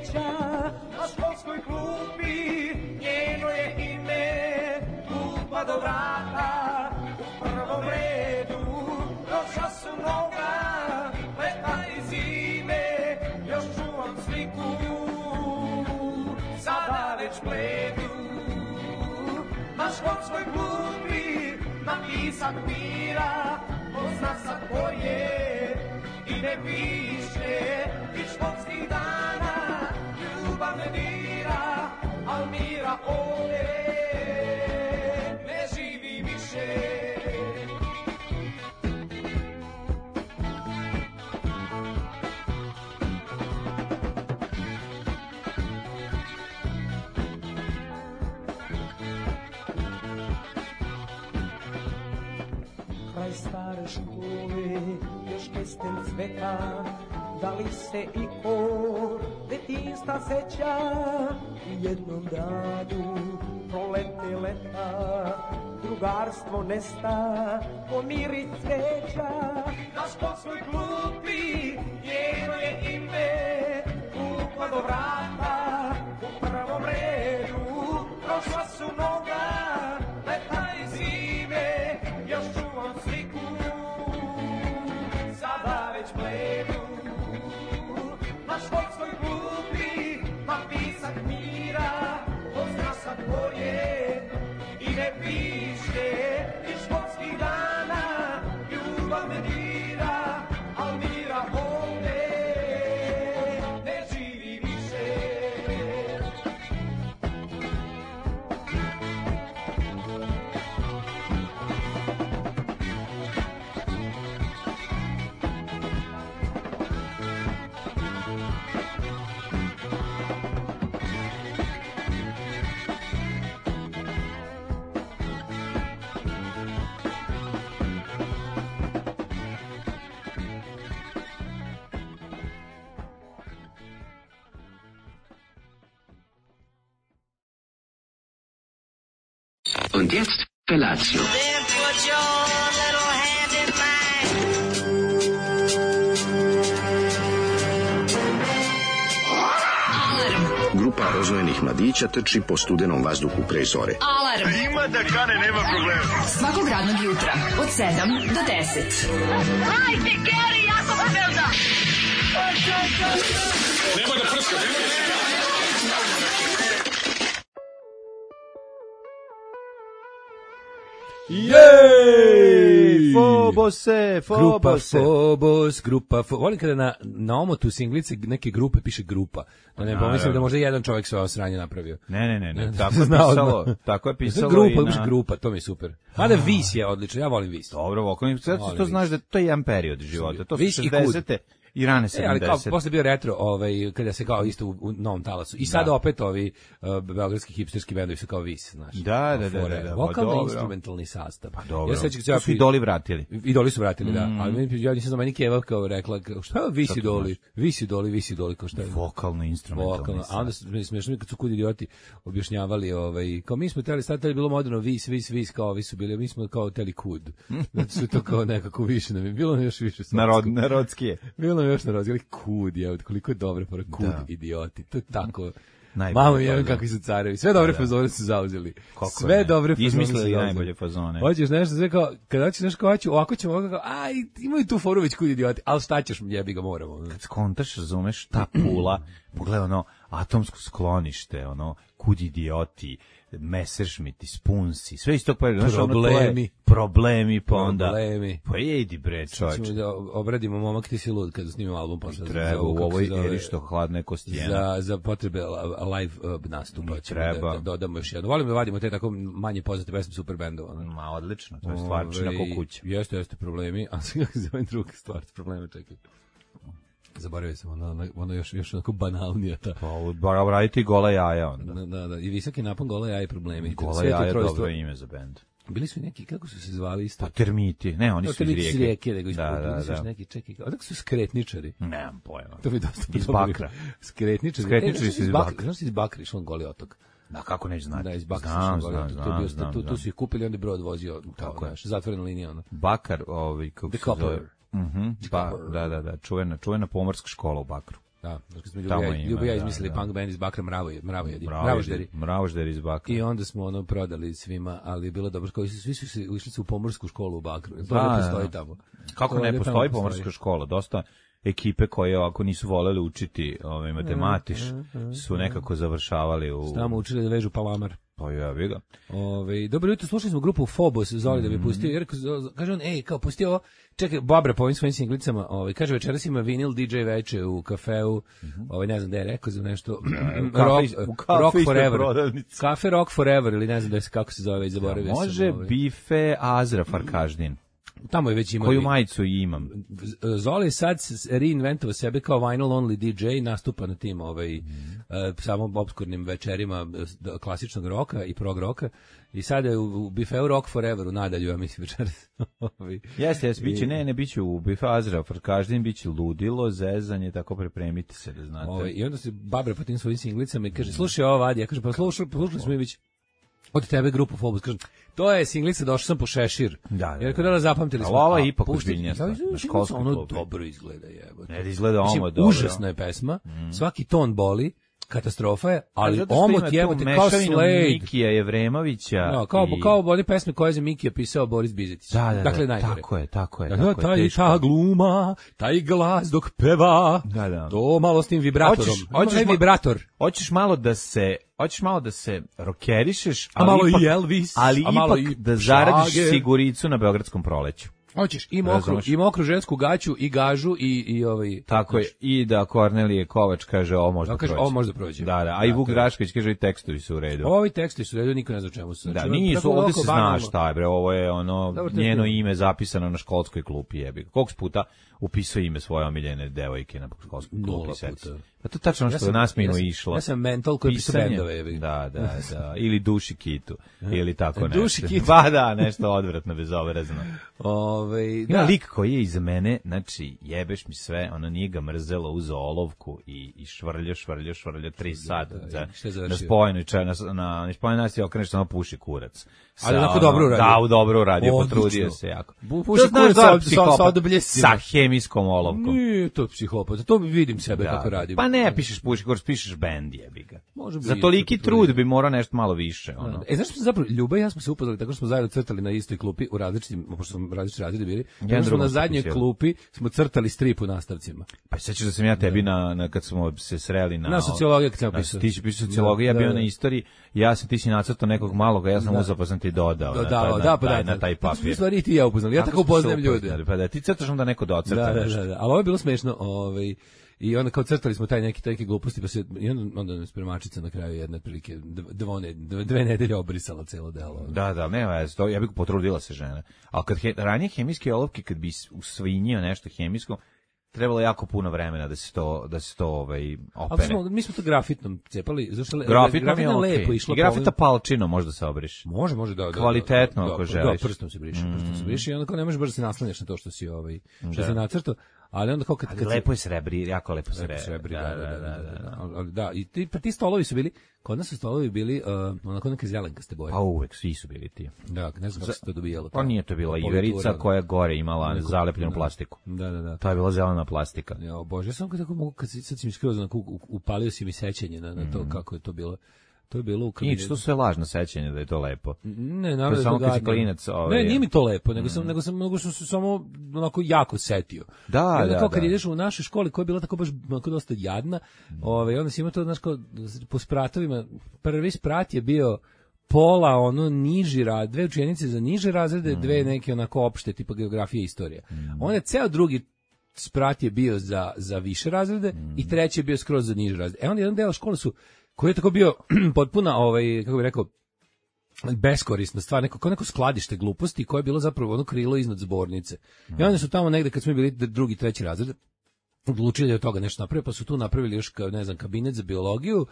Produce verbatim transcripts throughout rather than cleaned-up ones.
cveća, na školskoj klupi njeno je ime, klupa do vrata, u prvom redu, došla su mnoga, leta i zime, još čuvam sliku, sada već bledu, na školskoj klupi napisak mira, pozna sa tvoje i ne piše, iz školskih dana ljubav me dira, al mira ovdje ne živi više. Kraj stare škole, još kesten cveta, da li se i ko detinjstva seća, u jednom danu prolete leta, drugarstvo nesta, pomiri cveća, na školskoj klupi njeno je ime, klupa do vrata, u prvom redu, prošla su mnoga, leta i zime, još čuvam sliku, sada već bledu, na školskoj klupi napisak mira, pozna sa tvoje i ne piše, iz školskih dana ljubav me dira, al mira ovdje ne živi više. Und jetzt Felatio. Then put your little hand in mine. Grupa rozvojenih mladića trči po studenom vazduhu pre zore. Alarm. Ima da kane, nema problema. Svakog radnog jutra od sedam do deset. Hajde, Geri, jako se velda. Nema da prska, nema da prska. Jej! Fobose, Grupa Fobose. Fobos, grupa Fobos. Volim kada na, na omotu singlice neke grupe piše grupa. Da ne pomislim da možda jedan čovjek sve ovo sranje napravio. Ne, ne, ne, ne. Tako je pisalo. Tako je pisalo grupa, i na... grupa, to mi je super. Mada Vis je odlično, ja volim Vis. Dobro, vokalni, sad to znaš da to je jedan period života. To su Vis i šezdesete i rane E, ali kao sedamdesete. posle bio retro, ovaj kada se kao isto u, u novom talasu. I sad Da. opet ovi uh, beogradski hipsterski bendovi su kao Vis, znaš. Da, da, da, Fore, da, da, pa vokalno dobro. instrumentalni sastav. Pa dobro. Ja sećam se To su idoli vratili. Idoli su vratili, da. Mm. Ali meni ja nisam znao, meni Keva kao rekla, kao, šta je Vis idoli? Vis idoli, Vis idoli, kao šta je? Vokalno instrumentalni Vokalno. sastav. A onda su mi smešno kad su kud idioti objašnjavali, ovaj, kao mi smo teli, sad teli bilo moderno Vis, Vis, Vis, kao vi su bili, mi smo kao teli kud. Znači su to kao nekako više nam je, bilo nam još više. Narod, narodski je. Bilo nam još narodski, ali kud je, koliko je dobre para kud, Da. idioti. To je tako. Najbolje Mamo je fazone. kakvi su carevi. Sve dobre Da, da. fazone su zauzeli. Kako Sve ne? dobre fazone su Izmislili zauzeli. najbolje fazone. Hoćeš nešto, sve kao, kada hoćeš nešto kao, hoću, ovako ćemo, ovako kao, aj, imaju tu foru već kud idioti, ali šta ćeš, jebi ga moramo. Kad skontaš, razumeš, ta Pula, pogledaj ono, atomsko sklonište, ono, kud idioti, Messerschmitt, Spunsi, sve iz tog perioda. Znaš, ono, to je Problemi. Problemi, pa onda... Problemi. Pa idi bre, čovječ. Ćemo da obradimo Momak ti si lud kada snimimo album posle. Treba u ovoj eri što hladne kostijena. Za, za potrebe la- live uh, nastupa ćemo treba. da, da dodamo još jedno. Volim da vadimo te tako manje poznate pesme super bendova. Ne? Ma, odlično, to je stvarčina Ovaj, ko kuća. Jeste, jeste problemi, a sad kako se zove druga stvar, probleme, čekaj. Zaboravio sam, ono, ono, ono još, još onako banalnija ta. Pa, bar raditi gola jaja onda. Da, da, da, i visoki napon, gola jaja i problemi. Gola Sve to jaja je trojstvo. dobro ime za bend. Bili su i neki, kako su se zvali isto? Pa termiti, ne, oni No, su iz termiti su rijeke. rijeke, nego Da, da, da, da. neki, čekaj, odakle su skretničari? Nemam pojma. To mi dosta Iz dobro. Bakra. Skretničari. Skretničari E, su iz Bakra. Bakra. Znaš ti iz Bakra išlo na Goli otok? Da, kako neću znati. Da, iz Bakra Znam, išlo na Goli znam, otok. To je znam, bio, znam, tu, tu znam. su ih kupili, onda je brod vozio. Tako, znaš, zatvorena linija, ono. Bakar, ovaj, kako The se zove? Copper. Mhm, ba, Copper. da, da, da, čuvena, čuvena pomorska škola u Bakru. Da, kad smo Tamo Ljubi, ima, Ljubi ja da, izmislili da. punk band iz Bakra Mravoje, Mravojedi, Mravožderi, Mravožderi. Mravožderi iz Bakra. I onda smo ono prodali svima, ali je bilo dobro, koji su svi su se išli su u pomorsku školu u Bakru. To Da, ne postoji da. tamo. Kako To ne ovdje postoji tamo pomorska škola, dosta ekipe koje ovako nisu voleli učiti ovaj matematiš su nekako završavali u Tamo učili da vežu palamar. pa ja ga. Ove, dobro jutro, slušali smo grupu Phobos, Zoli da bi pustio, jer kaže on, ej, kao pustio ovo, čekaj, Babra po ovim svojim singlicama, ovaj, kaže večeras ima vinil D J veče u kafeu, ovaj, ne znam da je rekao za nešto, rock, u kafe rock ispred Forever, prodavnice. Kafe Rock Forever, ili ne znam da je, kako se zove, zaboravio sam. Može ovaj. bife Azra Farkaždin. Tamo je već ima. Koju vi- majicu imam? Zoli je sad s- reinventovao sebe kao vinyl only D J, nastupa na tim ovaj, Mhm. e, samo obskurnim večerima e, s- da- klasičnog roka i prog roka. I sada je u, u Bifeu Rock Forever u nadalju, ja mislim večeras. Ovaj. Jeste, jeste, biće, I- ne, ne, biće u bife Azra Farkaždin, biće ludilo, zezanje, tako pripremite se da znate. Ovaj, I onda se Babra po tim svojim singlicama i kaže, slušaj ovo, Vadi, ja kažem, pa slušali, slušali smo mi već od tebe grupu Phobos, kažem, to je singlica, došao sam po šešir. Da, da, Jer kada da. da zapamtili Ali smo. ovo je a, ipak pušti- ozbiljnija stvar, Ja, na singlica, školskoj ono klupi. dobro izgleda, jebote. Ne, da izgleda Mislim, ovo dobro. užasna je pesma, svaki ton boli, katastrofa je, ali Zato što omot ima tu jebote kao mešavinu Slade. Mikija Jevremovića. Da, kao, i- kao one pesme koje je za Mikija pisao Boris Bizetić. Da, da, dakle, da, najgore. tako je, tako je. Da, tako je, taj, teško. ta gluma, taj glas dok peva, Da, da. to malo s tim vibratorom. Hoćeš- Ima hoćeš onaj ma- vibrator. Hoćeš malo da se, hoćeš malo da se rokerišeš, A ali malo ipak, i Elvis, ali a malo ipak i da zaradiš Šlager. siguricu na Beogradskom proleću. Hoćeš i mokru, Razumeš? i mokru žensku gaću, i gažu, i, i ovaj... Tako je, i da Kornelije Kovač kaže ovo može Da, da kaže, prođe. ovo može da prođe. Da, da, a i Da, Vuk to je. Drašković kaže i tekstovi su u redu. Ovi teksti su redu, niko ne zna o čemu su. Da, Znači, nisu, tako ovde ovako se zna banalno. šta je, bre, ovo je ono Dobro, to je njeno bilo. ime zapisano na školskoj klupi, jebi. Koliko si puta upisao ime svoje omiljene devojke na školskoj Nula klupi, sedi se. puta. Pa to je tačno što je nas minu ja sam, išlo. Ja sam mental koji piše Pisanje. bendove. jebi. Da, da, da. Ili Duši Kitu. Ili tako nešto. Duši Kitu. Pa da, nešto odvratno, bezobrazno. Ovaj, Ima da. lik koji je iza mene, znači, jebeš mi sve, ono nije ga mrzelo, uzeo olovku i, i švrljo, švrljo, švrljo, tri sata. da, za, i šta je na završio? spojenoj čaj, na, na, na spojenoj nasti okreneš samo puši kurac. Ali Sa, onako ono, dobro uradio. Da, u dobro uradio, Odlično. potrudio se jako. Bu- puši To znaš kurac da sa- je sa- psihopat. sa odobljescima. Sa hemijskom olovkom. Nije to psihopat, to vidim sebe kako radim. Pa ne pišeš puši kurac, pišeš bend, jebi ga. Može bi Za isto toliki potrudio. trud bi morao nešto malo više. Ono. E, znaš što smo zapravo, Ljuba i ja smo se upoznali tako što smo zajedno crtali na istoj klupi u različitim, pošto smo različiti razredi bili, tako smo drugom na smo zadnjoj pisali. klupi smo crtali strip u nastavcima. Pa sećaš da sam ja tebi na, na kad smo se sreli na Na sociologiji kad sam na, pisao. ti si pisao sociologiju, ja Da, bio da. na istoriji, ja sam ti si nacrtao nekog malog, a ja sam uzeo pa sam ti dodao. Da, na, da, taj- da, na, pa taj, da, na taj Tako smo papir. u stvari i ti i ja upoznali. Ja tako smo se upoznajem ljude. upoznali, Pa da, ti crtaš onda neko docrta Da, da, nešto. da, da, ali ovo je bilo smešno, ovaj, i onda kao crtali smo taj neki neki gluposti, pa se i onda, onda nas spremačica na kraju jedne prilike dve, dve, dve nedelje obrisala celo delo. Da, da, nema veze, to ja bih potrudila se žena. Ali kad he, ranije hemijske olovke kad bi usvinjio nešto hemijsko, trebalo je jako puno vremena da se to da se to ovaj Ali opere. smo, mi smo to grafitnom cepali, zašto le, Grafitno mi je grafitno okej. lepo išlo. I grafita po palčino možda se obriš. ovim- Može, može da, da Kvalitetno, da, da, ako da, želiš. Da, prstom se briše, prstom se briše i onda kao ne možeš baš da se naslanjaš na to što si ovaj što Da. si nacrtao, ali onda kao kad Ali kad se- lepo je srebri, jako lepo srebri. srebri, da, da, da, da, da, ali- ali da, i ti, pa ti stolovi su bili, kod nas su stolovi bili, uh, onako neke zelenkaste boje. Pa uvek, svi su bili ti. Da, ne znam kako se to dobijalo. Pa nije to bila politura, iverica da. koja je gore imala Neko- zalepljenu da. plastiku. Da, da, da. To je bila zelena plastika. Ja, bože, ja sam kad tako mogu, kad si, sad si mi skroz onako, u- upalio si mi sećanje na, na to kako je to bilo. To je bilo u kabinetu. Nič, to sve lažno sećanje da je to lepo. Ne, To naravno je samo da je kad si gadno. klinac, ovaj- Ne, nije mi to lepo, nego sam, nego sam, nego sam se samo onako jako setio. Da, I onda da, kao kad da. ideš u našoj školi koja je bila tako baš onako dosta jadna, ovaj, onda si imao to, znaš, kao, po spratovima, prvi sprat je bio pola ono niži rad, dve učenice za niže razrede, dve neke onako opšte, tipa geografija i istorija. Onda ceo drugi sprat je bio za, za više razrede i treći je bio skroz za niže razrede. E onda jedan deo škole su, koji je tako bio potpuna, ovaj, kako bih rekao, beskorisna stvar, neko, kao neko skladište gluposti koje je bilo zapravo ono krilo iznad zbornice. I onda su tamo negde, kad smo bili drugi, treći razred, odlučili da od toga nešto naprave, pa su tu napravili još, kao, ne znam, kabinet za biologiju, uh,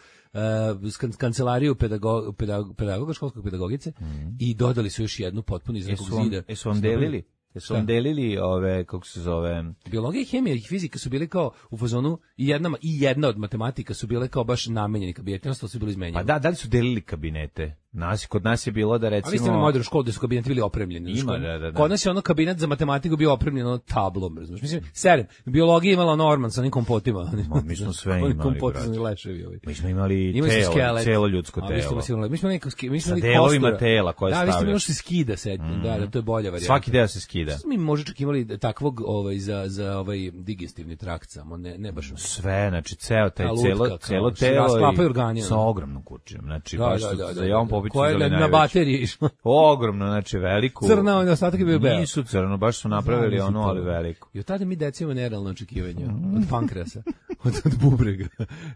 skan- kancelariju pedago, pedago, pedagoga, školskog pedagogice i dodali su još jednu potpuno iz nekog Jesu vam, zida. jesu vam delili? Jesu vam delili ove, kako se zove... Biologija i hemija i fizika su bile kao u fazonu i jedna, i jedna od matematika su bile kao baš namenjeni kabineti, ostalo su bili izmenjeni. Pa da, da li su delili kabinete? Nas, kod nas je bilo da recimo... A vi ste imali modernu školu gde su kabineti bili opremljeni. Ima, da, da, da. Kod nas je ono kabinet za matematiku bio opremljen ono tablom, razumiješ. Mislim, serem, biologija imala Norman sa onim kompotima. Ma, mi smo sve imali, kompoti brate. leševi ovi. Mi smo imali telo, celo ljudsko telo. Mi smo imali, mi smo imali, mi smo sa imali delovima kostura. tela koje stavljaš. Da, vi ste imali što se skida sad, mm. da, da, to je bolja varijanta. Svaki deo se skida. Mi možda čak imali takvog ovaj, za, za ovaj digestivni trakt samo, ne, ne baš. Sve, znači ceo taj lutka, celo, celo telo i sa ogromnom kućom. Znači, da, baš da, da, za da, Jovan da, Popović koja je na bateriji išla. Ogromno, znači veliku. Crna, on ostatak je bio beo. Nisu crno, baš su napravili ono, ali veliku. I od tada mi deca imamo nerealno očekivanja. Od pankreasa, od, od bubrega.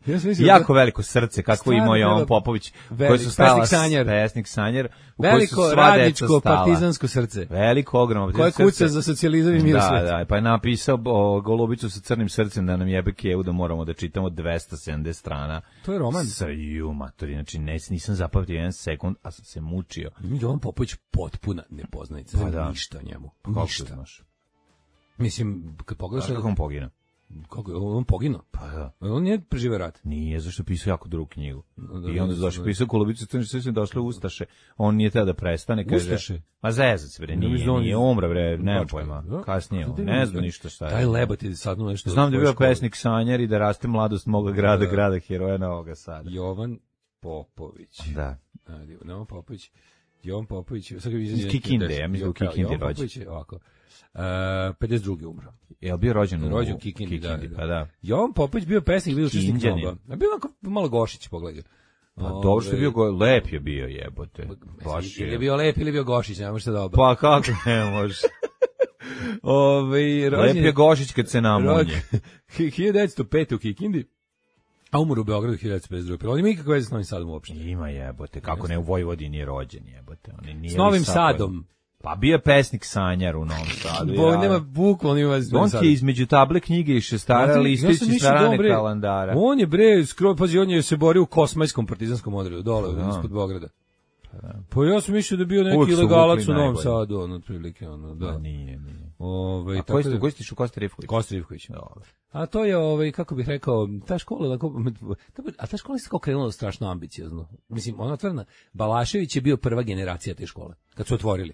Ja sam mislio, jako veliko srce, kako imao Jovan Popović, koji su stala pesnik Sanjar. Pesnik Sanjar, u veliko radničko partizansko srce. Veliko, ogromno koje kuca za socijalizam i mir da, svet. Da, pa je napisao o, Golubicu sa crnim srcem da nam jebe kevu da moramo da čitamo dvesta sedamdeset strana. To je roman. Sa ju, matori, znači ne, nisam zapamtio jedan sekund, a sam se mučio. Jovan Popović potpuna nepoznanica, pa da. Ništa o njemu. Pa ništa. Znaš? Mislim, kad pogledaš... Kako on poginuo? Kako je, on poginuo? Pa da. On nije preživio rat. Nije, zašto pisao jako drugu knjigu. Da, I onda zašto pisao Golubicu, crnim srcem došle Ustaše. On nije teo da prestane, kaže... Ustaše? Ma zezac, bre, nije, nije, nije umra, bre, nemam pojma. Kasnije, on, ne znam ništa šta je. Taj Lebat je sad nešto... Znam da je bio pesnik Sanjar i da raste mladost moga grada, da. grada heroja Novoga Sada. Jovan Popović. Da. Jovan Popović. Jovan Popović. Iz Kikinde, ja mislim u Kikindi rođen. Jovan Popović je ovako. Uh, pedeset drugi umro. Je li bio rođen u rođen u Kikindi, da, da. Pa da. Jovan Popović bio pesnik, bio učesnik mnogo. A bio onako malo Gošić, pogledaj. Pa dobro što je bio, go, lep je bio, jebote. Baš je. Ili je bio lep ili je bio Gošić, ne može dobro. Pa kako ne može. Ove, rođen, lep je Gošić kad se namunje. hiljadu devetsto pete u Kikindi. A umro u Beogradu hiljadu devetsto pedeset druge. On ima ikakve veze s Novim Sadom uopšte. Ima jebote, kako ne u Vojvodini je rođen jebote. On nije s Novim Sadom. Pa bio je pesnik Sanjar u Novom Sadu. Bo, ja. Nema bukvalno ima veze s Novim Sadom. On je između table knjige i šestara listići ja strane bre, kalandara. On je bre, skoro, pazi, on je se borio u kosmajskom partizanskom odredu, dole, da. Ispod Beograda. Da. Pa ja sam mislio da je bio neki ilegalac u Novom Sadu, on otprilike, ono, da. A nije, nije. Ove, a koji ste, koji ste šu Kosta Rivković? Kosta Rivković. A to je, ovaj, kako bih rekao, ta škola, a ta škola je tako krenula strašno ambiciozno. Mislim, ona otvorena, Balašević je bio prva generacija te škole, kad su otvorili.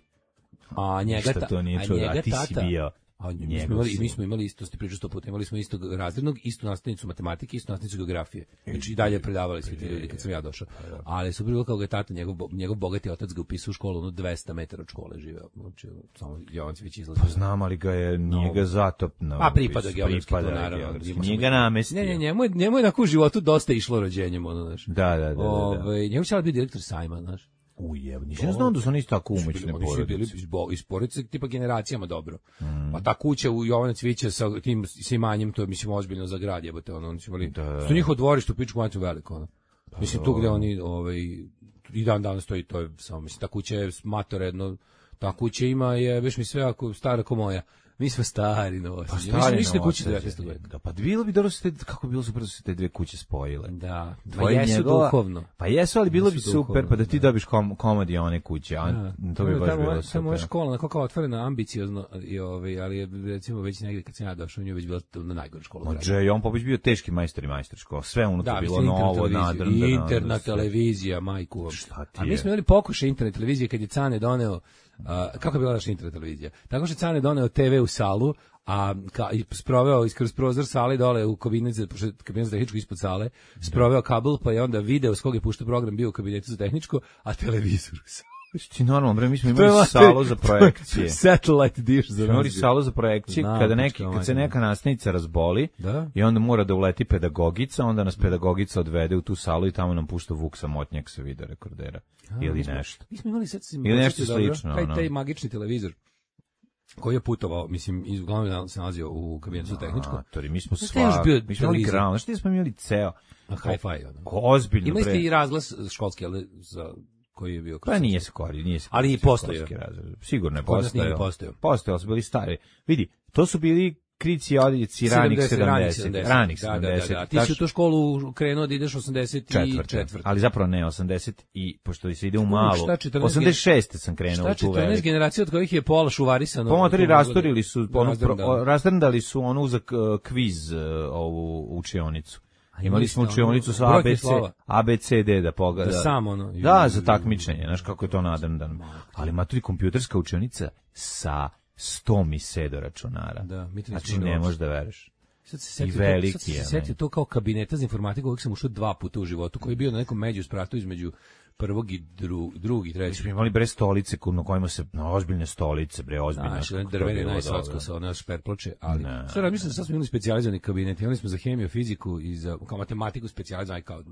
A njega, ta, to nije a čuo, njega a ti tata, si bio. A mi smo, imali, mi smo imali isto, ste pričali sto puta, imali smo istog razrednog, istu nastavnicu matematike, istu nastavnicu geografije. Znači i dalje predavali svi ti ljudi kad sam ja došao. Ali su bilo kao ga je tata, njegov, njegov bogati otac ga upisao u školu, ono dvesta metara od škole živeo. Znači, samo Jovancević izlazio. Pa znam, ali ga je, nije ga zatopno. Pa pripada geografski, naravno. Nije ga namestio. Ne, ne, njemu je, njemu je na životu dosta išlo rođenjem, ono, znaš. Da, da, da. Ove, njemu će biti direktor sajma, znaš. Ujeb, nisam znao da su oni isto tako umoćne porodice. Oni su bili iz porodice tipa generacijama dobro. Mm. Pa ta kuća u Jovana Cvića sa tim sa imanjem, to je mislim ozbiljno za grad, jebote, ono, oni su imali. Da. Su njihovo dvorište u pičku maču veliko, ono. Pa mislim tu gde oni ovaj i dan danas stoji, to je samo mislim ta kuća je matoredno, ta kuća ima je već mi sve ako stara kao moja. Mi smo stari novosti. Pa stari ništa kuće devetnaestog veka. Da, pa bilo bi dobro se te, kako bilo super da se te dve kuće spojile. Da, pa jesu njegova, duhovno. Pa jesu, ali bilo jesu bi super, duhovno, pa da ti da. dobiš kom, komadi one kuće, a da. to bi baš tamo, bilo super. Tamo je škola, onako kao otvorena, ambiciozno, i ovaj, ali je recimo već negdje kad sam ja došao, u nju već bila na najgore škola. Ođe, on Popović bio teški majstor i majstor škola, sve unutra da, bilo novo, nadrndano. I interna televizija, majku. A mi smo imali pokušaj internet televizije kad je Cane doneo, kako je bila naša internet televizija? Tako što Cane doneo te ve u salu, a ka, i sproveo iskroz prozor sale dole u kabinet za, kabinet za tehničko ispod sale, sproveo kabel, pa je onda video s kog je puštao program bio u kabinetu za tehničko, a televizor u sali. Ti normalno, bre, mi smo imali salu za projekcije. Satellite dish za imali salu za projekcije, Znam, kada, neki, kad se neka nastavnica razboli da? I onda mora da uleti pedagogica, onda nas pedagogica odvede u tu salu i tamo nam pušta Vuk Samotnjak sa video rekordera. A, ili mi smo, nešto. Mi smo imali sad, ili nešto slično. Taj, taj magični televizor koji je putovao, mislim, iz uglavnom se nalazio u kabinetu za tehničko. A, tori, mi smo sva, mi smo imali ground, što smo imali ceo. A hi-fi, ono. Ozbiljno, imali ste i razglas školski, ali za koji je bio. Pa nije se kori, nije se. Ali i postoje. Sigurno je postojao. Postojao. Postojao, su bili stari. Vidi, to su bili krici odjeci ranih sedamdeset. Ranih sedamdeset. Da, da, da. Ti si u tu školu krenuo da ideš osamdeset četvrte. Ali zapravo ne, osamdeset i, pošto se ide u malu, osamdeset šeste sam krenuo u tu veliku. četrnaest generacija od kojih je pola šuvarisano. Pomotori rastorili su, rastrndali su onu za kviz ovu učionicu. Imali smo ste učionicu sa ono, A brojke B C, slova. A B C D da pogleda. Da sam ono. Da, za takmičenje, znaš kako je to nadrndano. Ali ima tu i kompjuterska učionica sa sto mi se do računara. Da, mi to nismo znači imali ne uopšte. možeš da veruješ. Sad se setio, I to, veliki sad se je, setio ne. to kao kabineta za informatiku, uvijek sam ušao dva puta u životu, koji je bio na nekom međuspratu između prvog i dru, drugog i Mi trećeg. smo imali bre stolice ko- na kojima se, na ozbiljne stolice, bre, ozbiljne. Znaš, kako to drvene bilo najsocko dobro. sa ona šperploče, ali Ne. sad razmišljam da sad smo imali specijalizovani kabinet, imali smo za hemiju, fiziku i za kao matematiku specijalizovani kao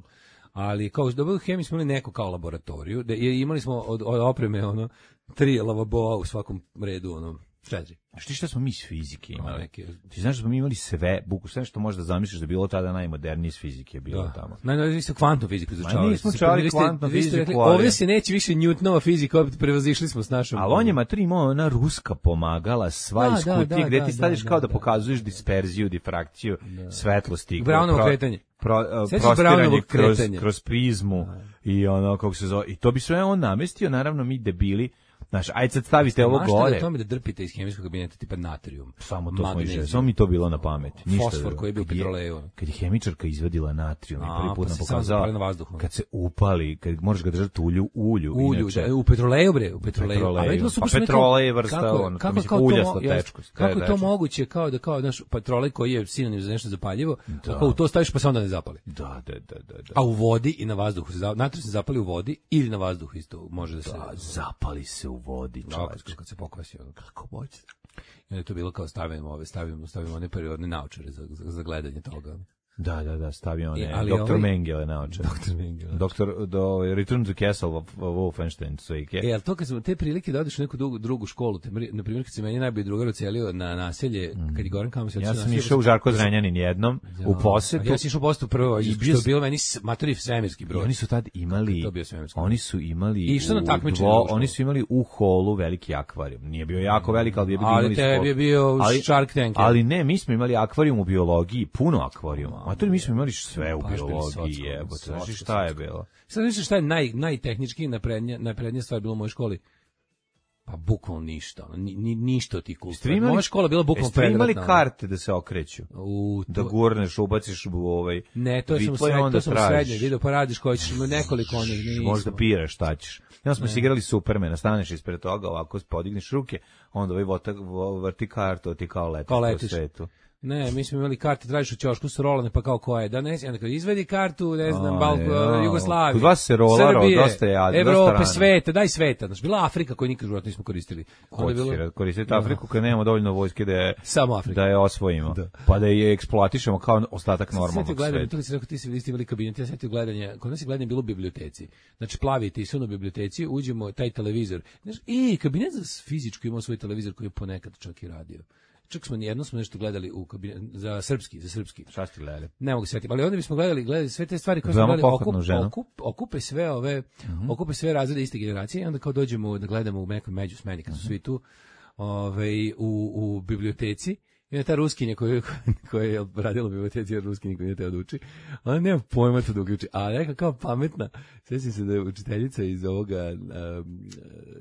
ali kao da u hemiji smo imali neko kao laboratoriju, da je- imali smo od, od opreme ono tri lavaboa u svakom redu, ono četiri. Znaš ti šta smo mi iz fizike Ima imali? neke- Ti znaš da smo mi imali sve, buku, sve što možeš da zamisliš da je bilo tada najmodernije iz fizike je bilo Da. tamo. Najnovije vi ste kvantnu fiziku izučavali. nismo Ste- učavali vi ste- kvantnu vi ste fiziku, rekli, ali- ovdje se neće više Newtonova fizika, opet prevazišli smo s našom. Ali on je matri imao ona ruska pomagala, sva Da, iz da, kutije, da, gde da, ti stadiš da, kao da, da, pokazuješ disperziju, difrakciju, svetlosti. Brownovo pro- kretanje. Pro, uh, Sjećaš prostiranje Brownovog kroz, kretanja? kroz prizmu i ono, kako se zove, i to bi sve on namestio, naravno mi debili, znaš, ajde sad stavite ovo Maštali gore. o tome da drpite iz hemijskog kabineta tipa natrijum. Samo to smo magnezijum, išli, samo mi to bilo na pamet. Ništa Fosfor drugo. koji je bio u Kad petroleju. Kad je hemičarka izvadila natrijum i A, prvi put pa nam se samo pokazala, zapali na vazduhu. kad se upali, kad možeš ga držati u ulju, ulju, Ulju, inače. da, u petroleju bre, u petroleju. Petroleju. A vidjelo su Pa baš neko- petrolej je vrsta, kako, ono, to kako, mislim, kao to uljasto mo- jes- tečko, Kako je to tečko. moguće kao da kao naš petrolej koji je sinonim za nešto zapaljivo, kako u to staviš pa se onda ne zapali. Da, da, da, da, da. A u vodi i na vazduhu se za- natrijum se zapali u vodi ili na vazduhu isto može da se Da, zapali se u vodi, Da, čoveče. kad, kad se pokvasi ono kako moće. I onda je to bilo kao stavimo ove, stavimo, stavimo one periodne naočare za, za, za gledanje toga. Da, da, da, stavio one, E, ali doktor ovaj- Mengele naoče. Doktor Mengele. Doktor, do Return to Castle of, of Wolfenstein, svojike. E, ali to kad smo te prilike da odeš u neku drugu, drugu školu, te, mri- na primjer kad se meni najbolji drugar ocelio na naselje, kad je Goran Kamos Ja ocelio sam naselje, išao u Žarko Zrenjanin jednom, u posetu. Ja sam išao u posetu prvo, I i bio što je s- bilo meni s- matori svemirski I broj. oni su tad imali, to bio svemirski oni su imali, I išao na u takmičenje dvo- u školu. oni su imali u holu veliki akvarijum. Nije bio jako velik, ali je bio Ali imali tebi skop. je bio Shark Tank. Ali ne, mi smo imali akvarijum u biologiji, puno akvarijuma. A to mi smo imali sve u Baš bili biologiji, socko, jebote. socko, Znaš šta je socko. bilo? Sad misliš šta je naj, najtehnički, najprednija, najprednija stvar bilo u mojoj školi? Pa bukvalno ništa, ono, ni, ni, ništa od tih Jeste kultura. vi imali- Moja škola je bila bukvalno Jeste vi imali predratna. karte da se okreću? U, Da to- gurneš, ubaciš u ovaj Ne, to sam u vitlo i srednje, onda to sam u tražiš. srednje video, pa radiš koji ćeš, ima nekoliko onih, nismo. Možda biraš šta ćeš. Ja smo se igrali Supermana, staneš ispred toga, ovako podigneš ruke, onda ovaj vota, vo- vrti kartu, a ti kao letiš Kao po letiš. svetu. Ne, mi smo imali karte, tražiš u ćošku su rolane, pa kao koja je, da ne, onda kao izvedi kartu, ne znam, A, Balko, ja. Jugoslavije, Kod vas se rolarao, Srbije, dosta je, a, dosta Evrope, rano. sveta, daj sveta, znači bila Afrika koju nikad u životu nismo koristili. Onda je Hoće bilo- si koristiti Afriku kad nemamo dovoljno vojske da je, Samo Afrika. da je osvojimo. Pa da je eksploatišemo kao ostatak normalnog gledanje, sveta. to kad si rekao ti si vi ste imali kabinet, ja setio gledanje, kod nas je gledanje bilo u biblioteci. Znači plavi ti u biblioteci, uđemo taj televizor. Znaš, i kabinet za fizičku imao svoj televizor koji je ponekad čak i radio. Čak smo jedno smo nešto gledali u kabinet za srpski, za srpski. Šta ste gledali? Ne mogu se setiti, ali onda bismo gledali, gledali sve te stvari koje smo Veoma gledali, pohvatnu okup, ženu. okup, okupe sve ove, okupe sve razrede iste generacije i onda kao dođemo da gledamo u nekoj međusmeni kad su svi tu, ovaj, u, u biblioteci. I onda ta ruskinja koja, koja je radila u biblioteci, jer ruski niko nije teo da uči, ona nema pojma to da uči, a neka kao pametna, sjećam se da je učiteljica iz ovoga um,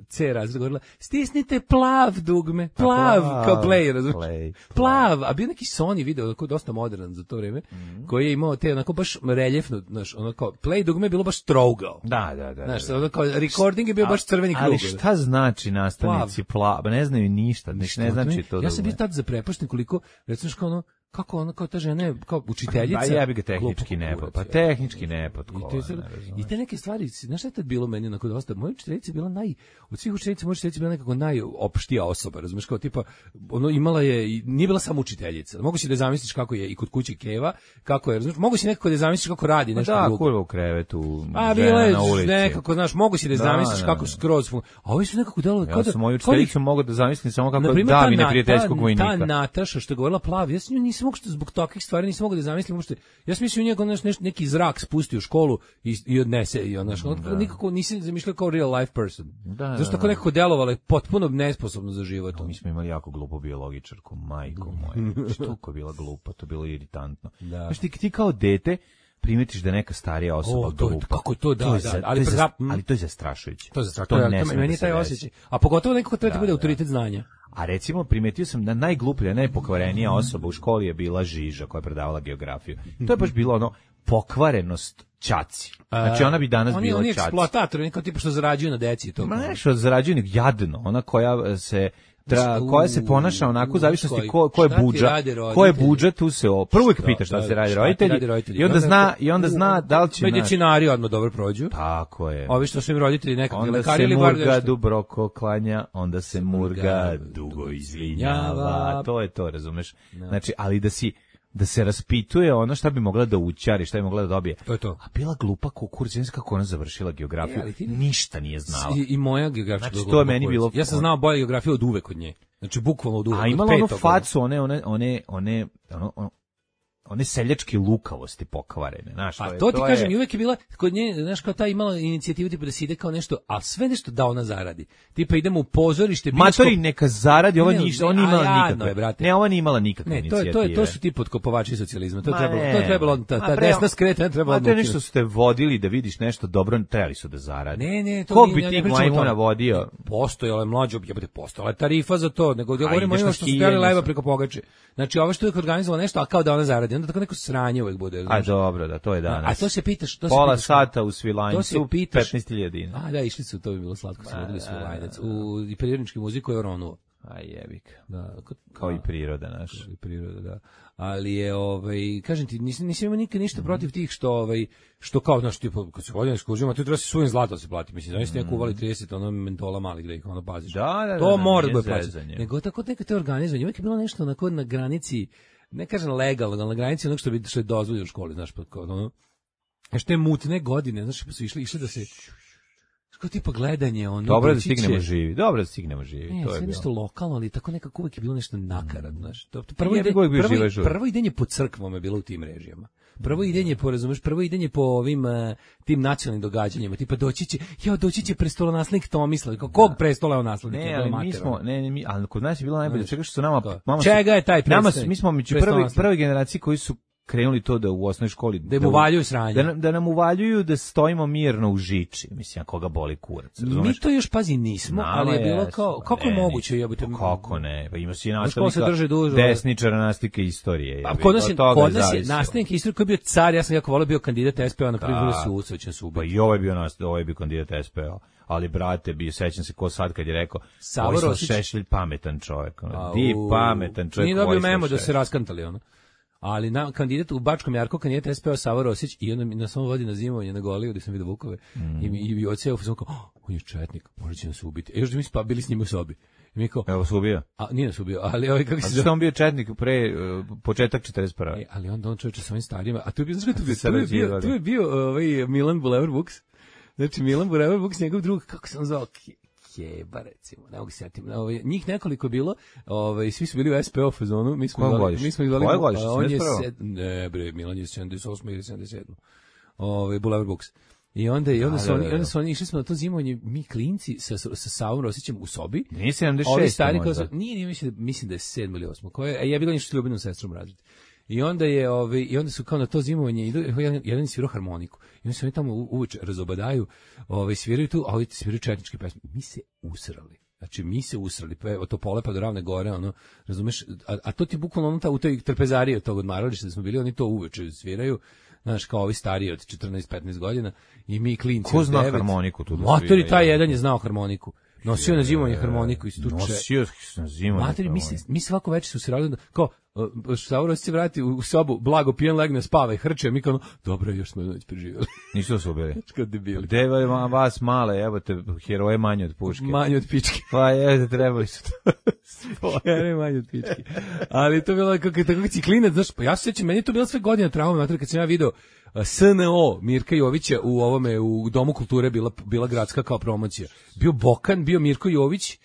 C razreda govorila, stisnite plav dugme, plav, plav, kao play, razumiješ? play, Plav, a bio neki Sony video, koji je dosta modern za to vreme, Mhm. koji je imao te onako baš reljefno, znaš, ono kao, play dugme je bilo baš trougao. Da, da, da. Znaš, da. ono kao, recording je bio baš crveni krug. Ali šta znači nastavnici plav? Ne znaju ništa, ne, ne znači to. Ja sam bio da tad zaprepašten koliko, recimo kao ono, kako ono, kao ta žena je, kao učiteljica. Pa jebi ga tehnički glupo nepod. kurac, Pa je. tehnički nepod. I te, sad- I te neke stvari, znaš šta je tad bilo meni onako dosta, moja učiteljica je bila naj, od svih učiteljica, moja učiteljica je bila nekako najopštija osoba, razumeš, kao tipa, ono imala je, i nije bila samo učiteljica, mogu si da zamisliš kako je i kod kuće Keva, kako je, razumeš, mogu si nekako da zamisliš kako radi nešto Da, drugo. kurva u krevetu, A žena bila je na ulici. nekako, znaš, mogu si da Da, zamisliš da, kako da. skroz fun... A ovi su nekako delovali kao Ja da... sam moju kao da ih- učiteljicu mogu da zamislim samo kako Na primjer, da ta mi Na- neprijateljskog ta- vojnika. Ta Nataša što je govorila plavi, ja sam nju nisam mogu što zbog takvih stvari nisam mogu da zamislim uopšte. Ja sam mislio njega neš, neš, neki zrak spusti u školu i, i odnese i ona što nikako nisam zamišljao kao real life person. Da, Zašto da, tako da. nekako delovala je potpuno nesposobno za život. Mi smo imali jako glupu biologičarku, majko moja. Što je bila glupa, to je bilo iritantno. Da. Znaš, ti, ti kao dete primetiš da neka starija osoba O, to je- glupa. kako je to, da, je da, za- ali to je za- za- ali to je zastrašujuće. To je za To to, ne to, sme meni da je se taj desi. osjećaj. A pogotovo nekako treba ti Da, bude da. autoritet znanja. A recimo primetio sam da najgluplja, najpokvarenija osoba u školi je bila Žiža koja je predavala geografiju. To je baš bilo ono pokvarenost ćaci. Znači ona bi danas oni, bila oni ćaci. Eksploatatori, neko tipa što zarađuju na deci i to. Ma nešto zarađuju nek jadno, ona koja se tra, koja se ponaša onako u zavisnosti ko ko je budžet. Ko je budžet tu se o, prvo uvijek pita šta se radi roditelji. I onda zna i onda zna da li će medicinari odmah dobro prođu. Tako je. Ovi što su im roditelji nekakvi lekari ili bar nešto. Onda se Murga Dubroko klanja, onda se Murga dugo izvinjava. To je to, razumeš? Znači, ali da si da se raspituje ono šta bi mogla da učari, šta bi mogla da dobije. To je to. A bila glupa kukuricina kako ona završila geografiju, e, ti... ništa nije znala. I, i moja geografija. Znači, to je meni bilo... Ja sam znao bolje geografiju od uvek od nje. Znači, bukvalno od uvek. A imala onu facu, one, one, one, one, ono, ono, one seljačke lukavosti pokvarene, znaš, to a je, to ti to kažem, je... i uvek je bila kod nje, znaš, kao ta imala inicijativu tipa da se ide kao nešto, a sve nešto da ona zaradi. Tipa idemo u pozorište, bioskop. Matori neka zaradi, ova ništa, ona imala nikakve. Ne, ova nije imala nikakve ne, inicijative. To je to, to su ti potkopovači socijalizma. To je trebalo, to je trebalo ta, ta desna skretanja trebalo. Ma to je nešto ste vodili da vidiš nešto dobro, trebali su da zaradi. Ne, ne, to ko bi ti majmuna vodio? Postojala je mlađa, jebote, postojala tarifa za to, nego da govorimo o što su hteli leva preko pogače. Znači, ovo što je organizovala nešto, a kao da ona zaradi, onda tako neko sranje uvek bude. A dobro, da, to je danas. A to se pitaš, to se pola pitaš, sata u Svilajncu, petnaest hiljada dinara. A da, išli su, to bi bilo slatko, su vodili Svilajnac. U prirodnički muzej koji je Ronuo. A jebik. Da, kao i priroda naša. Kao i priroda, da. Ali je, ovaj, kažem ti, nisam, nisam imao nikad ništa protiv tih što, ovaj, što kao, znaš, tipo, kad se vodim ekskurzijama, tu treba se svojim zlato se plati. Mislim, da niste neko uvali trideset ono mentola malih da ih ono paziš. Da, da, to da, mora da bude plaćati. Nego tako neka te organizovanje. Uvijek je bilo nešto onako na granici, ne kažem legalno, ali na granici onog što bi što je dozvoljeno u školi, znaš, pa kao ono. A što je mutne godine, znaš, pa su išli, išli da se kao tipa gledanje, ono. Dobro da stignemo živi. Dobro da stignemo živi. Ne, to je sve bilo. nešto lokalno, ali tako nekako uvijek je bilo nešto nakaradno, znaš. To, to prvo, ide, prvo, prvo, prvo idenje po crkvama je bilo u tim režijama. Prvo idenje po, razumeš, prvo idenje po ovim uh, tim nacionalnim događanjima, tipa doći će, ja doći će prestolonaslednik Tomislav, kog prestola je on naslednik? Ne, ali mi smo, ne, ne, mi, ali kod nas je bilo najbolje, čega što su nama, mama čega je taj predstavnik? Mi smo među prve, prve generacije koji su krenuli to da u osnovnoj školi da, da mu uvaljuju sranje. Da, da nam uvaljuju da stojimo mirno u žiči, mislim, koga boli kurac. Mi to još pazi nismo, Nama ali je bilo kao kako je moguće jebote. Kako ne? Pa ima si nastavnika desničara nastavnika istorije. A kod nas je, kod nas je nastavnik istorije koji je bio car, ja sam jako voleo bio kandidat es pe o na prvi sud, već su ubili. Pa i ovo je bio nastavnik, ovo je bio kandidat es pe o. Ali brate, bio sećam se ko sad kad je rekao Savor Šešelj pametan čovjek, di pametan čovjek. Nije dobio memo da se raskantali ono. Ali na kandidat u Bačkom Jarku, kandidat es pe o Savo Rosić i onda na svom vodi na zimovanje na Goliju gdje sam vidio Vukove mm. i, i, i odseo sam kao, oh, on je četnik, možda će nas ubiti. E još da mi spa, bili s njim u sobi. I mi kao, evo se ubio. A nije nas ubio, ali ovaj kako se zove. A on bio četnik pre uh, početak četrdeset prve. E, ali onda on čovječe sa ovim starijima, a tu je bio, znaš tu je bio, tu je bio ovaj Milan Bulevar Vuks. Znači Milan Bulevar Vuks, njegov drug, kako se on zvao? Jeba, recimo, ne mogu se sjetiti. Ovaj, njih nekoliko je bilo, ovaj, svi su bili u es pe o fazonu, mi smo zvali, mi smo zvali, on je sed, ne bre, Milan je sedamdeset osme ili sedamdeset sedme. Ovaj Bulevar Books. I onda i onda su oni, onda su oni išli smo na to zimovanje, mi klinci sa sa Savom Rosićem u sobi. Nije sedamdeset šest. Ovi stari kao nije, nije mislim da mislim da je sedmo ili osmo. Koje je ja bila nešto s Ljubinom sestrom razred. I onda je ovaj i onda su kao na to zimovanje idu jedan, jedan svirao harmoniku. I oni se oni tamo uveče razobadaju, ovaj sviraju tu, a ovi sviraju četničke pesme. Mi se usrali. Znači mi se usrali, pa od Topole pa do Ravne Gore, ono, razumeš, a, a to ti bukvalno ono ta u toj trpezariji od tog odmarališta da smo bili, oni to uveče sviraju. Znaš, kao ovi stariji od četrnaest petnaest godina i mi klinci. Ko zna harmoniku tu da svira? Matori, taj jedan je znao harmoniku. Nosio na zimovanje harmoniku i stuče. Nosio na zimovanje. Matori, mi, mi svako večer su se radili, kao, Savoro se vrati u sobu, blago pijen, legne, spava i hrče, mi kao, dobro, još smo noć preživjeli. Nisu se ubili. Kao debili. Gde je vas male, evo te, heroje manje od puške. Manje od pičke. Pa je, trebali su to. Heroje manje od pičke. Ali to je bilo kako, tako ciklinac, znaš, pa ja se sjećam, meni je to bilo sve godine trauma, mater, kad sam ja video es en o Mirka Jovića u ovome, u Domu kulture bila, bila gradska kao promocija. Bio Bokan, bio Mirko Jović,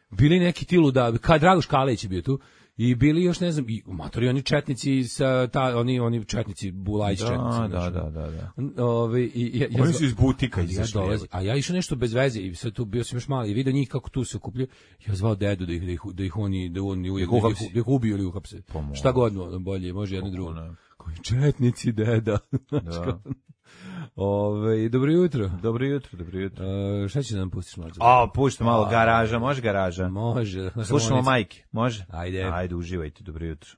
bili neki tilu da, ka Dragoš Kalejić je bio tu, i bili još ne znam, i matori oni četnici sa ta oni oni četnici Bulajić četnici. Da, da, da, da. Ove i ja, ja oni su iz butika izašli. Ja a ja išao nešto bez veze i sve tu bio sam još mali i video njih kako tu se okupljaju. Ja zvao dedu da ih da ih, da ih oni da oni uvijek da ih ubiju ili uhapse. Šta god bolje, može jedno drugo. Koji četnici deda. Da. Ove, dobro jutro. Dobro jutro, dobro jutro. Uh, šta će da nam pustiš malo? A, pušta malo garaža, može garaža? Može. Slušamo majke, može? Ajde. Ajde, uživajte, dobro jutro.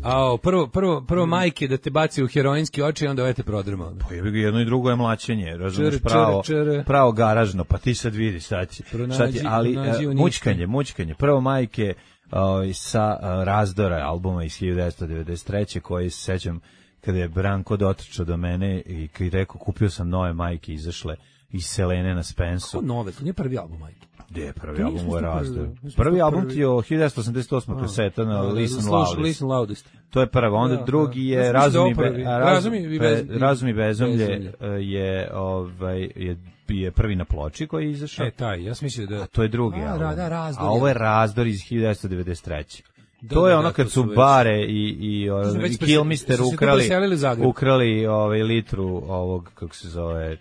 A prvo prvo prvo majke da te baci u heroinski oči, onda ovaj te prodrma. Pa jebi ga, jedno i drugo je mlaćenje, razumeš, pravo pravo garažno, pa ti sad vidi šta će. Šta ti, ali uh, mućkanje, mućkanje. Prvo majke uh, sa uh, Razdora albuma iz hiljadu devetsto devedeset treće koji se sećam kada je Branko dotrčao do mene i kad je rekao kupio sam nove majke izašle iz Selene na Spensu. Kako nove? To nije prvi album majke. Gde je prvi album u Razdor? Prvi album ti je od hiljadu devetsto osamdeset osme kaseta na Listen Loudest. Loudest. To je prva, onda drugi je Razum i bezumlje je ovaj je je prvi na ploči koji je izašao. E taj, ja sam mislio da a to je drugi a, album. Da, Razdor, a ovo je Razdor iz hiljadu devetsto devedeset treće. Da, to je da, ono kad su već... bare i i, i, i Kilmister ukrali ukrali ovaj litru ovog kako se zove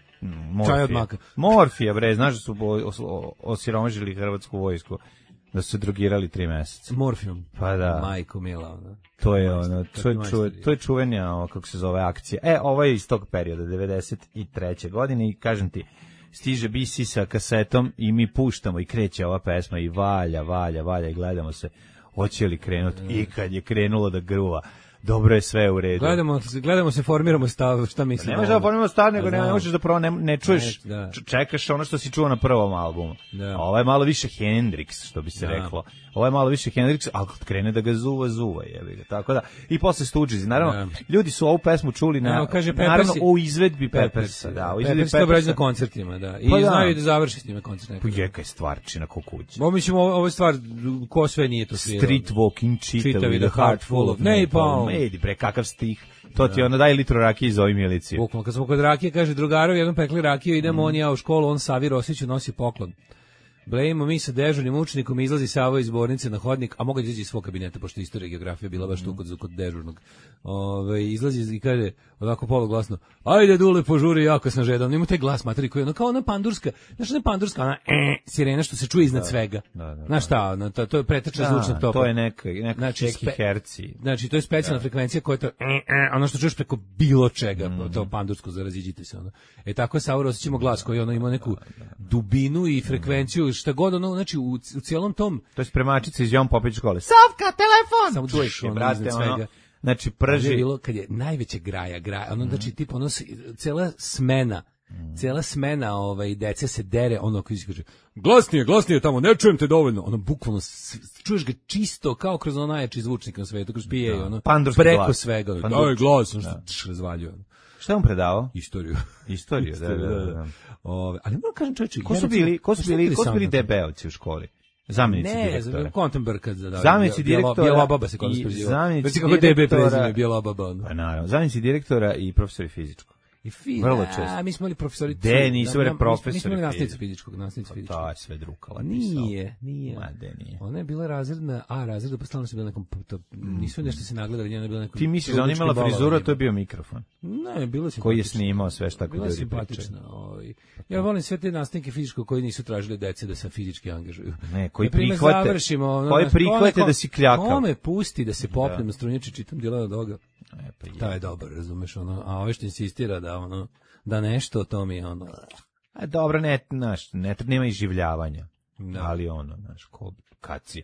morfija. Morfija, bre, znaš da su osiromašili hrvatsku vojsku, da su se drogirali tri meseca. Morfijom. Pa da. Majko mila, ona. To je ono, to je, čuve, to je čuvenja, kako se zove, akcija. E, ovo je iz tog perioda, devedeset treće godine i kažem ti, stiže B C sa kasetom i mi puštamo i kreće ova pesma i valja, valja, valja i gledamo se, hoće li krenuti i kad je krenulo da gruva. Dobro je sve u redu. Gledamo, gledamo se, formiramo stav, šta mislimo. Ne možeš da formiramo stav, nego ne, ne možeš da prvo ne, ne čuješ, ne, da. Čekaš ono što si čuo na prvom albumu. Da. Ovo je malo više Hendrix, što bi se da. reklo. Ovo je malo više Hendrix, ali kad krene da ga zuva, zuva, jebi ga. Tako da, i posle Stooges. Naravno, da. ljudi su ovu pesmu čuli na, no, kaže, naravno, u izvedbi Peppersa. Da, u izvedbi Peppersa. Peppersa obrađu na koncertima, da. I pa znaju da. da završi s njima koncert. Pujeka je stvarčina ko kuće. Bo mislim, ovo je stvar, ko sve nije to svirao. Street walking, čitavi, the heart full of napalm. Edi, bre, kakav stih. To ti onda daj litru rakije iz ovih miliciju. Bukvalno, kad smo kod rakije, kaže, drugarovi, jednom pekli rakiju, idemo, mm. on ja u školu, on Savi Rosiću nosi poklon. Blejimo mi sa dežurnim učenikom, izlazi Savo iz zbornice na hodnik, a mogu da izađe iz svog kabineta, pošto istorija i geografija bila baš tu kod, kod dežurnog. Ove, izlazi i kaže, onako poluglasno, ajde Dule, požuri, jako sam žedan. Nima taj glas materi koji je ono kao ona pandurska, znaš ona pandurska, ona e, sirena što se čuje iznad da, svega. Da, da, znaš šta, ono, to, to je pretečna da, zvučnog topa. To je neka, neka znači, čeki herci. Znači, to je specijalna da. frekvencija koja je to, e, e, ono što čuješ preko bilo čega, mm. to pandursko, zaraziđite se. Ono. E tako je Savo Rosićimo glas koji ono ima neku dubinu i frekvenciju, šta god ono, znači u, u cijelom tom... To je spremačica iz Jovan Popović škole. Savka, telefon! Samo čuješ ono brate, iznad svega. Ono, znači prži... Je bilo kad je najveće graja, graja, ono, mm. znači tipa ono, cela smena, mm. cela smena ovaj, dece se dere, ono koji se kaže, glasnije, glasnije tamo, ne čujem te dovoljno, ono bukvalno, čuješ ga čisto kao kroz ono najjači zvučnik na svetu, kroz P A, da. ono, Pandurski preko glas. svega, daj glas, ono što da. razvaljuje. Ono. Šta je on predavao? Istoriju. Istoriju, da, da, da. da. Ove, ali moram kažem čovječe... Ko su bili, ko su bili, ko su bili debelci u školi? Zamjenici ne, direktora. Ne, Kontenberg. Da, zamjenici direktora. Bijela baba se kod nas preziva. Zamjenici kako D B prezime, bijela baba. Pa naravno, zamjenici direktora i profesori fizičkog. I fi, vrlo često. A mi smo imali profesori. De, nisu bili profesori. Mi smo imali nastavnicu fizičkog, nastavnicu fizičkog. To je sve drukala. Nije, nije. Ma de nije. Ona je bila razredna, a razredna, pa stalno se bila nekom, to, nisu nešto se nagledali, njena je bila nekom... Ti misliš da ona imala frizuru, to je bio mikrofon? Ne, bilo simpatično. Koji je snimao sve šta kod ljudi simpatično. Ja volim sve te nastavnike fizičkog koji nisu tražili dece da se fizički angažuju. Ne, koji prihvate, koji prihvate da si kljakav. Kome pusti da se popnem na strunjači, čitam Dilana Doga. Ta je dobar, razumeš, ono, a ove što insistira da ono da nešto to mi je ono. A dobro, ne, znaš, ne nema iživljavanja. No. Ali ono, znaš, ko kad si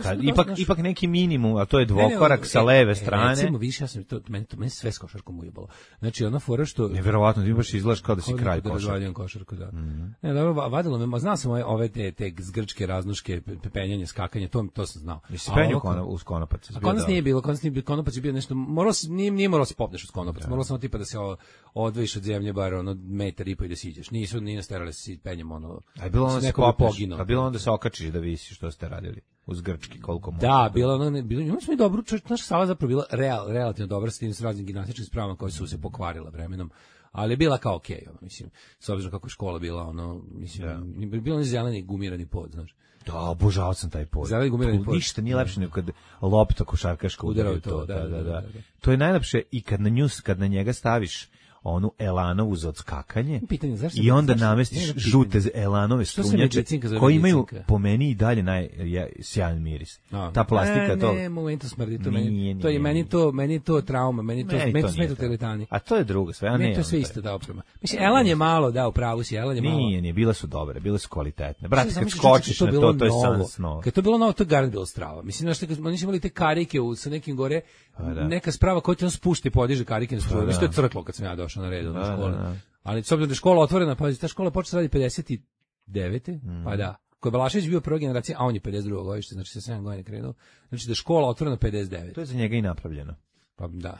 kad, ipak naš... ipak neki minimum, a to je dvokorak ne, ne, sa leve e, strane. Recimo, više ja sam to meni to meni sve s košarkom ujebalo. Znači ona fora što neverovatno ti baš izgledaš kao da si kralj košarke. Da razvaljam košarku, da. Mm-hmm. Ne, dobro, vadilo me, ma znao sam ove, ove te, te zgrčke raznoške, penjanje, skakanje, to to sam znao. Jesi penjao kono, uz konopac? A konopac nije bilo, konopac nije bilo, konopac je bio nešto, morao si, nije, nije morao se popneš uz konopac, morao sam tipa da se odvojiš od zemlje bar ono metar i po i da siđeš. Nisu ni nasterali se penjem ono. A bilo onda se popneš, a bilo onda se okačiš da visiš, što ste radili uz grčki koliko može. Da, bilo ono, bilo, imali smo i dobru, naša sala zapravo bila real, relativno dobra s tim s raznim gimnastičkim spravama koje su se pokvarila vremenom, ali je bila kao okej, okay, ono, mislim, s obzirom kako je škola bila, ono, mislim, yeah. bilo on zeleni gumirani pod, znaš. Da, obožavao sam taj pod. Zeleni gumirani pod. Ništa nije lepše nego kad lopta košarkaška udara to, da, da, da, da, da. To je najlepše i kad na nju, kad na njega staviš onu Elanovu za odskakanje pitanje, zašto, i onda zašto, namestiš žute Elanove strunjače koji imaju po meni i dalje naj ja, sjajan miris. A, ta plastika ne, to. Ne, moment to smrdi to meni. Nije, to je meni to, meni to trauma, meni to, meni to smeta teretani. A to je drugo sve, a ne. Ne, to je sve isto da oprema. Mislim Elan je malo da u pravu si, Elan je malo. Nije, nije, bile su dobre, bile su kvalitetne. Brate, kad skočiš na to, to je san snova. Kad to bilo novo, to je garant bilo strava. Mislim da što oni su imali te karike u sa nekim gore, neka sprava koja ti on spušta i podiže karike na struje. Isto je crklo kad sam ja došao na red u školu. Ali s obzirom da je škola otvorena, pa ta škola počela radi pedeset devete Mm. Pa da. Ko je Balašević bio prva generacija, a on je pedeset drugo godište, znači sa sedam godina krenuo. Znači da je škola otvorena pedeset devet To je za njega i napravljeno. Pa da.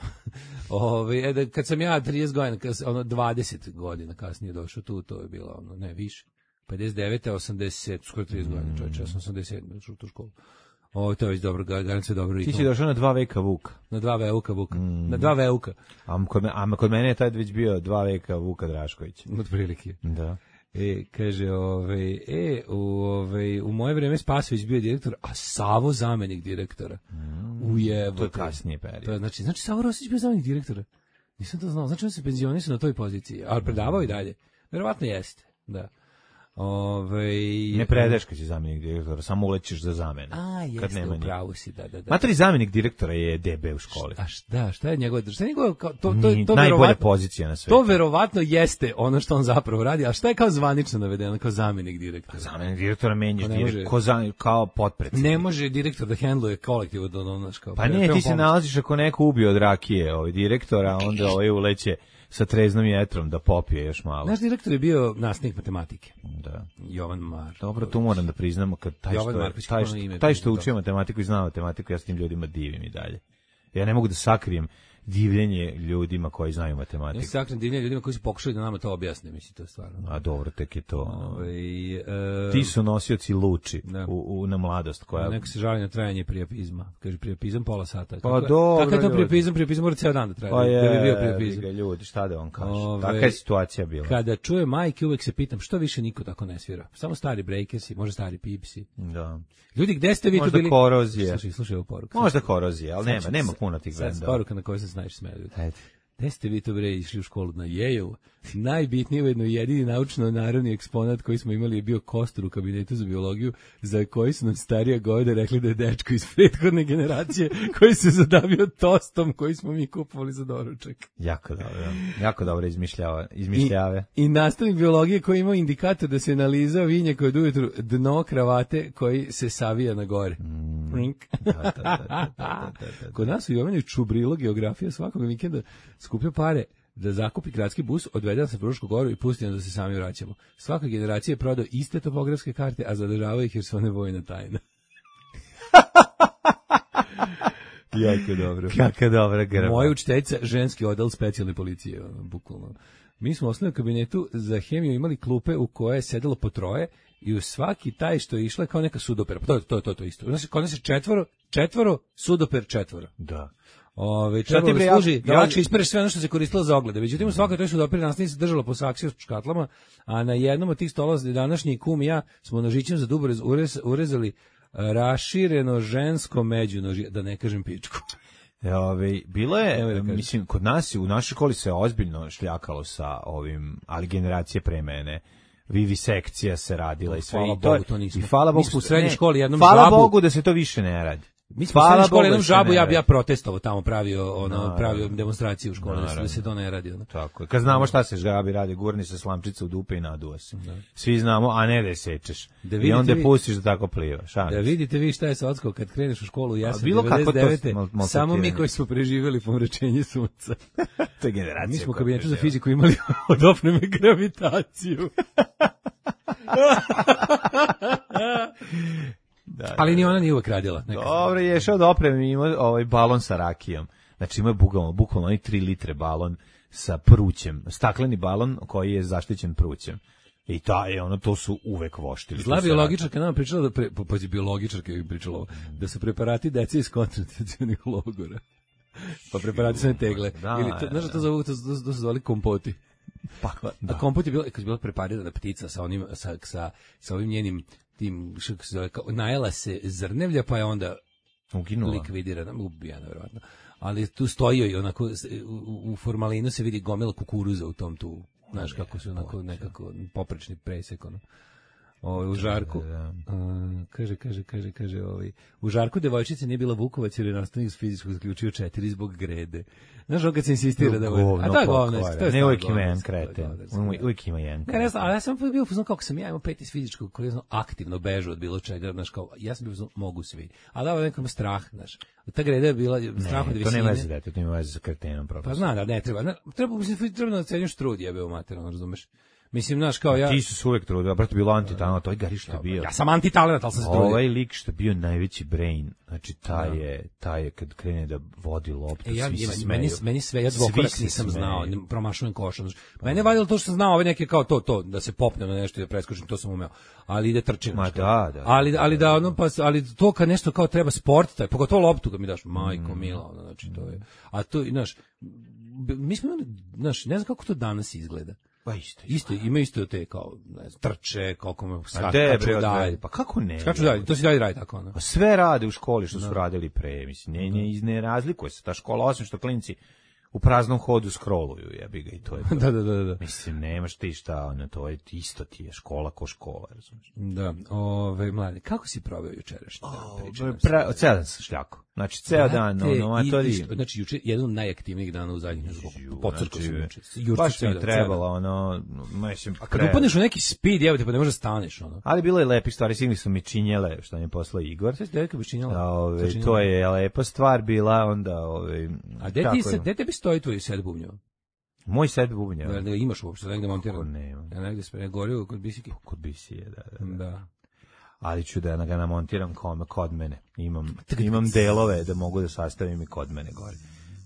Ove, da, kad sam ja trideset godina, kad, ono dvadeset godina kasnije došao tu, to je bilo ono, ne, više. pedeset devete osamdeset skoro trideset godina, čovječe, ja sam osamdeset sedam došao u tu školu. O, to je već dobro, garant se dobro ritmo. Ti si došao na dva veka Vuka. Na dva veka Vuka, mm. na dva veuka. A kod, me, a kod mene je tad već bio dva veka Vuka Drašković. Od prilike. Da. E, kaže, ovaj, e, u, ovaj, u moje vreme Spasović bio direktor, a Savo zamenik direktora. Mm. Ujebo. To je kasnije period. To je, znači, znači Savo Rosić bio zamenik direktora. Nisam to znao, znači on se penzionisao na toj poziciji, ali predavao i dalje. Verovatno jeste, da. Ove, ne predeš kad si zamjenik direktora, samo ulećeš za zamenu. A, jeste, upravo si, da, da, da. Matri zamjenik direktora je D B u školi. A šta, šta je njegov, šta je njegov, to, to, to, to najbolja pozicija na svetu. To verovatno jeste ono što on zapravo radi, a šta je kao zvanično navedeno, kao zamjenik direktora? A zamjenik direktora menjaš direkt, ko za, kao potpredsjednik. Ne može direktor da hendluje kolektiv od onoš kao. Pa ne, ti se nalaziš ako neko ubio od rakije ovaj direktora, onda ovaj uleće sa treznom jetrom da popije još malo. Naš direktor je bio nastavnik matematike. Da. Jovan Mar. Dobro, tu moram da priznam, kad taj Jovan što, Marković, taj, što, taj što učio matematiku i znao matematiku, ja s tim ljudima divim i dalje. Ja ne mogu da sakrijem divljenje ljudima koji znaju matematiku. Ja se sakrijem divljenje ljudima koji su pokušali da nama to objasne, mislim, to je stvarno. A dobro, tek je to. Ove, e, Ti su nosioci luči u, u, na mladost. Koja... Neko se žali na trajanje prijapizma. Kaže, prijapizam pola sata. Pa kako, dobro, kako je to prijapizam? Prijapizam mora cijel dan da traje. Pa je, da bi bio prijapizam. Ljudi, šta da on kaže? Ove, Taka je situacija bila. Kada čuje majke, uvek se pitam, što više niko tako ne svira? Samo stari breakersi, možda stari pipsi. Da. Ljudi, gde ste vi možda tu bili? Možda korozije. Slušaj, slušaj ovu poruku. Možda korozije, ali nema, nema puno tih gleda. Poruka na kojoj se znaš smeju. Gde ste vi to bre išli u školu? Na Yale? Najbitniji, ujedno jedini naučno-naravni eksponat koji smo imali je bio kostur u kabinetu za biologiju, za koji su nam starija govede rekli da je dečko iz prethodne generacije koji se zadavio tostom koji smo mi kupovali za doručak. Jako dobro, jako dobro izmišljava, izmišljave. I, i nastavnik biologije koji imao indikator da se analizao vinjak od ujutru dno kravate koji se savija na gore. Mm. Da, da, da, da, da, da. Kod nas u Jovanu čubrilo geografija svakog vikenda skupio pare da zakupi gradski bus, odvede nas na Frušku goru i pusti nas da se sami vraćamo. Svaka generacija je prodao iste topografske karte, a zadržavaju ih jer su one vojna tajna. Jako dobro. Kako dobro, grba. Moja učiteljica, ženski odel specijalne policije, bukvalno. Mi smo u osnovnom kabinetu za hemiju imali klupe u koje je sedelo po troje i u svaki taj što je išla kao neka sudopera. To je to, to, to isto. Znači, kod nas je četvoro, četvoro, sudoper četvoro. Da. Ove, trebalo da služi da lakše ispereš sve ono što se koristilo za oglede. Međutim, u svakoj toj sudoperi nastavnica se držala po saksiju s škatlama, a na jednom od tih stolova današnji kum i ja smo nožićem za dubo urez, urezali rašireno žensko međunožje, da ne kažem pičku. Ove, bilo je, da mislim, kod nas u našoj školi se ozbiljno šljakalo sa ovim, ali generacije pre mene. Vivisekcija se radila i sve. Hvala i to, Bogu, to nismo. I hvala Bogu, mi smo u srednjoj školi jednom hvala žabu. Bogu da se to više ne radi. Mi smo u srednjoj školi jednom žabu, ja bi ja protestovao tamo, pravio ono, no, pravio demonstraciju u školi, da se to ne radi. Ono. Tako je. Kad znamo šta se žabi radi, gurni se slamčica u dupe i naduva se. Da. Svi znamo, a ne da je sečeš. Da I onda vi, pustiš da tako pliva. Šalim. Da vidite vi šta je sa odskao kad kreneš u školu, ja sam devedeset devete samo mi koji smo preživjeli pomračenje sunca. To je generacija. Mi smo u kabinetu za fiziku imali od opreme gravitaciju. Da, da, ali ni ona nije uvek radila. Dobro, je šao da opremi, ima ovaj balon sa rakijom. Znači ima bukvalno, bukvalno oni tri litre balon sa prućem, stakleni balon koji je zaštićen prućem. I ta je ono, to su uvek voštili. Zla biologičarka nam pričala da, pre, pazi, biologičarka je pričala da su preparati dece iz koncentracionih logora. Pa preparati su ne tegle. Da, ili, to, znaš da to zovu, to, to, to su zvali kompoti. Pa, da. A kompot je bilo, kad je bila preparirana ptica sa onim, sa, sa, sa ovim njenim tim, što se zove, kao, najela se zrnevlja, pa je onda uginula, likvidirana, ubijana, verovatno. ali tu stoji i onako u, u formalinu se vidi gomila kukuruza u tom tu, znaš kako su onako nekako poprečni presek ono. Ovaj u Žarku uh, kaže kaže kaže kaže ovaj u Žarku devojčica nije bila Vukovac jer je nastavnik iz fizičkog zaključio četiri zbog grede. Znaš, on kad se insistira da je, a to je govno, to je ne uvijek ima jedan kreten, uvijek ima jedan kreten. Ne znam, ali ja sam bio fuzon kako sam ja imao pet iz fizičkog koji je aktivno bežao od bilo čega, znaš, kao, ja sam bio fuzon, mogu svi. Ali da, nekom strah, znaš, ta greda je bila strah od visine. To nema veze, dete, to nema veze sa kretenom. Pa znam, da ne treba, ne, treba, mislim, treba da ocenjuš trud, jebe u materijalno, razumeš? Mislim, znaš, kao ja... Ti su se uvek trudili, a brate bilo antitalent, to je gari što je bio. Ja sam antitalent, ali sam se trudio. Ovaj lik što je bio najveći brain, znači taj je, taj je kad krene da vodi loptu, e, ja, svi se smeju. Meni, meni sve, ja dvokorak nisam znao, promašujem košom. Mene je valjalo to što sam znao, ove neke kao to, to, da se popne na nešto i da preskočim, to sam umeo. Ali ide trčim. Ma da, da. Ali, ali da, ono, pa, ali to kad nešto kao treba sport, taj, pogotovo loptu kad mi daš, majko, mm. mila, ono, znači to je. A to, znaš, mi smo imali, znaš, ne znam kako to danas izgleda. Pa isto, isto, ima isto te kao, ne znam, trče, koliko me skaču dalje. Pa kako ne? Skaču dalje, to si dalje radi tako, ono. Pa sve rade u školi što su radili pre, mislim, ne, ne, ne razlikuje se ta škola, osim što klinci u praznom hodu scrolluju, jebi ga i to je to. da, da, da, da. Mislim, nemaš ti šta, ono, to je isto ti je škola ko škola, razumiješ? Da, ove, mlade, kako si proveo jučerašnji dan? Pra, ceo dan sam šljako. Znači, ceo dan, ono, matori... Znači, juče, jedan od najaktivnijih dana u zadnjih nekoliko, podcrkao sam juče. Baš mi trebalo, ono, mislim... A kad upadneš u neki speed, evo te, pa ne možeš staneš, ono. Ali bilo je lepih stvari, sigli su mi činjele, što mi je poslao Igor. Sve si devojka bi činjela? Ove, to je lepa stvar bila, onda, ove... A gde ti se, gde tebi stoji tvoj set bubnjeva? Moj set bubnjeva? Da, da imaš uopšte, da negde montirano? Kako nema? Ja negde sve, gorio kod Bisike? Kod Bisije, da, da. Da. da. Ali ću da ga namontiram kod mene. Imam, imam delove da mogu da sastavim i kod mene gore.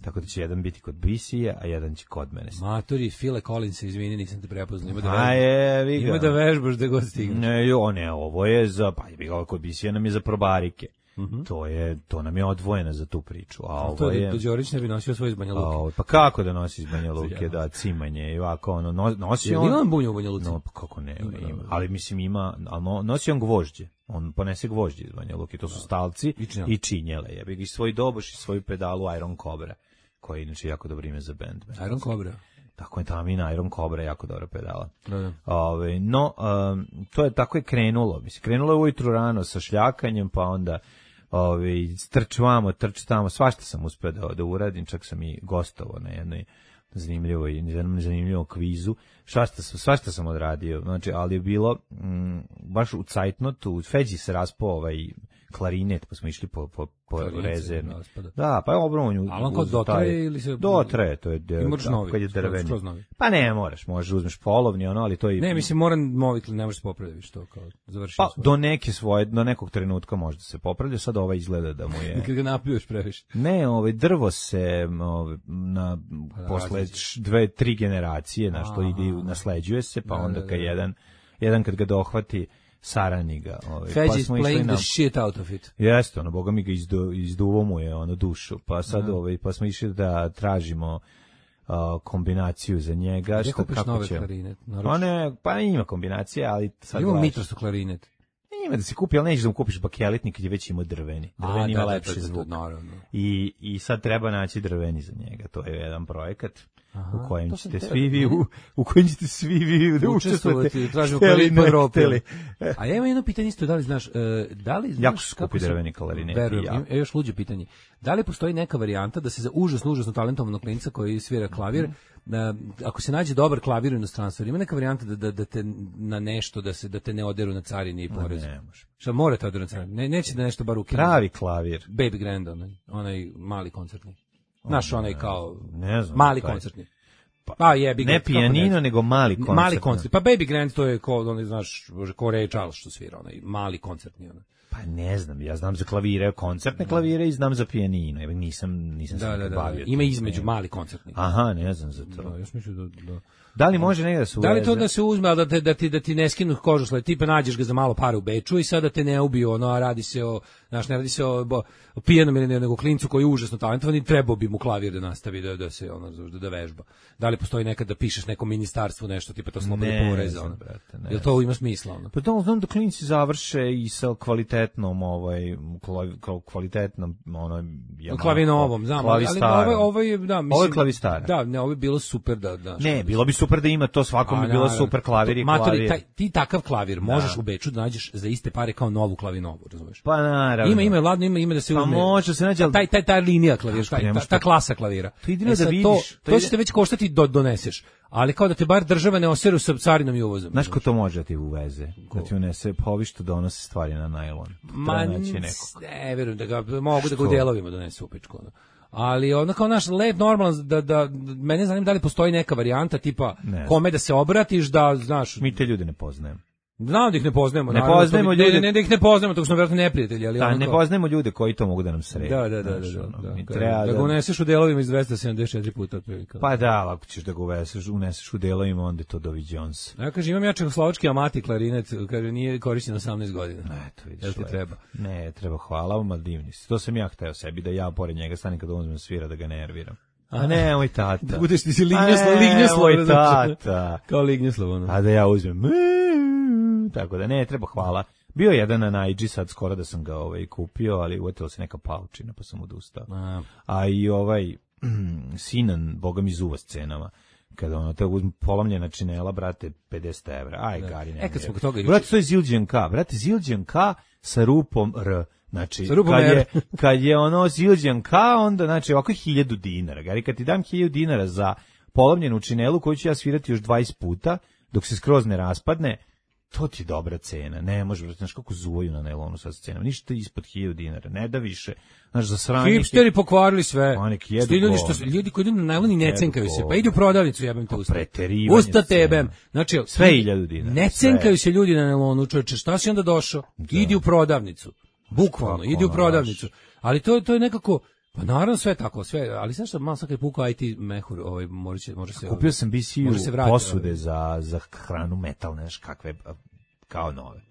Tako da će jedan biti kod Bisije, a jedan će kod mene. Matori, File Collins, izvini, nisam te prepoznao. Ima da vežbaš, a je, vi ga. Ima da vežbaš da god stigneš. Ne, jo, ne, ovo je za, pa je kod Bisije nam je za probarike. Mm-hmm. To je, to nam je odvojeno za tu priču. A, a ovo to je... To Đorić ne bi nosio svoj iz Banja Luke. A, pa kako da nosi iz Banja Luke, da, cimanje i ovako, ono, nosi on... Ima on bunju u Banja Luci? No, pa kako ne, ima, ima. Ali mislim ima, ali nosi on gvožđe. On ponese gvožđe iz Banja Luke, to su stalci i, i činjele. Ja bih i svoj doboš i svoju pedalu Iron Cobra, koji je inače jako dobro ime za bend. Iron Cobra? Tako je tamo i na Iron Cobra, jako dobra pedala. Da, da. Ove, no, um, to je tako je krenulo. Mislim, krenulo je ujutru rano sa šljakanjem, pa onda Ovi, trč vamo, trč tamo, svašta sam uspeo da, da uradim, čak sam i gostovao na jednoj zanimljivoj, zanimljivom kvizu, svašta, svašta sam odradio, znači, ali je bilo m, baš u cajtnotu, u Feđi se raspao ovaj klarinet, pa smo išli po, po, po rezervnu. Da, pa je obrovanju. Ali on kod dotraje ili se... Dotraje, to je, novi, kad je drveni. Pa ne moraš, možeš uzmeš polovni, ono, ali to je... Ne, mislim, moram movitli, ne možeš se popraviti, što kao završiti. Pa, svoje. do neke svoje, do nekog trenutka možda se popravlja, sad ovaj izgleda da mu je... Kad ga napiješ previše. Ne, ovaj, drvo se ovaj, na, pa, posle dve, tri generacije, na što ide, nasleđuje se, pa da, onda kad da, da. jedan, jedan kad ga dohvati, sarani ga. Ovaj. Feđi pa is playing the shit out of it. Jeste, ono, boga mi ga izdu, izduvo mu je ono, dušu. Pa sad, no. ovaj, pa smo išli da tražimo uh, kombinaciju za njega. Gdje kupiš nove će... klarinet? Pa ne, pa ima kombinacije, ali sad... Ima mitrostu klarinet. Ima da se kupi, ali nećeš da mu kupiš bakelitnik kad je već imao drveni. Drveni ima lepši zvuk. I, I sad treba naći drveni za njega. To je jedan projekat. Aha, u kojem ćete svi vi u, u kojem ćete svi vi da učestvujete, tražimo klarinet po Evropi. A ja imam jedno pitanje isto, da li znaš, da li znaš jako skupi drveni klarinet. Verujem, ja. još luđe pitanje. Da li postoji neka varijanta da se za užasno, užasno talentovanog klinca koji svira klavir, da, ako se nađe dobar klavir u inostranstvu, ima neka varijanta da, da, da te na nešto, da se da te ne oderu na carini i porezu? Ne, može. Šta morate oderu na carini? Ne, neće da nešto bar ukine. Pravi klavir. Baby Grand, onaj, onaj mali koncertni. Naš onaj kao ne znam, mali koncertni. Pa, pa je ne pijanino, nego mali koncertni. Mali koncertni. Pa Baby Grand to je kao, onaj, znaš, ko Ray Charles što svira, onaj mali koncertni. Onaj. Pa ne znam, ja znam za klavire, koncertne klavire i znam za pijanino. Ja nisam, nisam da, se da, da, bavio. Ima između mali koncertni. Aha, ne znam za to. Da, još mislim da, da Da li može negde da se uveze? Da li to da se uzme, ali da, te, da, ti, da ti ne skinu kožu sled, tipa nađeš ga za malo para u Beču i sada te ne ubiju, ono, a radi se o, znaš, ne radi se o, o, o pijenom ili nego klincu koji je užasno talentovan i trebao bi mu klavir da nastavi, da, da se, ono, da, da vežba. Da li postoji nekad da pišeš nekom ministarstvu nešto, tipa to slobodno poreza, ono? Jel to ima smisla, ono? Pa to znam da klinci završe i sa kvalitetnom, ovaj, kvalitetnom, ono, klavinovom, znam, ali ovo, ovo je, da, mislim, ovo je klavistar. Da, ne, ovo je bilo super da, da. Ne, bilo bi super da ima to, svakom bi bilo super klavir i matori, klavir. Taj, ti takav klavir možeš da. U Beču da nađeš za iste pare kao novu klavinovu, razumeš? Pa naravno. Ima, ima, ladno, ima, ima da se uzme. Pa može se nađe, taj, taj, taj linija klavira, taj, ta, ta klasa klavira. To idino da vidiš. To, to, to će te već koštati do doneseš. Ali kao da te bar država ne oseru sa carinom i uvozom. Znaš ko to može da ti uveze? Ko? Da ti unese, pa ovi što donose stvari na najlon. Ma ne, verujem da ga, mogu da ga u delovima donese u pičku. Ali ono kao naš lep normalan, da, da, mene zanima da li postoji neka varijanta tipa ne. Kome da se obratiš, da, znaš... Mi te ljude ne poznajemo. Znam da ih ne poznajemo. Ne naravno, poznajemo to, ljude. Ne, ne da ih ne poznajemo, to smo vjerojatno neprijatelji. Ali da, ono ne kao... poznajemo ljude koji to mogu da nam sredi. Da, da, da. da, da, da, da, da, treba da ga uneseš u delovima iz dvesta sedamdeset četiri puta. Otprilike. Pa da, ako ćeš da ga uneseš, uneseš u delovima, onda je to Dovi Jones. Ja kažem, imam ja čehoslovački amati klarinet, kaže, nije korišćen osamnaest godina. Ne, to vidiš. Jel ti treba? Ne, treba, hvala vam, ali divni si. To sam ja hteo sebi, da ja pored njega stanem kad uzmem svira, da ga nerviram. A ne, moj tata. Da budeš ti si lignjoslo, lignjoslo. Moj tata. Kao lignjoslo, ono. A da ja uzmem. Tako da ne, treba, hvala. Bio je jedan na Naidži sad skoro da sam ga ovaj kupio, ali uvetila se neka paučina pa sam odustao. A, A i ovaj Sinan, boga mi zuva s cenama. Kada ono te uzme polomljena činela, brate, pedeset evra. Aj, da. Gari, ne. E, kad smo toga... Brate, to je Zildjian K. Brate, Zildjian K sa rupom R. Znači, kad je, kad je ono Zildjian K, onda, znači, ovako je hiljadu dinara. Gari, kad ti dam hiljadu dinara za polomljenu činelu, koju ću ja svirati još dvadeset puta, dok se skroz ne raspadne, to ti je dobra cena. Ne može, znaš kako zuvaju na nailonu sa cenom. Ništa ispod hiljadu dinara, ne da više. Znaš, za sranje... Hipsteri pokvarili sve. Oni jedu Sti ljudi, što, ljudi koji idu na nailoni ne cenkaju se, pa idu u prodavnicu, jebem te usta. Preterivanje. Usta tebem. Znači, sve hiljadu dinara. Ne cenkaju se ljudi na nailonu, čovječe, šta si onda došao? Da. Idi u prodavnicu. Bukvalno, idi u prodavnicu. Ali to, to je nekako... Pa naravno sve tako, sve, ali znaš što, malo sad kad je pukao I T mehur, ovaj, može se... Može se Kupio sam B C U posude ovaj. za, za hranu metal, neš kakve... kao nove.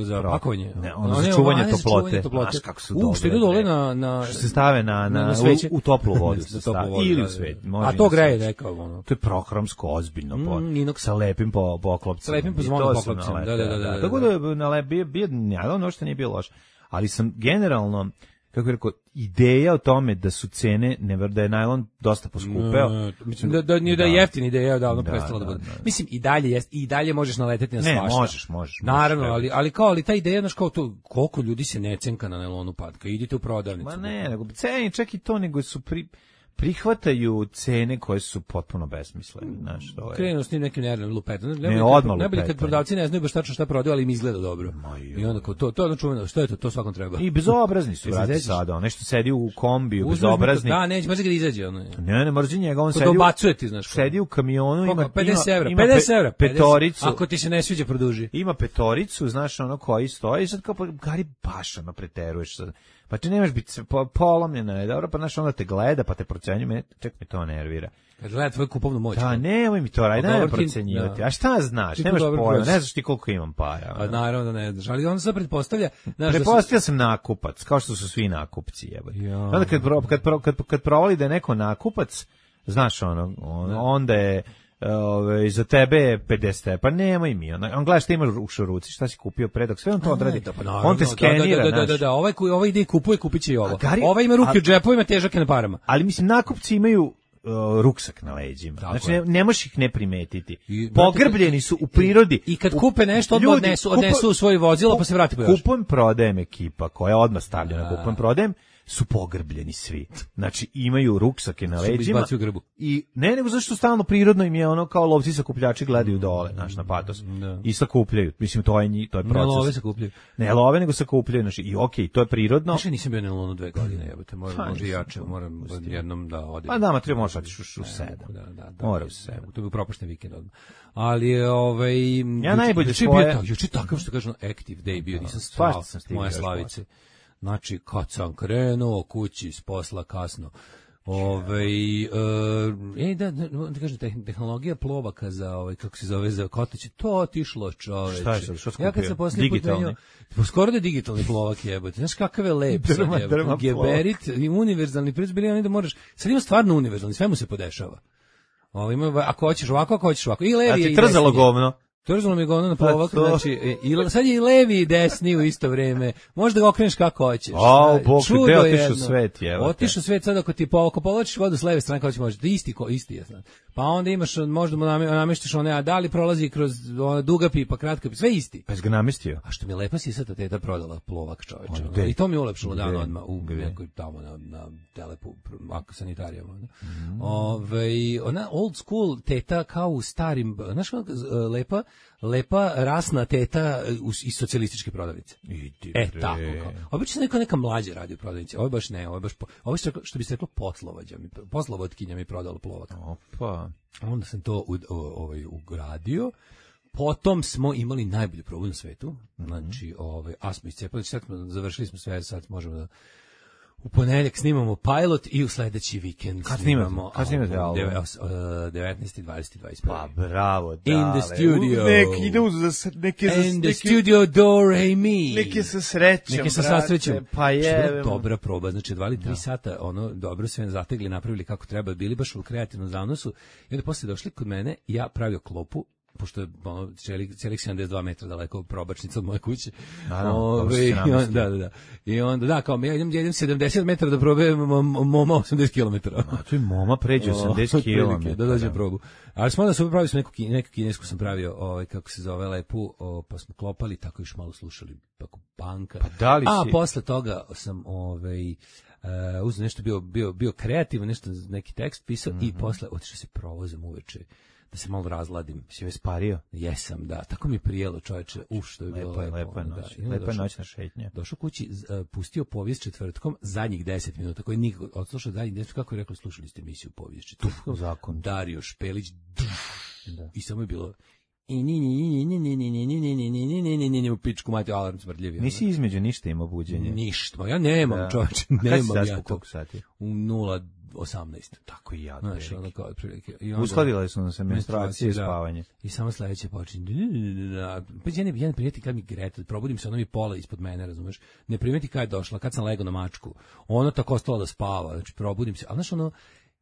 Za Pro, pakovanje. Ne, ono za čuvanje toplote. Znaš kako su U, dobre. što idu dole na... na što se stave na, na, na u, u toplu vodu. se stave, vodu ili u svet. A to greje nekao. Ono. To je prohromsko, ozbiljno. Mm, po, sa lepim po, poklopcima. Sa lepim pozvonom poklopcima. Da, da, da, da, da. Tako da na lep, bio, bio, ono što nije bilo loše. Ali sam generalno, kako je rekao, ideja o tome da su cene, ne da je najlon dosta poskupeo. No, mislim da da nije da, da je jeftin ideja davno da, prestala da, da bude. Da, da. Mislim i dalje jest i dalje možeš naleteti na svašta. Ne, možeš, možeš. Naravno, možeš, ali ali kao ali ta ideja znaš kao to koliko ljudi se ne cenka na nailonu patka. Idite u prodavnicu. Ma ne, nego ceni čak i to nego su pri prihvataju cene koje su potpuno besmislene, znaš, to je. Krenu s tim nekim nervnim lupetom. Ne, ne odmah ne bili kad prodavci ne znaju baš tačno šta prodaju, ali im izgleda dobro. I onda kao to, to je ono čuveno, što je to, to svakom treba. I bezobrazni su, brate, sada, nešto sedi u kombiju, bezobrazni. Da, neće, mrzi kad izađe, ono. Ne, ne, mrzi njega, on sedi. Dobacuje ti, znaš. Sedi u kamionu, ima pedeset evra, ima pedeset evra, petoricu. Ako ti se ne sviđa, produži. Ima petoricu, znaš, ono koji stoji, sad kao Gari baš ono preteruješ sad. Pa ti nemaš biti po, polomljena, je dobro, pa znaš, onda te gleda, pa te procenjuje, me, ček mi to nervira. Kad gleda tvoju kupovnu moć. Da, nemoj mi to raditi, nemoj procenjivati. Da. A šta znaš, nemaš pojma, ne znaš ti koliko imam para. A naravno da ne znaš, ali on se pretpostavlja... Pretpostavlja sam nakupac, kao što su svi nakupci, jebote. Ja. Onda kad, kad, kad, kad provali da je neko nakupac, znaš ono, on, onda je... Ove, za tebe je pedeset, pa nemoj mi. On, on gleda šta imaš u šuruci, šta si kupio pre, dok sve on to odradi. Da, pa naravno, on te skenira. Da, da, da, da, da, ovaj, ovaj ide i kupuje, kupit će i ovo. Gari, ovaj ima ruke u džepovima, težak je na parama. Ali mislim, nakupci imaju uh, ruksak na leđima. Tako znači, ne, ne možeš ih ne primetiti. I, pogrbljeni su u prirodi. I kad kupe nešto, odmah odnesu, odnesu u svoje vozilo, pa se vrati po još. Kupujem prodajem ekipa, koja odmah stavlja na kupujem prodajem, su pogrbljeni svi. Znači imaju ruksake na leđima i ne nego zašto stalno prirodno im je ono kao lovci sakupljači gledaju dole, znaš, na patos. Da. I sakupljaju. Mislim to je nji, to je proces. Ne love sakupljaju. Ne love nego sakupljaju, znači i okej, okay, to je prirodno. Više nisam bio na lonu dve godine, jebote, moram može jače, moram jednom da odem. Pa da, ma treba možeš otići u sedam. Da, da, da. Mora u sedam. To bi propušten vikend odmah. Ali ovaj ja najbolje svoje juče takav što kažu active day bio, nisam stvarno moje slavice. Znači, kad sam krenuo kući s posla kasno, Ovaj uh, ej da, da, da kažem, tehnologija plovaka za ovaj kako se zove za kotače, to otišlo, čoveče. Šta je sad, što skupio? Ja kad sam poslednji put menjao, skoro da je digitalni plovak jebote. Znaš kakav je lep, drma, sad, drma geberit i univerzalni proizvod, bili oni da možeš. Sad ima stvarno univerzalni, sve mu se podešava. Ovo ima, ako hoćeš ovako, ako hoćeš ovako. I levi je i desni. Trzalo govno. Trzalo mi govno na plovak, pa znači, i, sad je i levi i desni u isto vreme. Možda ga okreneš kako hoćeš. O, Bog, gde otišao svet, jevo. Otišao svet sad ako ti po, ako povlačiš vodu s leve strane, kako će možeš, isti, ko, isti je sad. Pa onda imaš, možda mu nameštiš one, a da li prolazi kroz ona duga pipa, kratka pipa, sve isti. Pa si ga namestio? A što mi je lepa si sad teta prodala plovak, čoveče. I to mi je ulepšalo dan odmah u nekoj tamo na, na telepu, sanitarijama. Mm. Ove, ona old school teta kao u starim, znaš lepa, lepa rasna teta iz socijalističke prodavnice. E, tako kao. Obično neka neka mlađa radi u prodavnici. Ovo baš ne, ovo baš po, ovo što, što bi se reklo poslovođa, mi poslovodkinja mi prodala plovak. Opa. Onda sam to u, ovaj ugradio. Potom smo imali najbolju probu na svetu. Znači, ovaj a smo iscepali, sad smo završili smo sve, sad možemo da u ponedeljak snimamo pilot i u sledeći vikend kad snimamo. Kad snimate album? devetnaesti, dvadeeti, dvadeet prvi. Pa bravo, dale. In the studio. Neki idu za neke za In the studio do re mi. Neke sa srećom. Neke sa srećom. Pa je dobra proba, znači dva ili tri sata, ono dobro sve zategli, napravili kako treba, bili baš u kreativnom zanosu i onda posle došli kod mene, ja pravio klopu, pošto je ono, celih sedamdeset dva metra daleko probačnica od moje kuće. Naravno, da, da, da. I onda, da, kao, ja idem, ja idem sedamdeset metara da probajem moma osamdeset kilometara. A tu i moma pređe osamdeset kilometara. Da dođe probu. Ali smo onda su pravili smo neku, neku kinesku sam pravio, ovaj, kako se zove, lepu, o, pa smo klopali, tako još malo slušali, tako banka. Pa da li A si... posle toga sam, ovaj, uh, uzeo nešto, bio, bio, bio kreativan, nešto, neki tekst pisao, mm-hmm. i posle otišao se provozom uveče da se malo razladim. Si već spario? Jesam, da. Tako mi je prijelo, čoveče. Uf, što je bilo lepo. Lepa, lepa noć. Da. Lepa noćna šetnja. Došao kući, uh, pustio povijest četvrtkom zadnjih deset minuta, koji nikog odslušao zadnjih deset, kako je rekao, slušali ste emisiju povijest četvrtkom. Zakon. Dario Špelić. Da. I samo je bilo i ni ni ni ni ni ni ni ni ni ni ni ni ni ni ni ni u pičku mati alarm smrdljivi. Nisi između ništa ima buđenje. Ništa. Ja nemam, čoveče, nemam ja to. Sati? U nula osamnaest. Tako i ja. Znaš, ono kao otprilike. Uskladile su nam se menstruacije i spavanje. I samo sledeće počinje. Pa ja ne, ja ne primeti kad mi Greta, probudim se, ona mi pola ispod mene, razumeš? Ne primeti kad je došla, kad sam legao na mačku. Ona tako ostala da spava, znači probudim se. A znaš, ono,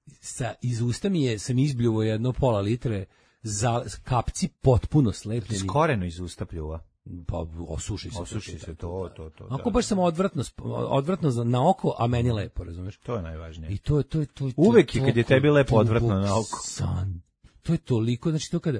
sa, iz usta mi je, sam izbljuvo jedno pola litre, za kapci potpuno slepljeni. Skoreno iz usta pljuva. Pa osuši se. Osuši se to, to, to. Ako baš samo odvratno, odvratno na oko, a meni lepo, razumeš? To je najvažnije. I to je, to je, to je. Uvek je kad je tebi lepo odvratno na oko. San. To je toliko, znači to kada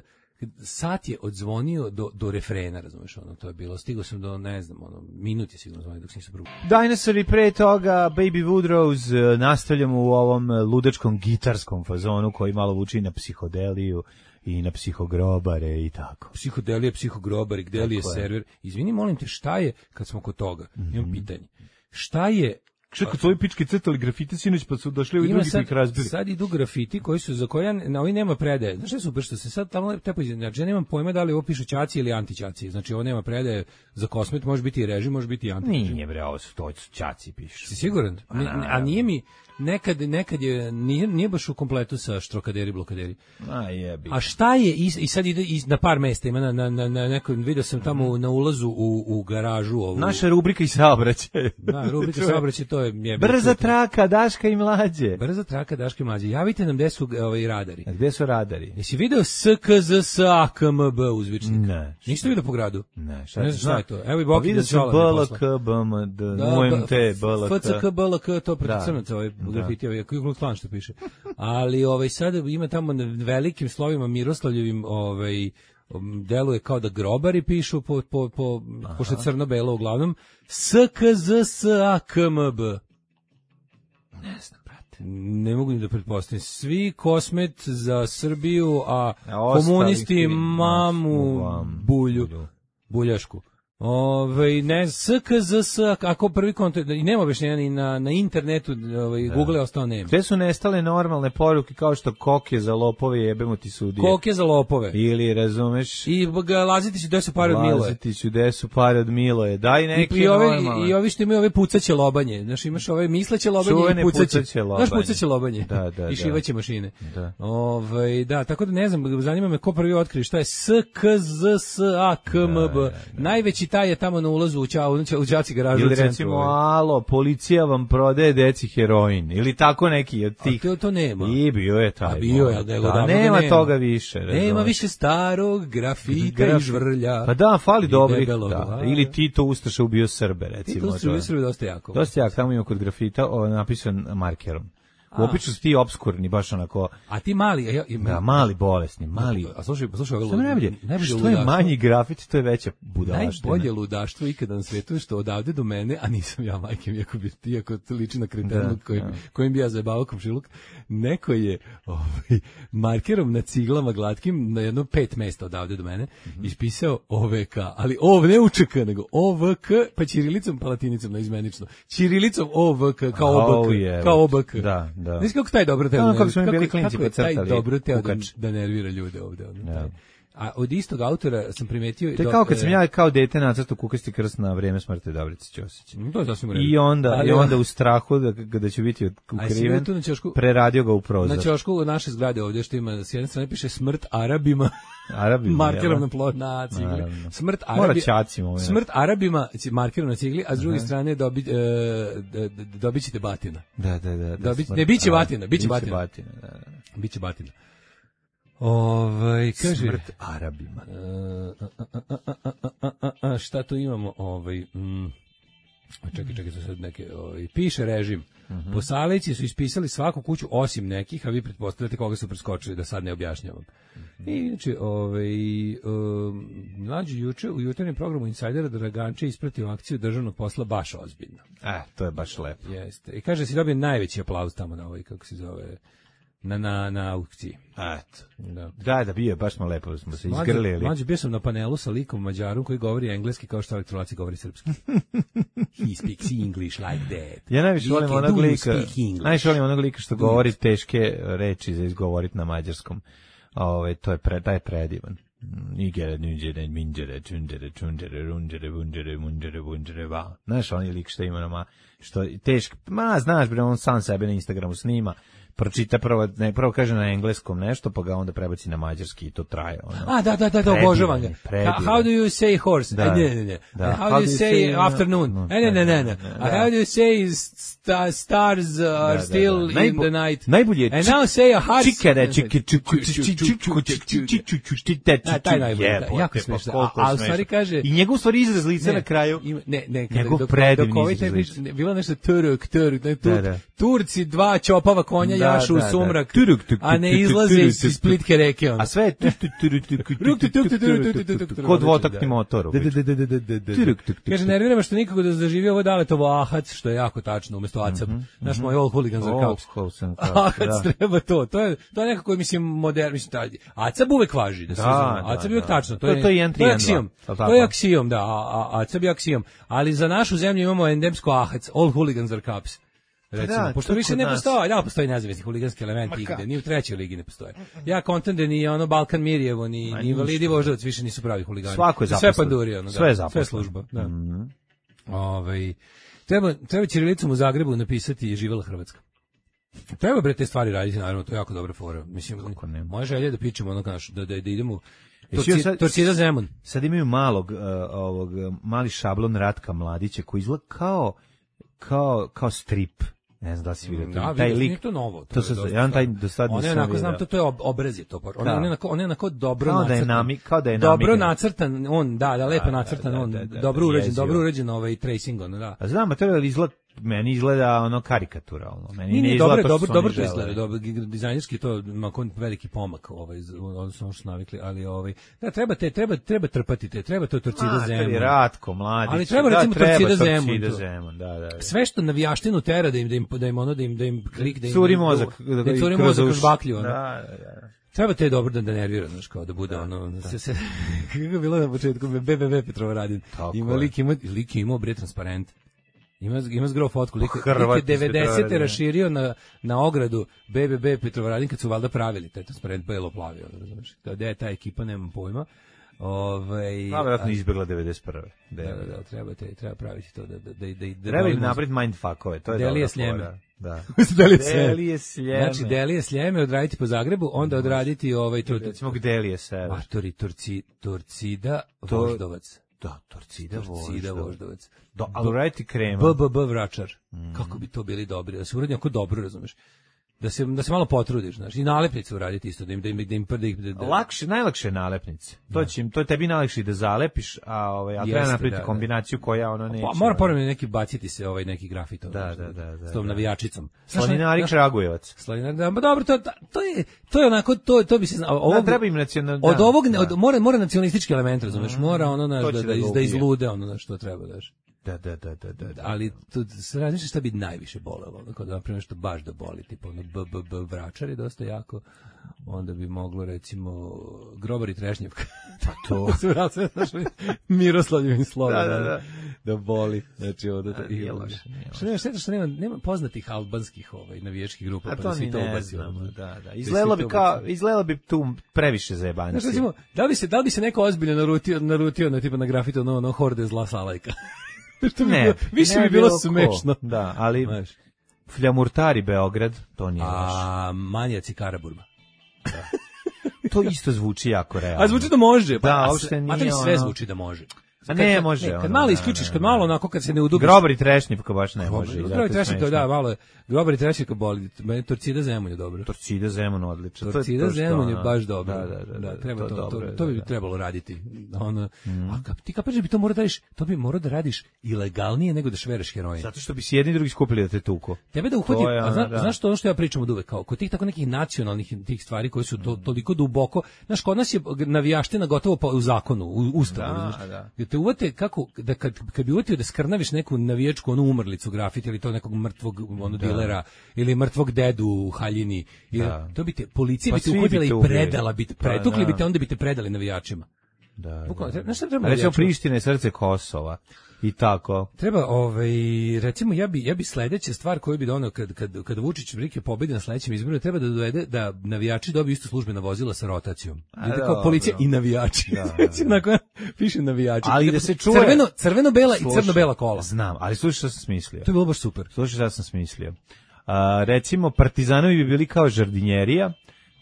sat je odzvonio do, do refrena, razumeš, ono, to je bilo, stigao sam do, ne znam, ono, minut je sigurno zvonio dok nisam prugo. Dinosaur i pre toga, Baby Woodrose, nastavljamo u ovom ludačkom gitarskom fazonu koji malo vuči na psihodeliju i na psihogrobare i tako. Psihodelije, psihogrobari, gde li je server? Izvini, molim te, šta je, kad smo kod toga, mm-hmm. imam pitanje, šta je Čekaj, tvoji pički crtali grafite sinoć, pa su došli ovi drugi sad, ih razbili. Sad idu grafiti koji su, za koje na ovoj nema predaje. Znaš što je super, što se sad tamo tepo izgleda, znači ja nemam pojma da li ovo pišu ćaci ili antićaci. Znači ovo nema predaje za kosmet, može biti i režim, može biti i antićaci. Nije bre, ovo su to ćaci pišu. Si siguran? A, a nije mi, nekad, nekad je, nije, nije baš u kompletu sa štrokaderi, blokaderi. A jebi. A šta je, i, i sad ide i na par mesta, ima na, na, na, na nekom, vidio sam tamo na ulazu u, u garažu. Ovu. Naša rubrika i saobraćaj. Da, rubrika saobraćaj, to je... je Brza traka, Daška i mlađe. Brza traka, Daška i mlađe. Javite nam gde su ovaj, radari. A gde su radari? Jesi video S K Z S A K M B uzvičnik? Ne. Niste vidio po gradu? Ne. Šta, ne znam šta je to. Evo i Boki pa vidio sam B L K, B M D, U M T, B L K. F C K, B L K, to protiv crnaca, ovaj grafiti, ovaj Ku Klux što piše. Ali ovaj sad ima tamo na velikim slovima Miroslavljevim, ovaj deluje kao da grobari pišu po po po pošto crno-belo uglavnom S K Z S A K M B. Ne znam, brate. Ne mogu ni da pretpostavim. Svi kosmet za Srbiju, a, a komunisti mamu bulju, buljašku. Ovaj ne S K Z S, ako prvi kontakt i nema objašnjenja ni na na internetu, ovaj da. Google je ostao nema. Sve su nestale normalne poruke kao što koke za lopove, jebemo ti sudije. Koke za lopove. Ili razumeš? I laziti ću gde su pare od Miloje. Laziti ću gde su pare od Miloje. Daj neke I, i ove normalne. i ovi što imaju ove pucaće lobanje. Znaš, imaš ove misleće lobanje Čuvene i pucaće. pucaće lobanje. Znaš, pucaće lobanje. Da, da, I šivaće mašine. Da. Ovaj da, tako da ne znam, zanima me ko prvi otkri šta je S K Z S A K M B. Da, da, da. Najveći taj je tamo na ulazu u Ćao, u đaci garažu. Ili recimo, alo, policija vam prodaje deci heroin. Ili tako neki od tih. A to, to nema. I bio je taj. A bio je, da, da, nema, nema toga više. Razumeš. Nema više starog grafita Graf... i žvrlja. Pa da, fali dobrih. Da. Ili Tito Ustaša ubio Srbe, recimo. Tito Ustaša ubio Srbe dosta jako. Dosta jako, tamo ima kod grafita o, napisan markerom. Obično su ti obskurni, baš onako. A ti mali, ja, ja, da, mali bolesni, mali. A slušaj, slušaj, što najbolje, što je manji grafit, to je veća budalaština. Najbolje ludaštvo ikada na svetu je što odavde do mene, a nisam ja majke, iako bi iako liči na kretenu kojim, kojim bi ja zajebavao komšiluk, neko je ovaj, markerom na ciglama glatkim na jedno pet mesta odavde do mene mm-hmm. ispisao O V K, ali O ne U Č K, nego O V K, pa ćirilicom pa latinicom naizmenično. Ćirilicom O V K, kao O B K, oh, yeah. kao O B K. Da. Da. Znaš kako taj dobro teo, no, kako smo bili klinci kako je taj dobro teo da, Kukač. da nervira ljude ovde. Ono, ja. A od istog autora sam primetio... To je kao kad sam ja kao dete nacrtao Kukasti krst na vreme smrti Dobrice Ćosić. To je sasvim u redu. I onda, ali, i onda u strahu da, da će biti ukriven, preradio ga u prozor. Na ćošku naše zgrade ovdje što ima, s jedne strane piše smrt Arabima, Arabima markerom na plot na cigli. Smrt Arabima, smrt Arabima, markerom na cigli, a s druge strane dobi, e, dobit ćete batina. Da, da, da. da Dobi, ne, bit će batina, bit će batina. batina da, da. Biće batina. Ovaj kaže smrt Arabima. A, a, a, a, a, a, šta tu imamo? Ovaj mm, čekaj, čekaj, sad neke, ovaj piše režim. Uh-huh. Posalici su ispisali svaku kuću osim nekih, a vi pretpostavljate koga su preskočili, da sad ne objašnjavam. Uh-huh. I znači, ovaj um, mlađi juče u jutarnjem programu Insajdera Draganče ispratio akciju državnog posla baš ozbiljno. E, to je baš lepo. Jeste. I kaže se dobije najveći aplauz tamo na ovoj, kako se zove, na na na aukciji. Eto. Da. Da, da bio, baš smo lepo smo se izgrlili. Mlađi bio sam na panelu sa likom Mađarom koji govori engleski kao što elektrolaci govori srpski. He speaks English like that. Ja najviše volim onog lika, najviše volim onog lika što govori teške reči za izgovoriti na mađarskom. Ove, to je pre, taj je predivan. Nigere, nigere, minđere, čunđere, čunđere, runđere, bunđere, munđere, bunđere, va. Znaš, onaj lik što ima nama, što teško, ma, znaš, bre, on sam sebe na Instagramu snima, pročita prvo, ne, prvo kaže na engleskom nešto, pa ga onda prebaci na mađarski i to traje. Ono. A, da, da, da, da, obožavam ga. How do you say horse? Da, ne, ne, ne. Da. How, how do you say, say afternoon? No, ne, ne, ne, ne. How do you say sta, stars are da, da, still da, da. in Najbo, the night? Najbolje je And now say a heart. Čikere, čike, taj najbolje. Jako smešno. A u stvari kaže... I njegov stvari izraz lica na kraju. Ne, ne, njegov predivni izraz lica. Bilo nešto Turk, Turk, Turci, dva čopava konja jašu u sumrak, a ne izlaze iz Splitke reke. A sve je kod dvotaktni motor. Kaže, nervira me što nikako da zaživi ovo Daletovo ahac, što je jako tačno, umjesto acap. Naš moj old hooligan za kaups. Ahac treba to. To je nekako, mislim, modern, mislim, acap uvek važi. Acap je uvek tačno. To je aksijom. To je aksijom, da. Acap je aksijom. Ali za našu zemlju imamo endemsko ahac, old hooligan za kaups. Recimo, da, pošto više ne postoji, da, postoji nezavisni huliganski elementi igde, ni u trećoj ligi ne postoje. Ja kontam da ni ono Balkan Mirjevo, ni, ni Invalidi Voždovac više nisu pravi huligani. Svako je zaposlen. Sve panduri, ono, da, sve, je sve služba. Da. Mm-hmm. Ove, treba, treba ćirilicom u Zagrebu napisati živela Hrvatska. Treba bre te stvari raditi, naravno, to je jako dobra fora. Mislim, moja želja je da pičemo ono naš, da, da, da idemo Torcida, Torcida Zemun. Sad imaju malog, uh, ovog, mali šablon Ratka Mladića koji izgleda kao, kao, kao strip. Ne znam da si vidio da, taj lik. Nije to novo. To se ja taj do sad nisam. On je onako znam to to je obraz je to. On je onako on je onako dobro kao nacrtan. Da je nami, kao da je dobro nacrtan, on da, da lepo nacrtan, on dobro uređen, dobro uređen ovaj tracing on, da. A znam, a to je izgleda meni izgleda ono karikaturalno. Meni nije, ne izgleda dobro, dobro, dobro to izgleda, dobro dizajnerski to ima veliki pomak ovaj odnosno ono što navikli, ali ovaj da treba te treba treba trpati te, treba to Torcida Zemun. Ratko Mladić. Ali treba recimo Torcida Zemun. Da, da. Sve što navijaštinu tera da im da im da im ono da im da im klik da im curi mozak, da curi mozak kroz baklju. Da, da. Treba te dobro da, da nervira, znaš, kao da bude da, ono, da. se, se, kako je bilo na početku, be be be Petrovaradin, ima lik, ima, lik je imao bre transparent, ima, ima zgro fotku, lik, lik je devedesete raširio na, na ogradu be be be Petrovaradin kad su valjda pravili taj transparent belo-plavi, znaš, da je ta ekipa, nemam pojma. Ovaj, a vjerojatno izbjegla devedeset prve. Da, da, da, treba, te, treba praviti to. Da, da, da, da, da treba im napraviti mindfuckove, to je Delije dobra Sljeme. Da. Delije Sljeme. Znači, Delije Sljeme odraditi po Zagrebu, onda odraditi ovaj... To, recimo, Delije Sever. Matori, Turci, Turcida, Voždovac. Da, Torcida, Torcida Voždovac. Da, ali uraditi krema. B B B Vračar. Mm. Kako bi to bili dobri, da se uradi ako dobro, razumeš. Da se da se malo potrudiš, znači i nalepnice uraditi isto da im da im da im prdi da, da. Lakše, najlakše nalepnice. To će im to je tebi najlakše da zalepiš, a ovaj a treba napraviti da, kombinaciju da. koja ona neće. Pa, mora ponovno neki baciti se ovaj neki grafit da, da, da, da, s tom da. navijačicom. Slaninar Kragujevac. Slaninar, da, pa dobro, to to je to je onako to to bi se ovo da, treba im nacionalno. Od ovog da. od, mora mora nacionalistički element, razumeš, mora ono naš da, da, da, iz, da izlude ono na što treba daš. Da, da, da, da, da, da. Ali tu se razmišlja šta bi najviše bolelo, kao da napravimo što baš da boli, tipa ono b b b Vračar je dosta jako, onda bi moglo recimo Grobar i Trešnjevka. Pa to se vrati Miroslavljevim slovom da, da, da. da boli, znači onda to je loše. Što nema šteta što nema nema poznatih albanskih ovaj navijačkih grupa, pa da to svi to ubacimo. Da, da. Izgledalo bi kao izgledalo bi tu previše zajebancije. Znači recimo, da bi se da bi se neko ozbiljno narutio narutio na tipa na grafitu no no horde zla Salajka. Što bi ne, bilo, više ne bi bilo smešno. Da, ali Znaš. Fljamurtari Beograd, to nije baš. A manjaci Karaburma. Da. To isto zvuči jako realno. A zvuči da može. Pa, da, uopšte nije. A sve zvuči da može. A ne kad, može. Ne, kad ono, malo isključiš, kad malo onako kad se ne udubiš. Grobar i Trešnjevka baš ne može. Grobar i Trešnjevka, da, malo je. Grobar i Trešnjevka boli. Meni Torcida Zemun je dobro. Torcida Zemun odlično. Torcida Zemun je baš dobro. Da, da, da, da, treba to, to, dobro, to, to bi da, trebalo raditi. Ono, mm. a kap, ti kapaš da bi to morao da radiš, to bi morao da radiš ilegalnije nego da švereš heroin. Zato što bi se jedni drugi skupili da te tuku. Tebe da uhvati, a zna, da. znaš to ono što ja pričam od uvek, kao kod tih tako nekih nacionalnih tih stvari koje su to, toliko duboko, znaš, kod nas je navijaština gotovo pa u zakonu, u ustavu. Da, da. Da te uvate kako da kad kad bi uvatio da skrnaviš neku navijačku onu umrlicu grafit ili to nekog mrtvog ono da. dilera ili mrtvog dedu u haljini ili da. to bi te policija pa bi te uhvatila i predala bi te pretukli bi te onda bi te predali navijačima. Da. Bukvalno, da. Znaš šta treba? Recimo Priština je srce Kosova. I tako. Treba, ovaj, recimo, ja bi, ja bi sledeća stvar koju bi donao kad, kad, kad Vučić Brike pobedi na sledećem izboru, treba da dovede da navijači dobiju isto službena vozila sa rotacijom. Vidite kao policija i navijači. Da, da. Nakon, piše navijači. Ali da se čuje. Crveno, crveno-bela i crno-bela kola. Znam, ali slušaj šta sam smislio. To je bilo baš super. Slušaj šta sam smislio. A, recimo, Partizanovi bi bili kao žardinjerija,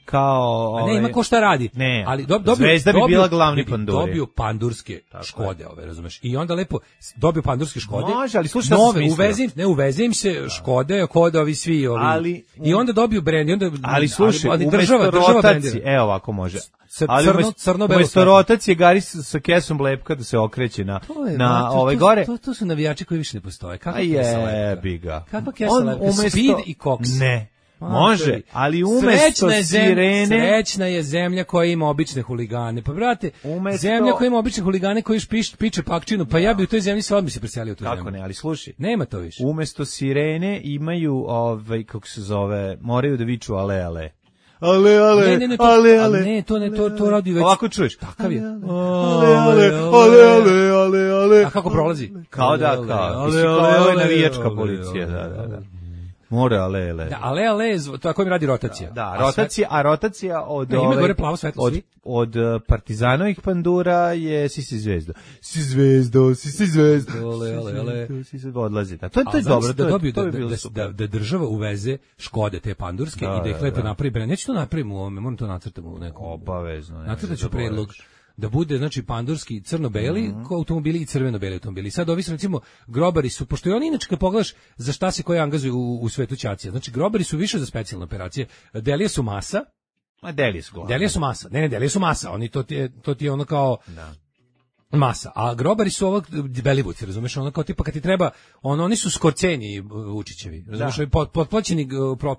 kao ove... ne ima ko šta radi, ne, ali do, dobio, Zvezda bi dobio, bila glavni panduri. Dobio pandurske tako Škode, ove, razumeš? I onda lepo dobio pandurske Škode. Može, ali slušaj, nove, uvezim, ne uvezim se da. Škode, kod ovi svi ovi. Ali i onda dobiju brend, i onda ali slušaj, ali, ali država, država brendira. Evo ovako može. Ali crno, crno belo. Umesto rotacije gari sa kesom lepka da se okreće na je, na to, ovaj to, gore. To, to su navijači koji više ne postoje. Kako je biga. Kako kesa lepka? Speed i Cox. Ne. Može, ali umesto sirene... Srećna je zemlja koja ima obične huligane. Pa, brate, umesto... zemlja koja ima obične huligane koji piš, piče pakčinu, pa ja bi u toj zemlji sve odmah se preselio u tu Kako zemlju. ne, ali slušaj. Nema to više. Umesto sirene imaju, ovaj, kako se zove, moraju da viču ale, ale. Ale, ale, ne, ne, ne, to, ale, ale. Ne, to ne, to, to radi već. Ovako čuješ. Takav je. Ale, ale, ale, ale, ale, ale. A kako prolazi? Kao da, kao. Ale, ale, ale, navijačka policija, da, da, da. More ale, ale. Da, ale, ale, tako mi radi rotacija. Da, da rotacija, a rotacija od... Ne, ima gore plavo svetlo, od, od Partizanovih pandura je si si zvezdo. Si zvezdo, si si zvezdo. Ale, ale, ale. Si se odlazi. Da. To, to je dobro. Da, to, dobiju, to da, bi da, da, da država uveze Škode te pandurske da, i da ih lepo napravi brend. Neću to napravim u ovome, moram to nacrtati u nekom. Obavezno. Nacrtaću predlog. Da bude, znači, pandurski crno-beli mm -hmm. automobili i crveno-beli automobili. Sad ovi su, recimo, grobari su, pošto i oni inače kad pogledaš za šta se koji angazuju u, u svetu ćacija, znači, grobari su više za specijalne operacije, delije su masa. Ma delije su glavno. Delije su masa, ne, ne, delije su masa, oni, to ti je, to ti je ono kao... Da. Masa, a grobari su ovog Belivuci, razumeš, ono kao tipa kad ti treba, on, oni su Skorceni Vučićevi, razumeš, da. Pot, potplaćeni,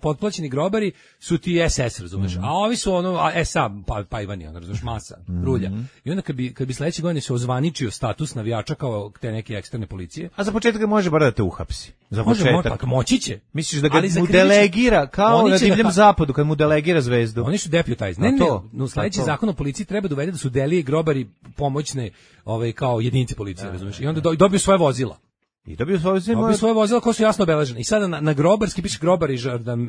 potplaćeni grobari su ti S S, razumeš, mm -hmm. a ovi su ono, S A, pa, pa Ivani, ono, razumeš, masa, mm -hmm. rulja. I onda kad bi, kad bi sledeće godine se ozvaničio status navijača kao te neke eksterne policije. A za početak može bar da te uhapsi. Za može, početak. Mo, moći će. Misliš da ga mu delegira, kao na divljem da, zapadu, kad mu delegira zvezdu? Oni su deputized. Ne, ne, no, sledeći zakon o policiji treba da uvede da su delije i grobari pomoćne ovaj, kao jedinice policije, da, razumiješ? I onda do, dobiju svoje vozila. I dobio svoje vozila. Dobio svoje vozila koje su jasno obeležene. I sada na, na grobarski piše grobari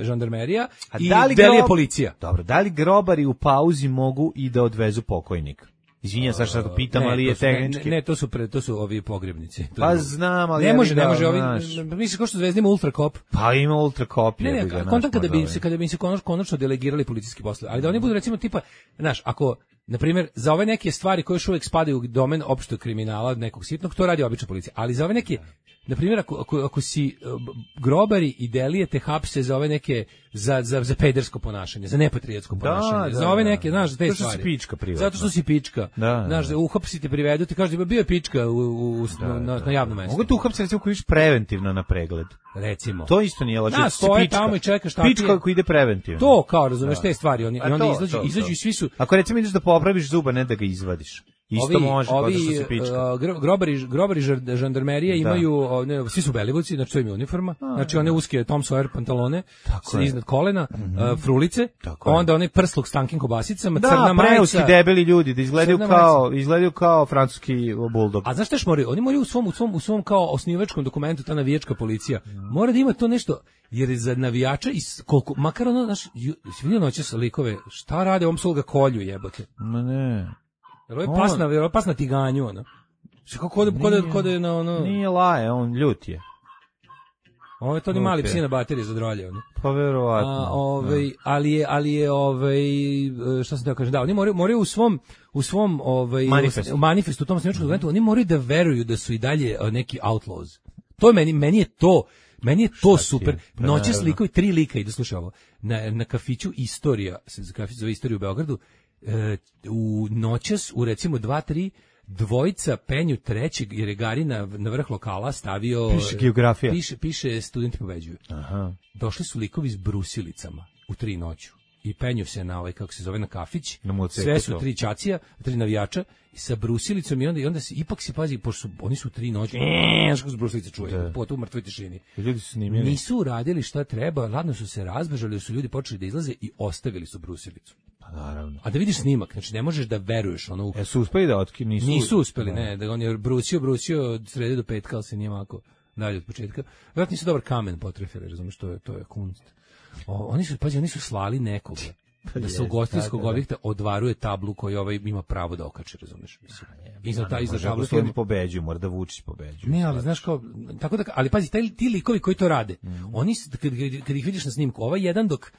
žandarmerija i da delije grob... policija. Dobro, da li grobari u pauzi mogu i da odvezu pokojnika? Izvinjam se što to pitam, ne, ali je tehnički. Ne, ne, to su pre, to su ovi pogrebnici. To pa znam, ali ne može, da, ne može ovi. Znaš. Misliš kao što Zvezda ima ultrakop? Pa ima ultrakop. Ne, ne, ne kontam kada bi se kada bi se konačno, konačno delegirali policijski poslovi, ali da oni budu recimo tipa, znaš, ako na primjer za ove neke stvari koje još uvijek spadaju u domen opšteg kriminala, nekog sitnog, to radi obična policija, ali za ove neke, na primjer, ako, ako, ako si uh, grobari i delije te hapse za ove neke, za, za, za pedersko ponašanje, za nepatriotsko ponašanje, da, za ove neke, znaš, za te to stvari. Zato što si pička privatno. Zato što si pička. Da, znaš, da uhapsite, privedu, ti kažeš da bio je pička u, u, u, da, na, da, na javnom mestu. Mogu te uhapsiti, recimo, koji iš preventivno na pregled. Recimo. To isto nije loše. Da, stoje tamo i čekaš šta ti je. Pička koji ide preventivno. To, kao, razumeš, da. Te stvari, oni, i onda izađu, izađu i svi su... Ako recimo ideš da popraviš zuba, ne da ga izvadiš. Isto ovi, može, ovi, kao da se pička. Uh, grobari, grobari žandarmerije imaju, ne, svi su Belivuci, znači to im je uniforma, A, znači one uske Tom Sawyer pantalone, iznad kolena, mm-hmm. uh, frulice, onda onaj prsluk s tankim kobasicama, da, crna majica. Da, preuski debeli ljudi, da izgledaju kao, izgledaju kao francuski buldog. A znaš šta još moraju? Oni moraju u svom, u svom, u svom kao osnivačkom dokumentu, ta navijačka policija, mora da ima to nešto, jer je za navijača, i koliko, makar ono, znaš, si vidio noćas likove, šta rade, ovom su ga kolju jebote. Ma ne. Jer ovo je pasna, jer ovo je pasna tiganju, ono. Što kako kode, kode, kode na ono... Nije laje, on ljut je. Ovo je to ni mali psi na baterije za drolje, ono. Pa verovatno. A, ovaj, no. ali je, ali je, ovaj, šta sam teo kažem, da, oni moraju, moraju u svom, u svom, ovaj, manifestu, manifestu u tom snimčkom dokumentu, oni moraju da veruju da su i dalje neki outlaws. To je meni, meni je to, meni je to šta super. Noćas likovi, tri lika, i da slušaj ovo, na, na kafiću Istorija, se kafić zove Istorija u Beogradu, e, u noćas, u recimo dva, tri, dvojica penju trećeg, jer je Gari na, na vrh lokala stavio... Piše geografija. Piše, piše studenti pobeđuju. Aha. Došli su likovi s brusilicama u tri noću i penju se na ovaj, kako se zove, na kafić. Na sve su tri čacija, tri navijača i sa brusilicom i onda, i onda se, ipak se pazi, pošto su, oni su tri noći, eee, što se brusilice čuje, po tu mrtvoj tišini. Ljudi su snimljeni. Nisu uradili šta treba, ladno su se razbežali, su ljudi počeli da izlaze i ostavili su brusilicu. Pa naravno. A da vidiš snimak, znači ne možeš da veruješ ono u... E su uspeli da otki, nisu... Nisu uspeli, ne, da on je brusio, brusio od srede do petka, ali se nije mako dalje od početka. Vjerojatno nisu dobar kamen potrefili, razumiješ, to je, to je kunst. O, oni su, pazi, oni su slali nekoga da se u ugostiteljskog objekta odvaruje tablu koju ovaj ima pravo da okače, razumiješ, mislim. Iza ta iza tablu što oni pobeđuju, mora da Vučić pobeđuje. Ne, ali znaš kao, tako da, ali pazi, taj, ti likovi koji to rade, mm. oni, kad, kad ih vidiš na snimku, ovaj jedan dok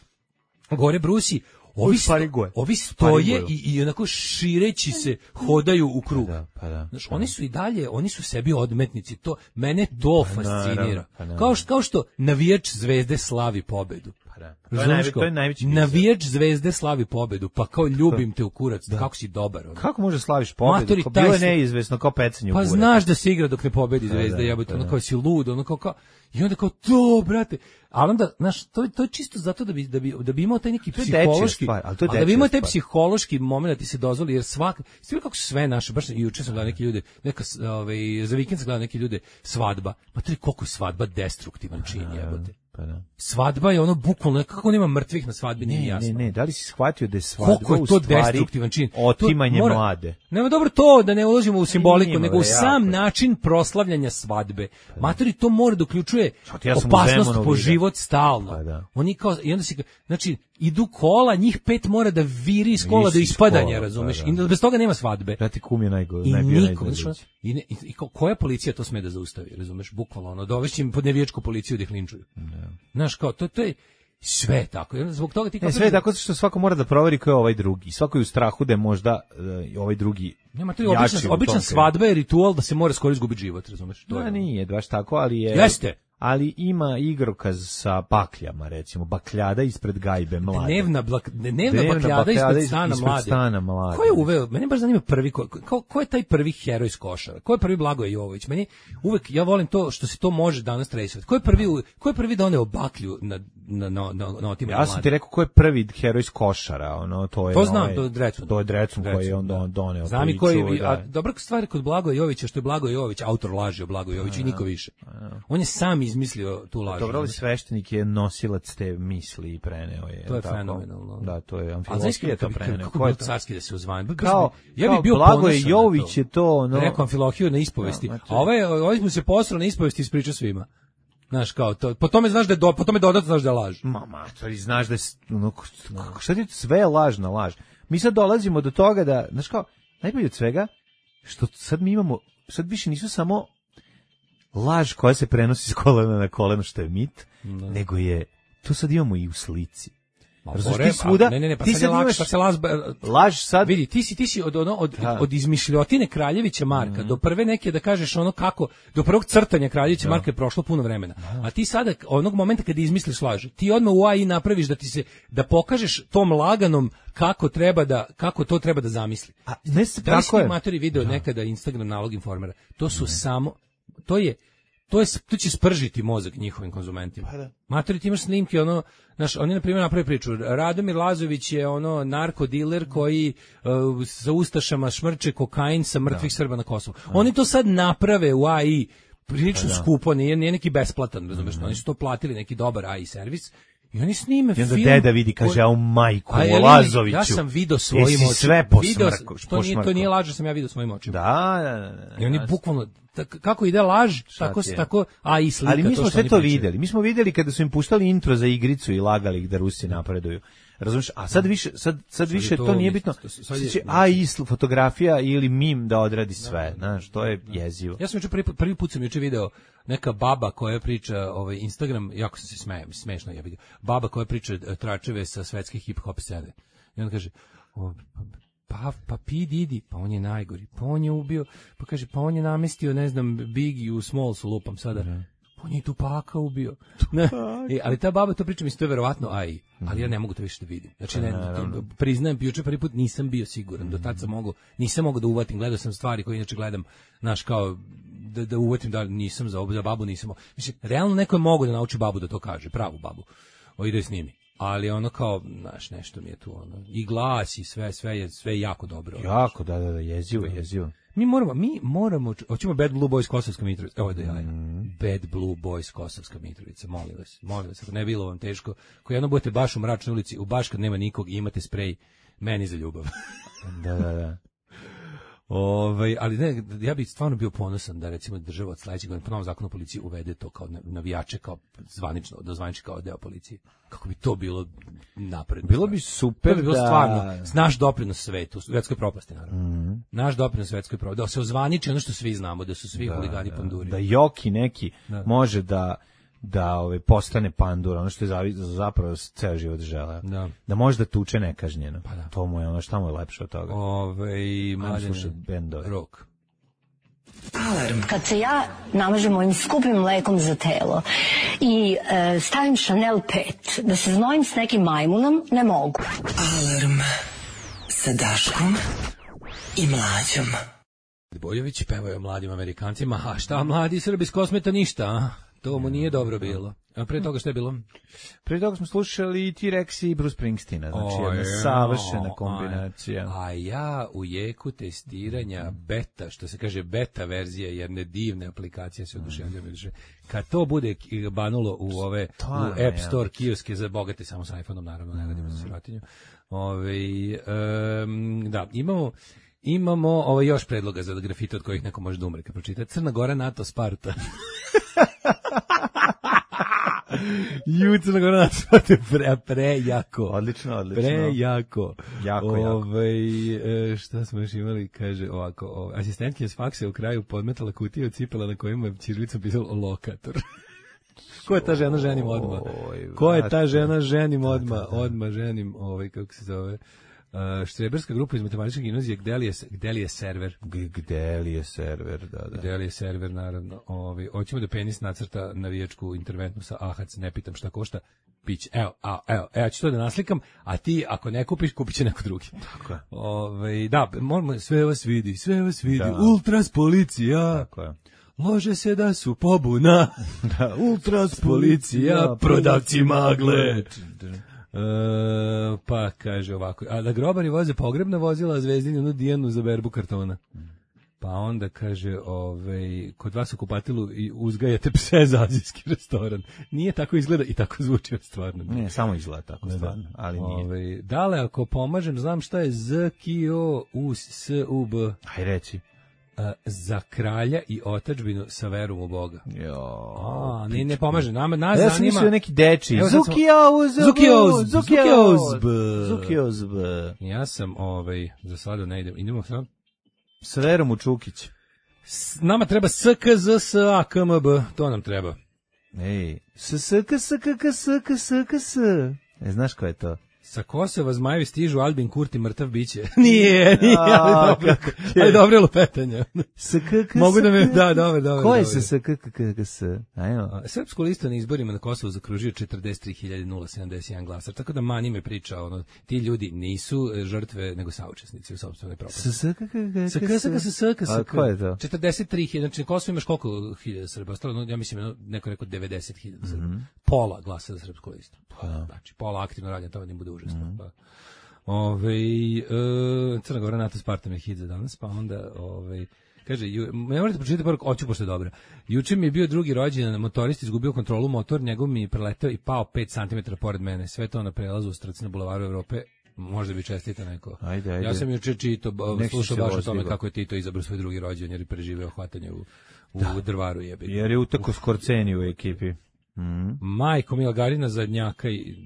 gore brusi, Ovi, sto, ovi stoje i, i onako šireći se hodaju u krug. Pa da, pa da, Znaš, pa oni su i dalje, oni su sebi odmetnici. To, mene to pa fascinira. Pa da, kao, što, kao što navijač Zvezde slavi pobedu. Pa da. To, je najve, to je najveći navijač Zvezde slavi pobedu, pa kao ljubim te u kurac, da. Kako si dobar. Ono. Kako može slaviš pobedu? Matori, kao bilo je neizvesno, kao pecanje u pa kurac. Pa znaš da se igra dok ne pobedi Zvezda, da, jebote, ono kao si lud, ono kao, kao i onda kao to, brate. Ali onda, znaš, to, to je čisto zato da bi, da bi, da bi imao taj neki psihološki, stvar, ali to je da bi imao taj psihološki moment da ti se dozvoli, jer svak, sve kako su sve naše, baš juče sam gledao neki ljude, neka, ovaj, za vikend sam gledao neki ljude, svadba, ma to je koliko svadba destruktivan čin, jebote. Pa da. Svadba je ono bukvalno, kako nema mrtvih na svadbi, nije jasno. Ne, ne, da li si shvatio da je svadba koliko je to destruktivan čin? Otimanje mora, mlade. Nema dobro to da ne ulazimo u simboliku, Nima, nego u sam način proslavljanja svadbe. Matori, to mora da uključuje ja opasnost po život stalno. Pa da. Oni kao, i onda si, znači, idu kola, njih pet mora da viri iz kola do ispadanja, razumeš? Pa da. I bez toga nema svadbe. Brate, kum je najgore, I niko, znači, i, ne, i, i koja policija to sme da zaustavi, razumeš? Bukvalno, ono, dovešći im pod nevijačku policiju da ih linčuju. Ne. Znaš, kao, to, to je sve tako. Zbog toga ti kao... Ne, sve je tako što svako mora da proveri ko je ovaj drugi. Svako je u strahu da je možda uh, ovaj drugi Nema, to je obična, obična svadba je ritual da se mora skoro izgubiti život, razumeš? To no, je, nije baš tako, ali je... Jeste. Ali ima igrokaz sa bakljama, recimo, bakljada ispred gajbe mlade. Dnevna, blak, dnevna, dnevna bakljada, bakljada ispred stana ispred mlade. Stana mlade. Ko je uveo, mene baš zanima prvi, ko, ko, ko je taj prvi heroj iz košara? Ko je prvi Blagoje Jovović? Meni uvek, ja volim to što se to može danas tresovati. Ko je prvi, ko je prvi doneo baklju na, na, na, na, na otimanje Ja sam mlade? Ti rekao ko je prvi heroj iz košara, ono, to je... To znam, ovaj, to je Drecun. To je Drecun koji je on da. doneo. Znam i koji, a dobra stvar kod Blagoje Jovovića, što je Blagoje Jovović, autor laži o Blagoje Jovoviću i niko više. On je sam izmislio tu laž. Dobro, ali sveštenik je nosilac te misli i preneo je. To je tako? Fenomenalno. Da, to je Amfilohije je to preneo. Kako je to carski da se uzvanje? Kao, ja bih bio Blagoje Jović je to, no. Rekao Amfilohiju na ispovesti. A ovaj, ovaj mu se posrao na ispovesti i ispričao svima. Znaš, kao, to, po tome znaš da je, do, po tome dodatno znaš da je laž. Ma, matori, znaš da je, no, šta ti sve je lažna laž. Mi sad dolazimo do toga da, znaš kao, najbolje od svega, što sad mi imamo, sad više nisu samo laž koja se prenosi s kolena na koleno, što je mit, no. nego je, to sad imamo i u slici. Razumiješ, ti svuda, ne, ne, ne, pa ti sad, sad je imaš, pa se laž, laž sad, vidi, ti si, ti si od, ono, od, od izmišljotine Kraljevića Marka, mm. do prve neke, da kažeš ono kako, do prvog crtanja Kraljevića Marka je prošlo puno vremena, a ti sada, onog momenta kad izmisliš laž, ti odmah u A I napraviš da ti se, da pokažeš tom laganom kako treba da, kako to treba da zamisli. A ne se da tako je. Matori video nekada Instagram nalog informera, to su ne. samo, to je, to je, to će spržiti mozak njihovim konzumentima. Pa da. Matori, ti imaš snimke, ono, znaš, oni na primjer napravi priču, Radomir Lazović je ono narkodiler koji uh, sa ustašama šmrče kokain sa mrtvih da. Srba na Kosovu. Da. Oni to sad naprave u A I prilično pa skupo, nije, nije neki besplatan, razumeš, mm-hmm. oni su to platili neki dobar A I servis. I oni snime film. I onda deda vidi, kaže, a u majku, u Lazoviću. Ja sam video svojim očima. Jesi sve posmrko. To nije, to nije laž, sam ja video svojim očima. Da, da, da. I oni bukvalno, kako ide laž, tako, tako, a i slika. Ali mi smo to sve to videli. Mi smo videli kada su im puštali intro za igricu i lagali ih da Rusi napreduju. Razumiješ? A sad više, sad, sad više to, to nije bitno. Sad će A I fotografija ili mim da odradi sve. Znaš, to je jezivo. Ja sam juče prvi, prvi put sam juče video neka baba koja priča, ovaj Instagram, jako sam se smejem, smešno je vidio. Baba koja priča tračeve sa svetske hip-hop scene. I on kaže, o, pa, pa P. Diddy, pa on je najgori, pa on je ubio, pa kaže, pa on je namestio, ne znam, Biggie u Smallsu, lupam sada. Mm. On je i Tupaka ubio. Ne. E, ali ta baba to priča, mislim, to je verovatno A I, ali ja ne mogu to više da vidim. Znači, ne, to, priznajem, juče prvi put nisam bio siguran, do tad sam mogu, nisam mogu da uvatim, gledao sam stvari koje inače gledam, znaš, kao, da, da uvatim da nisam za, za babu, nisam. Mislim, realno neko je mogu da nauči babu da to kaže, pravu babu, o ide s njimi. Ali ono kao, znaš, nešto mi je tu, ono, i glas i sve, sve je, sve je jako dobro. Jako, da, da, da, jezivo, jezivo. Mi moramo, mi moramo, hoćemo Bad Blue Boys Kosovska Mitrovica, ovo da ja, mm. Bad Blue Boys Kosovska Mitrovica, molim vas, molim vas, ako ne bilo vam teško, ako jedno budete baš u mračnoj ulici, u baš kad nema nikog i imate sprej, meni za ljubav. Da, da, da. Ove, ali ne, ja bih stvarno bio ponosan da recimo država od sledećeg godine po novom zakonu o policiji uvede to kao navijače, kao zvanično, da zvaniči kao deo policije. Kako bi to bilo napredno. Bilo bi super, to bi bilo da stvarno naš doprinos svetu, svetskoj propasti naravno. Mm. Naš doprinos svetskoj propasti, da se ozvaniči ono što svi znamo, da su svi da, huligani da, panduri. Da Joki neki da. može da da ove postane pandur, ono što je zavi, zapravo ceo život želeo. Da. Da može da tuče nekažnjeno. Pa da. To mu je ono, šta mu je lepše od toga. Ove, i mlađe rok. Alarm. Kad se ja namažem mojim skupim mlekom za telo i e, stavim Chanel pet, da se znojim s nekim majmunom, ne mogu. Alarm sa Daškom i Mlađom. Boljević pevaju o mladim Amerikancima, a šta mladi Srbi s Kosmeta ništa, a? To mu nije dobro bilo. A pre toga što je bilo? Pre toga smo slušali T-Rex i Bruce Springsteena, znači o, jedna savršena kombinacija. A, a ja u jeku testiranja beta, što se kaže beta verzija jedne divne aplikacije, se oduševljam. Mm. Kad to bude banulo u ove to, u App Store kioske za bogate, samo sa iPhoneom, naravno, ne radimo mm. za sirotinju. Ove, um, da, imamo Imamo ovo još predloga za grafite od kojih neko može da umre. Kad pročita Crna Gora, NATO, Sparta. Ju, Crna Gora, NATO, Sparta, pre, pre jako. Odlično, odlično. Pre jako. Jako, Ove, jako. Šta smo još imali, kaže ovako, ove, asistentkinja s faksa u kraju podmetala kutiju od cipela na kojima je ćirilicom pisalo lokator. Ko je ta žena, ženim odmah. Ko je ta žena, ženim odmah, odmah ženim, ovaj, kako se zove... Uh, štreberska grupa iz matematičke gimnazije, gde li je, gde li je server? Gde li je server, da, da. Gde li je server, naravno. Ovi, hoćemo da penis nacrta navijačku interventnu sa Ahac, ne pitam šta košta, pić. Evo, a, evo, evo, ću to da naslikam, a ti, ako ne kupiš, kupit će neko drugi. Tako je. Ove, da, moramo, sve vas vidi, sve vas vidi, da. Ultras policija. Tako je. Lože se da su pobuna. Da, ultras policija, prodavci magle. Uh, pa kaže ovako, a da grobari voze pogrebna vozila, a Zvezdini onu Dijanu za berbu kartona. Pa onda kaže, ovaj, kod vas u kupatilu i uzgajate pse za azijski restoran. Nije tako izgleda i tako zvuči stvarno. Ne, samo izgleda tako stvarno, ali nije. Ovaj, dale, ako pomažem, znam šta je Z, K, O, U, S, U, B. Aj reci. A, za kralja i otadžbinu sa verom u Boga. Jo. A, ne, ne pomaže. Nama, nas ja zanima... Ja sam mislio neki deči. Zukiozb. Zukiozb. Zukiozb. Zukiozb. Ja sam, ovaj, za sada ne idem. Idemo sad. S verom u Čukić. S, nama treba S, K, Z, S, A, K, M, B. To nam treba. Ej. S, S, K, S, K, K, S, K, S, K, S. E, znaš ko je to? Sa Kosova zmajevi stižu, Albin Kurti mrtav biće. nije, nije, ali dobro. Ali dobro lupetanje. S K K S. Mogu da me, da, dobro, dobro. Ko je se S K K S? Ajmo. Srpsku listu na izborima na Kosovu zakružio četrdeset tri hiljade sedamdeset jedan glasar. Tako da mani me priča, ono, ti ljudi nisu žrtve, nego saučesnici u sopstvenoj propasti. S K K K S. S K K S, S K S. A ko je to? četrdeset tri hiljade, znači Kosovo imaš koliko hiljada Srba? Ostalo, ja mislim, neko rekao devedeset hiljada Srba. Pola glasa za Srpsku listu. Znači, pola aktivno radi, to ne bude užasno. Pa. Ove, e, Crna Gora, NATO Spartan je hit za danas, pa onda, ove, kaže, ju, ne morate pročitati poruku, oću pošto je dobra. Juče mi je bio drugi rođendan, motorist izgubio kontrolu, motor, njegov mi je preletao i pao pet centimetara pored mene, sve to na prelazu u Strci na bulevaru Evrope, možda bi čestita neko. Ajde, ajde. Ja sam juče čito, slušao baš o tome kako je Tito izabrao svoj drugi rođendan jer je preživeo hvatanje u, u da. Drvaru jebi. Jer je uteko Skorceni u ekipi. Mm. Majko Mila Garina zadnjaka i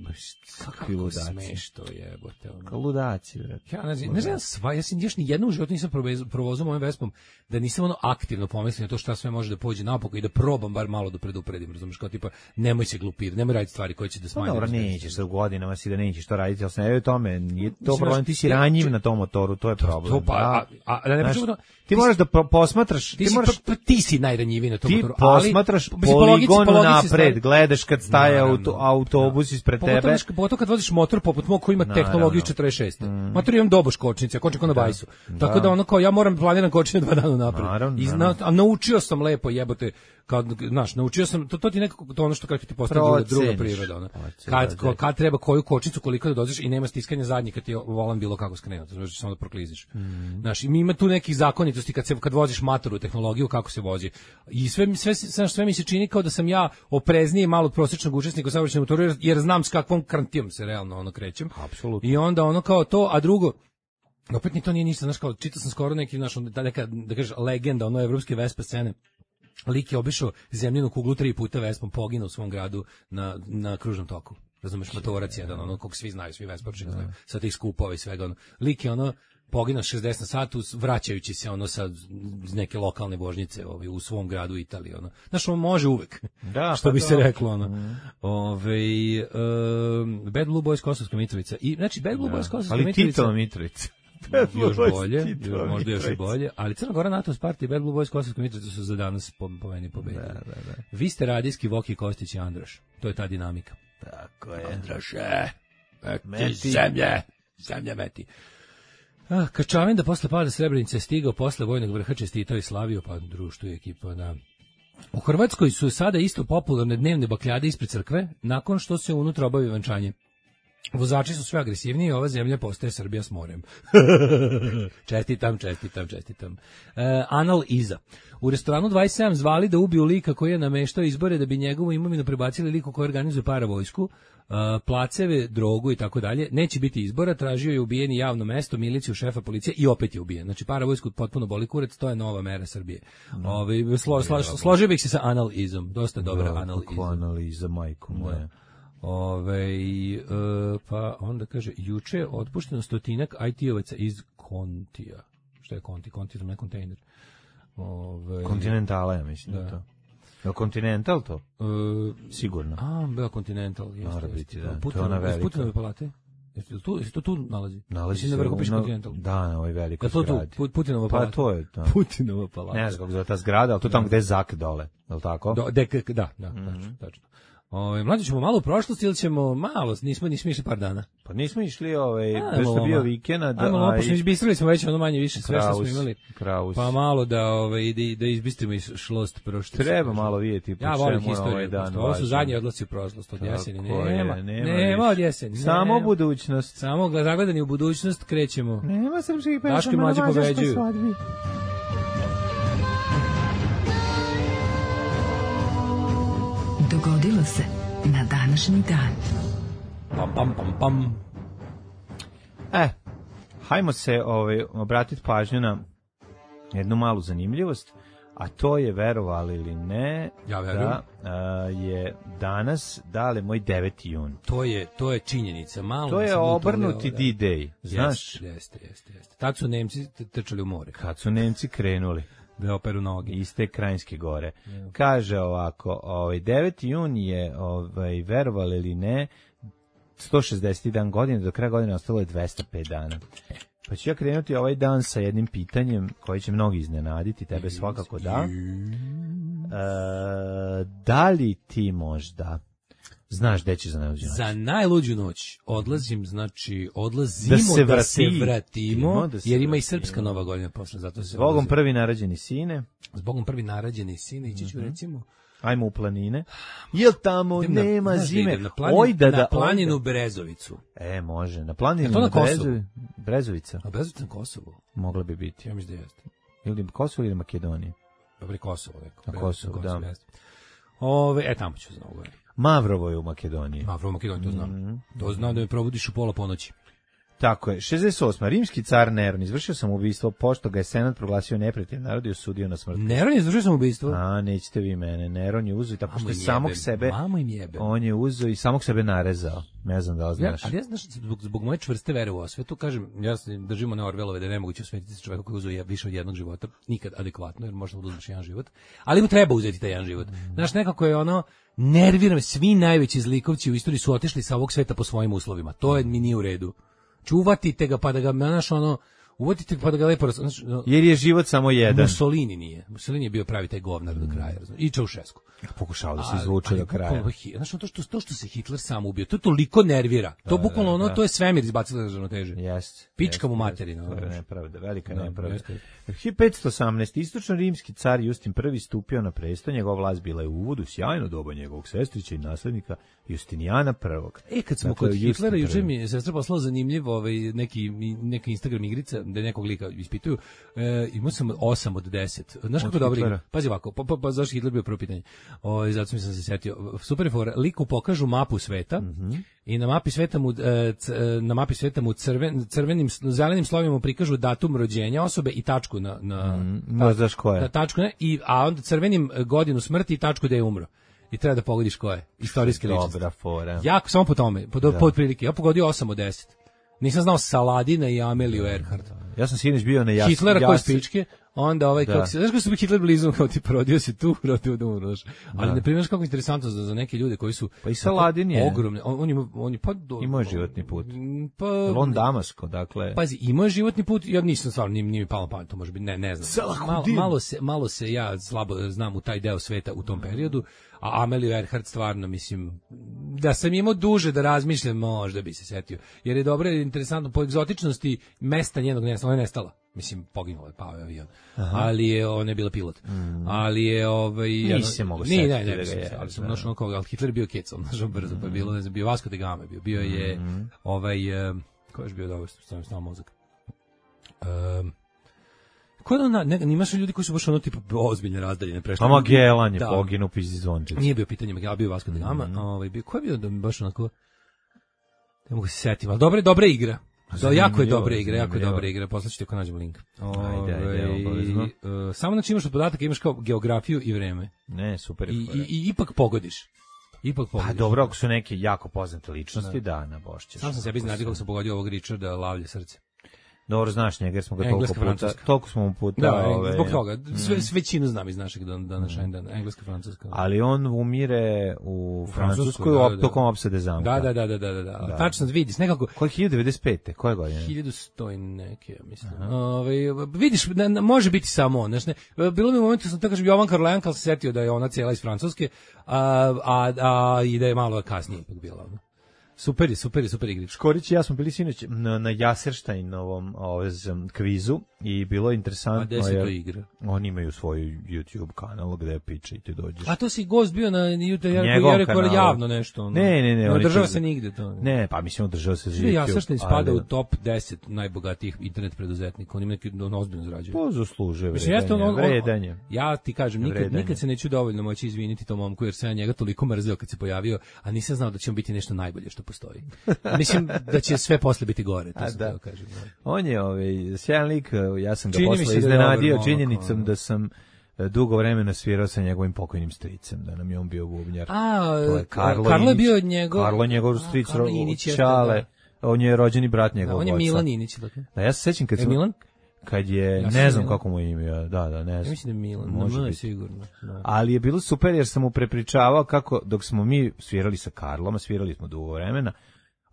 kako smeš to jebote ono. Ludaci, ja ne znam, ne znam sva, ja sam još ni jednu u životu nisam provozao mojim Vespom da nisam ono aktivno pomislio na to šta sve može da pođe napokon i da probam bar malo da predupredim, razumeš, kao tipa nemoj se glupirati, nemoj raditi stvari koje će da smanje. Dobro, nećeš sa godinama si da nećeš to raditi, al se ne o tome, nije to problem, ti si ranjiv na tom motoru, to je problem. To, pa, a, a, a ne pričamo, ti moraš da posmatraš, ti moraš pa ti si najranjiviji na tom motoru, ali posmatraš poligon napred, gledaš kad staje auto, autobus ispred tebe. Pogotovo kad voziš motor poput mog koji ima tehnologiju četrdeset šest. Mm. Motor imam doboš kočnice, kočnik na bajsu. Da. Tako da ono kao ja moram planiram kočenje dva dana napred. Naravno, I zna, a naučio sam lepo jebote, kao znaš, naučio sam to, to ti nekako to ono što kako ti postane druga, druga priroda ona. Kad, kad kad treba koju kočnicu koliko da dođeš i nema stiskanja zadnjih kad ti volan bilo kako skrenuti, znači samo da prokliziš. Mm. Znaš, i ima tu nekih zakonitosti kad se kad voziš matoru tehnologiju kako se vozi. I sve sve sve, sve mi se čini kao da sam ja oprezniji malo od prosječnog učesnika u saobraćajnom motoru jer, jer znam s kakvom krantijom se realno ono krećem. Apsolutno. I onda ono kao to, a drugo opet ni to nije ništa, znaš, kao čitao sam skoro neki naš da neka da kažeš legenda ono evropske Vespa scene. Lik je obišao zemljinu kuglu tri puta Vespom, poginuo u svom gradu na na kružnom toku. Razumeš, motorac jedan, ono kog svi znaju, svi Vespačani znaju. Sa tih skupova i svega ono. Lik je ono poginuo šezdeset na satu vraćajući se ono sa neke lokalne vožnjice ovaj u svom gradu u Italiji ono. Znaš, on može uvek. Da, što pa bi se reklo ono. Mm. Ovaj um, Bad Blue Boys Kosovska Mitrovica. I znači Bad Blue da. Boys Kosovska Mitrovica. Ali Tito Mitrovica. još bolje, još, možda još i bolje, ali Crna Gora, NATO Sparta i Bad Blue Boys Kosovska Mitrovica su za danas po, po meni pobedili. Da, da, da. Vi ste radijski Voki, Kostić i Andraš. To je ta dinamika. Tako je. Andraše, meti zemlje, zemlje meti. Ah, Krčavin da posle pada Srebrenice stigao posle vojnog vrha čestitao i slavio, pa društvo i ekipa na... U Hrvatskoj su sada isto popularne dnevne bakljade ispred crkve, nakon što se unutra obavi venčanje. Vozači su sve agresivniji, ova zemlja postaje Srbija s morem. čestitam, čestitam, čestitam. Uh, Anal Iza. U restoranu dvadeset sedam zvali da ubiju lika koji je nameštao izbore da bi njegovu imovinu prebacili liku koji organizuje paravojsku, uh, placeve, drogu i tako dalje. Neće biti izbora, tražio je ubijeni javno mesto, miliciju, šefa policije i opet je ubijen. Znači paravojsku potpuno boli kurac, to je nova mera Srbije. No. Ove, slo, slo, slo, složio bih se sa Anal Izom, dosta dobra no, Anal Iza. Anal Iza, majko moja. Ove, e, pa onda kaže, juče je otpušteno stotinak I T-ovaca iz Kontija. Šta je Konti? Konti je ne kontejner. Ove, Kontinentala, ja mislim da, da to. Je Continental to? E, Sigurno. A, bio Continental. Mora biti, da. Putin, to je ona velika. Putinove palate? Jesi to, to tu nalazi? Nalazi se na vrhu piše Continental. Da, na ovoj velikoj zgradi. To Putinova palata. Pa to je to. Putinova palata. Ne znam kako zove ta zgrada, ali to tamo gde je Zak dole, je li tako? Do, de, da, da, mm-hmm. tačno, tačno. Ovaj mlađi ćemo malo u prošlosti ili ćemo malo, nismo nismo išli par dana. Pa nismo išli, ovaj, baš je bio vikend, da. Ajmo, malo pošto izbistrili smo već ono manje više sve što smo imali. Kraus. Pa malo da ovaj da, da izbistrimo iz šlost prošlosti. Treba malo vidjeti po ja čemu ovaj dan. Ovo su zadnji odlasci u prošlost od jeseni. Nema, nema, nema od jeseni. Samo nema. Budućnost. Samo zagledani u budućnost krećemo. Nema srpskih pesama. Daški mlađi pobeđuju. dogodilo se na današnji dan. Pam, pam, pam, pam. E, hajmo se ovaj, obratiti pažnju na jednu malu zanimljivost, a to je, verovali ili ne, ja da a, je danas, dale, moj deveti jun. To je, to je činjenica. Malo to je obrnuti D-Day, znaš? Jeste, jeste, jeste, jeste. Tad su Nemci trčali u more. Kad su Nemci krenuli. Da operu noge. Iz te Krajinske gore. Yeah. Kaže ovako, ovaj, deveti jun je, ovaj, verovali ili ne, sto šezdeset dan godine, do kraja godine ostalo je dvesta pet dana. Pa ću ja krenuti ovaj dan sa jednim pitanjem koje će mnogi iznenaditi, tebe svakako da. E, da li ti možda znaš gde ćeš za najluđu noć? Za najluđu noć odlazim, znači odlazimo da se, vrati, da se vratimo, da se jer ima i srpska nova godina posle, zato se Zbogom odlazim. Prvi narađeni sine. Zbogom prvi narađeni sine, ići ću mm-hmm. recimo ajmo u planine. Jel tamo na, nema znaš, zime? Na planinu, oj, da, da, na planinu ojda. Brezovicu. E, može. Na planinu to na Brezovi, Brezovica. A Brezovica na Kosovo? Mogla bi biti. Ja mislim da jeste. Ili Kosovo ili Makedonija? Dobro, Kosovo. Neko. Na Kosovo, Kosovo da. Jeste. Ove, e, tamo ću znao govoriti. Mavrovo je u Makedoniji. Mavrovo u Makedoniji, to znam. Mm-hmm. To znam da me probudiš u pola ponoći. Tako je. šezdeset osma Rimski car Neron izvršio samoubistvo pošto ga je senat proglasio neprijateljem naroda i osudio na smrt. Neron je izvršio samoubistvo? A, nećete vi mene. Neron je uzeo i tako što je samog sebe... Mamo im jebe. On je uzeo i samog sebe narezao. Ne znam da li znaš. Ja, ali ja znaš, zbog, zbog moje čvrste vere u osvetu, kažem, ja se držimo na Orvelove da je nemoguće osvetiti čoveka koji uzeo više od jednog života, nikad adekvatno, jer možda da uzmeš jedan život, ali mu treba uzeti taj jedan život. Znaš, nekako je ono, nerviram, svi najveći zlikovci u istoriji su otišli sa ovog sveta po svojim uslovima. To je mi nije u redu. Čuvatite ga pa da ga, znaš, ono, uvodite pa da ga lepo... Znaš, jer je život samo jedan. Mussolini nije. Mussolini je bio pravi taj govnar do kraja. Znaš, i Čaušesku. Pokušao da se izvuče do kraja. Znaš, to što, to što se Hitler sam ubio, to toliko nervira. To bukvalno ono, to je svemir izbacilo na ravnoteže. Jeste. Pička mu materina. To je nepravda, velika nepravda. hiljadu petsto osamnaeste istočno-rimski car Justin prvi stupio na presto, njegova vlast bila je u uvodu, sjajno doba njegovog sestrića i naslednika Justinijana prvog. E, kad smo dakle, kod Hitlera, juče mi je sestra poslala zanimljiv ovaj, neki, neka Instagram igrica, da nekog lika ispituju, e, imao sam osam od deset. Znaš kako dobro igra? Pazi ovako, pa, pa, pa zašto Hitler bio prvo pitanje? O, zato sam se setio. Super je fora, liku pokažu mapu sveta, mm-hmm. i na mapi sveta mu, na mapi sveta mu crven, crvenim, zelenim slovima mu prikažu datum rođenja osobe i tačku na... na mm, ta, znaš ko je. Na tačku, ne, i, a onda crvenim godinu smrti i tačku da je umro. I treba da pogodiš ko je. Istorijske ličnosti. Dobra fora. Jako, samo po tome, po, po otprilike. Ja pogodio osam od deset. Nisam znao Saladina i Ameliju Earhart. Ja sam sinoć bio na jas... Hitlera jas... koji spičke, onda ovaj, da. Kako se, znaš kako su bi Hitler blizu, kao ti porodio se tu, rodio da umroš. Ali, ne primjeriš kako interesantno za, za neke ljude koji su... Pa i Saladin je... Ogromne, on, on, ima, on je pa... Do, imao je životni put. Pa... On Damasko, dakle... Pazi, imao je životni put, ja nisam stvarno, nije, nije mi palo pamet, to može biti, ne, ne znam. Malo, malo, se, malo se ja slabo znam u taj deo sveta u tom periodu, a Ameliju Earhart stvarno, mislim, da sam imao duže da razmišljam, možda bi se setio. Jer je dobro, interesantno, po egzotičnosti mesta njenog nestala, ona je nestala. Mislim, poginulo je, pao je avion. Aha. Ali je, ona je bila pilot. Mm. Ali je, ovaj... Nisi se mogu setiti. Ne, ne, ne, ne, ali sam našao koga, ali Hitler je bio kecom, našao brzo, mm. pa je bilo, ne znam, bio Vasco da Gama, bio, bio je, mm. ovaj, ko je bio dobro, stavim stavim mozak. Um, Ko da, ne, imaš ljudi koji su baš ono tipa ozbiljne razdaljene prešli. A Magellan je poginuo pizdi zvončić. Nije bio pitanje Magellan, bio Vasco da Gama, mm. ovaj, bio, ko je bio da mi baš onako, ne mogu se setiti, ali dobra, dobra igra. Do, jako je dobra igra, jako je dobra igra, poslaću ti ako nađemo link. Ajde, ajde, obavezno. Uh, samo znači imaš od podataka, imaš kao geografiju i vreme. Ne, super. I, i, i ipak pogodiš. Ipak pogodiš. Pa dobro, ako su neke jako poznate ličnosti, da, da na bošćeš. Sam sam sebi znati kako sam pogodio ovog Richarda Lavlje srce. Dobro, znaš njega, jer smo ga toliko puta, toliko smo mu puta... Da, ove, zbog toga, sve, sve većinu znam iz našeg današnjeg dana, engleska, francuska. Ali on umire u Francuskoj da, da, tokom opsade zamka. Da, da, da, da, da, da, da. Tačno vidiš, nekako... Koje hiljadu devedeset pete? Koje godine? hiljadu sto i neke, mislim. Ove, vidiš, ne, ne, može biti samo on, znaš, ne, bilo mi u momentu, sam tako kažem, Jovan Karlajanka se setio da je ona cijela iz Francuske, a, a, a i da je malo kasnije ipak bila, ono. Super je, super je, super igrić. Škorić i ja smo bili sinoć na, na Jaserštajnovom ovezem kvizu i bilo je interesantno. A gde se to igra? Oni imaju svoj YouTube kanal gde piče i ti dođeš. A to si gost bio na YouTube, ja rekao javno nešto. Ono. Ne, ne, ne. Ne održava se nigde to. Ne, ne pa mislim održava se za YouTube. Jaserštajn spada u top deset najbogatijih internet preduzetnika. Oni neki ono ozbiljno zarađuju. To zaslužuje vredanje. vredanje. Ja ti kažem, nikad, vredanje. nikad se neću dovoljno moći izviniti tom momku, jer sam ja njega toliko mrzeo kad se pojavio, a nisam znao da će on biti nešto najbolje što postoji. Mislim da će sve posle biti gore, to sam da kažem. On je ovaj sjajan lik, ja sam ga posle iznenadio činjenicom da sam dugo vremena svirao sa njegovim pokojnim stricem, da nam je on bio bubnjar. A, Karlo, Karlo je bio njegov... Karlo je njegov stric, Čale, on je rođeni brat njegovog oca. On je Milan Inić, dakle. Da, ja se sećam kad sam... Milan? Kad je, ja ne znam Milan. Kako mu je ime, da, da, ne znam. Ja mislim da je Milan, može biti sigurno. Da. Ali je bilo super jer sam mu prepričavao kako, dok smo mi svirali sa Karlom, svirali smo dugo vremena,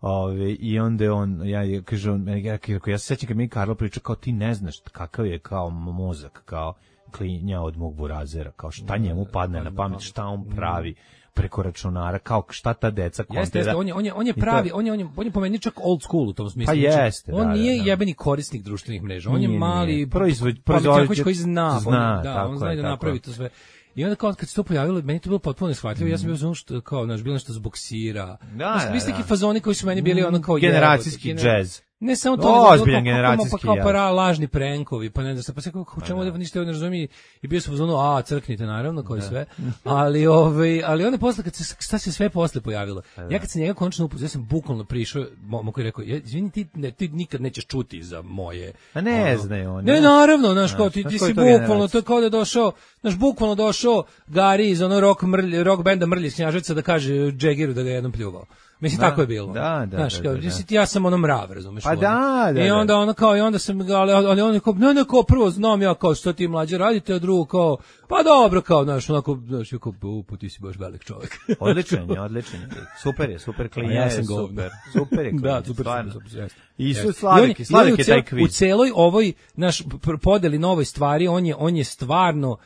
ove, i onda on, ja je, kaže, on, ja, ja se sećam kad mi Karlo priča kao ti ne znaš kakav je kao mozak, kao klinja od mog burazera, kao šta njemu padne na pamet, šta on pravi preko računara, kao šta ta deca kontira. Jeste, jeste, on je, on je, on je pravi, on je, on je, on je po meni čak old school u tom smislu. Pa jeste, on da, nije da, da. jebeni korisnik društvenih mreža, on nije, je mali proizvod, proizvođač koji zna, zna on, da, on zna je, da napravi to sve. I onda kao kad se to pojavilo, meni to bilo potpuno neshvatljivo. Mm. Ja sam bio ono što kao naš bilo nešto zbog sira. Da, da, da. Neki fazoni koji su meni bili ono kao generacijski jevo, džez. Ne samo to, ozbiljan generacijski, pa kao para lažni prenkovi, pa ne znam, pa se kako čemu da ništa ne razumije i bio sam u zonu a crknite naravno kao i sve. Ali ovaj ali onda posle kad se šta se sve posle pojavilo. Ja kad se njega konačno upoznao, ja sam bukvalno prišao, momak je rekao, izvini ti, ne, ti nikad nećeš čuti za moje. A ne znaju oni. Ne, naravno, znaš kao ti, ti si bukvalno to kao da je došao, znaš bukvalno došao Gari iz ono rock mrlj, rock benda Mrlji iz Knjaževca da kaže Džegiru da ga jednom pljuvao. Mislim, da, tako je bilo. Da, da, znaš, da, kao, da, da. ja sam ono mrav, razumeš? Pa da, da, I onda ono kao, i onda sam, ali, ali on je kao, ne, ne, kao, prvo znam ja kao, što ti mlađe radite, a drugo kao, pa dobro, kao, znaš, onako, znaš, kao, upu, ti si baš velik čovjek. Odličan je, odličan je. Super je, super klinja ja je, super. Super je klinja, da, super, stvarno. Super, super, super, I su Slavik, i Slavik je taj kviz. U celoj ovoj, naš, podeli novoj stvari, on je, on je stvarno,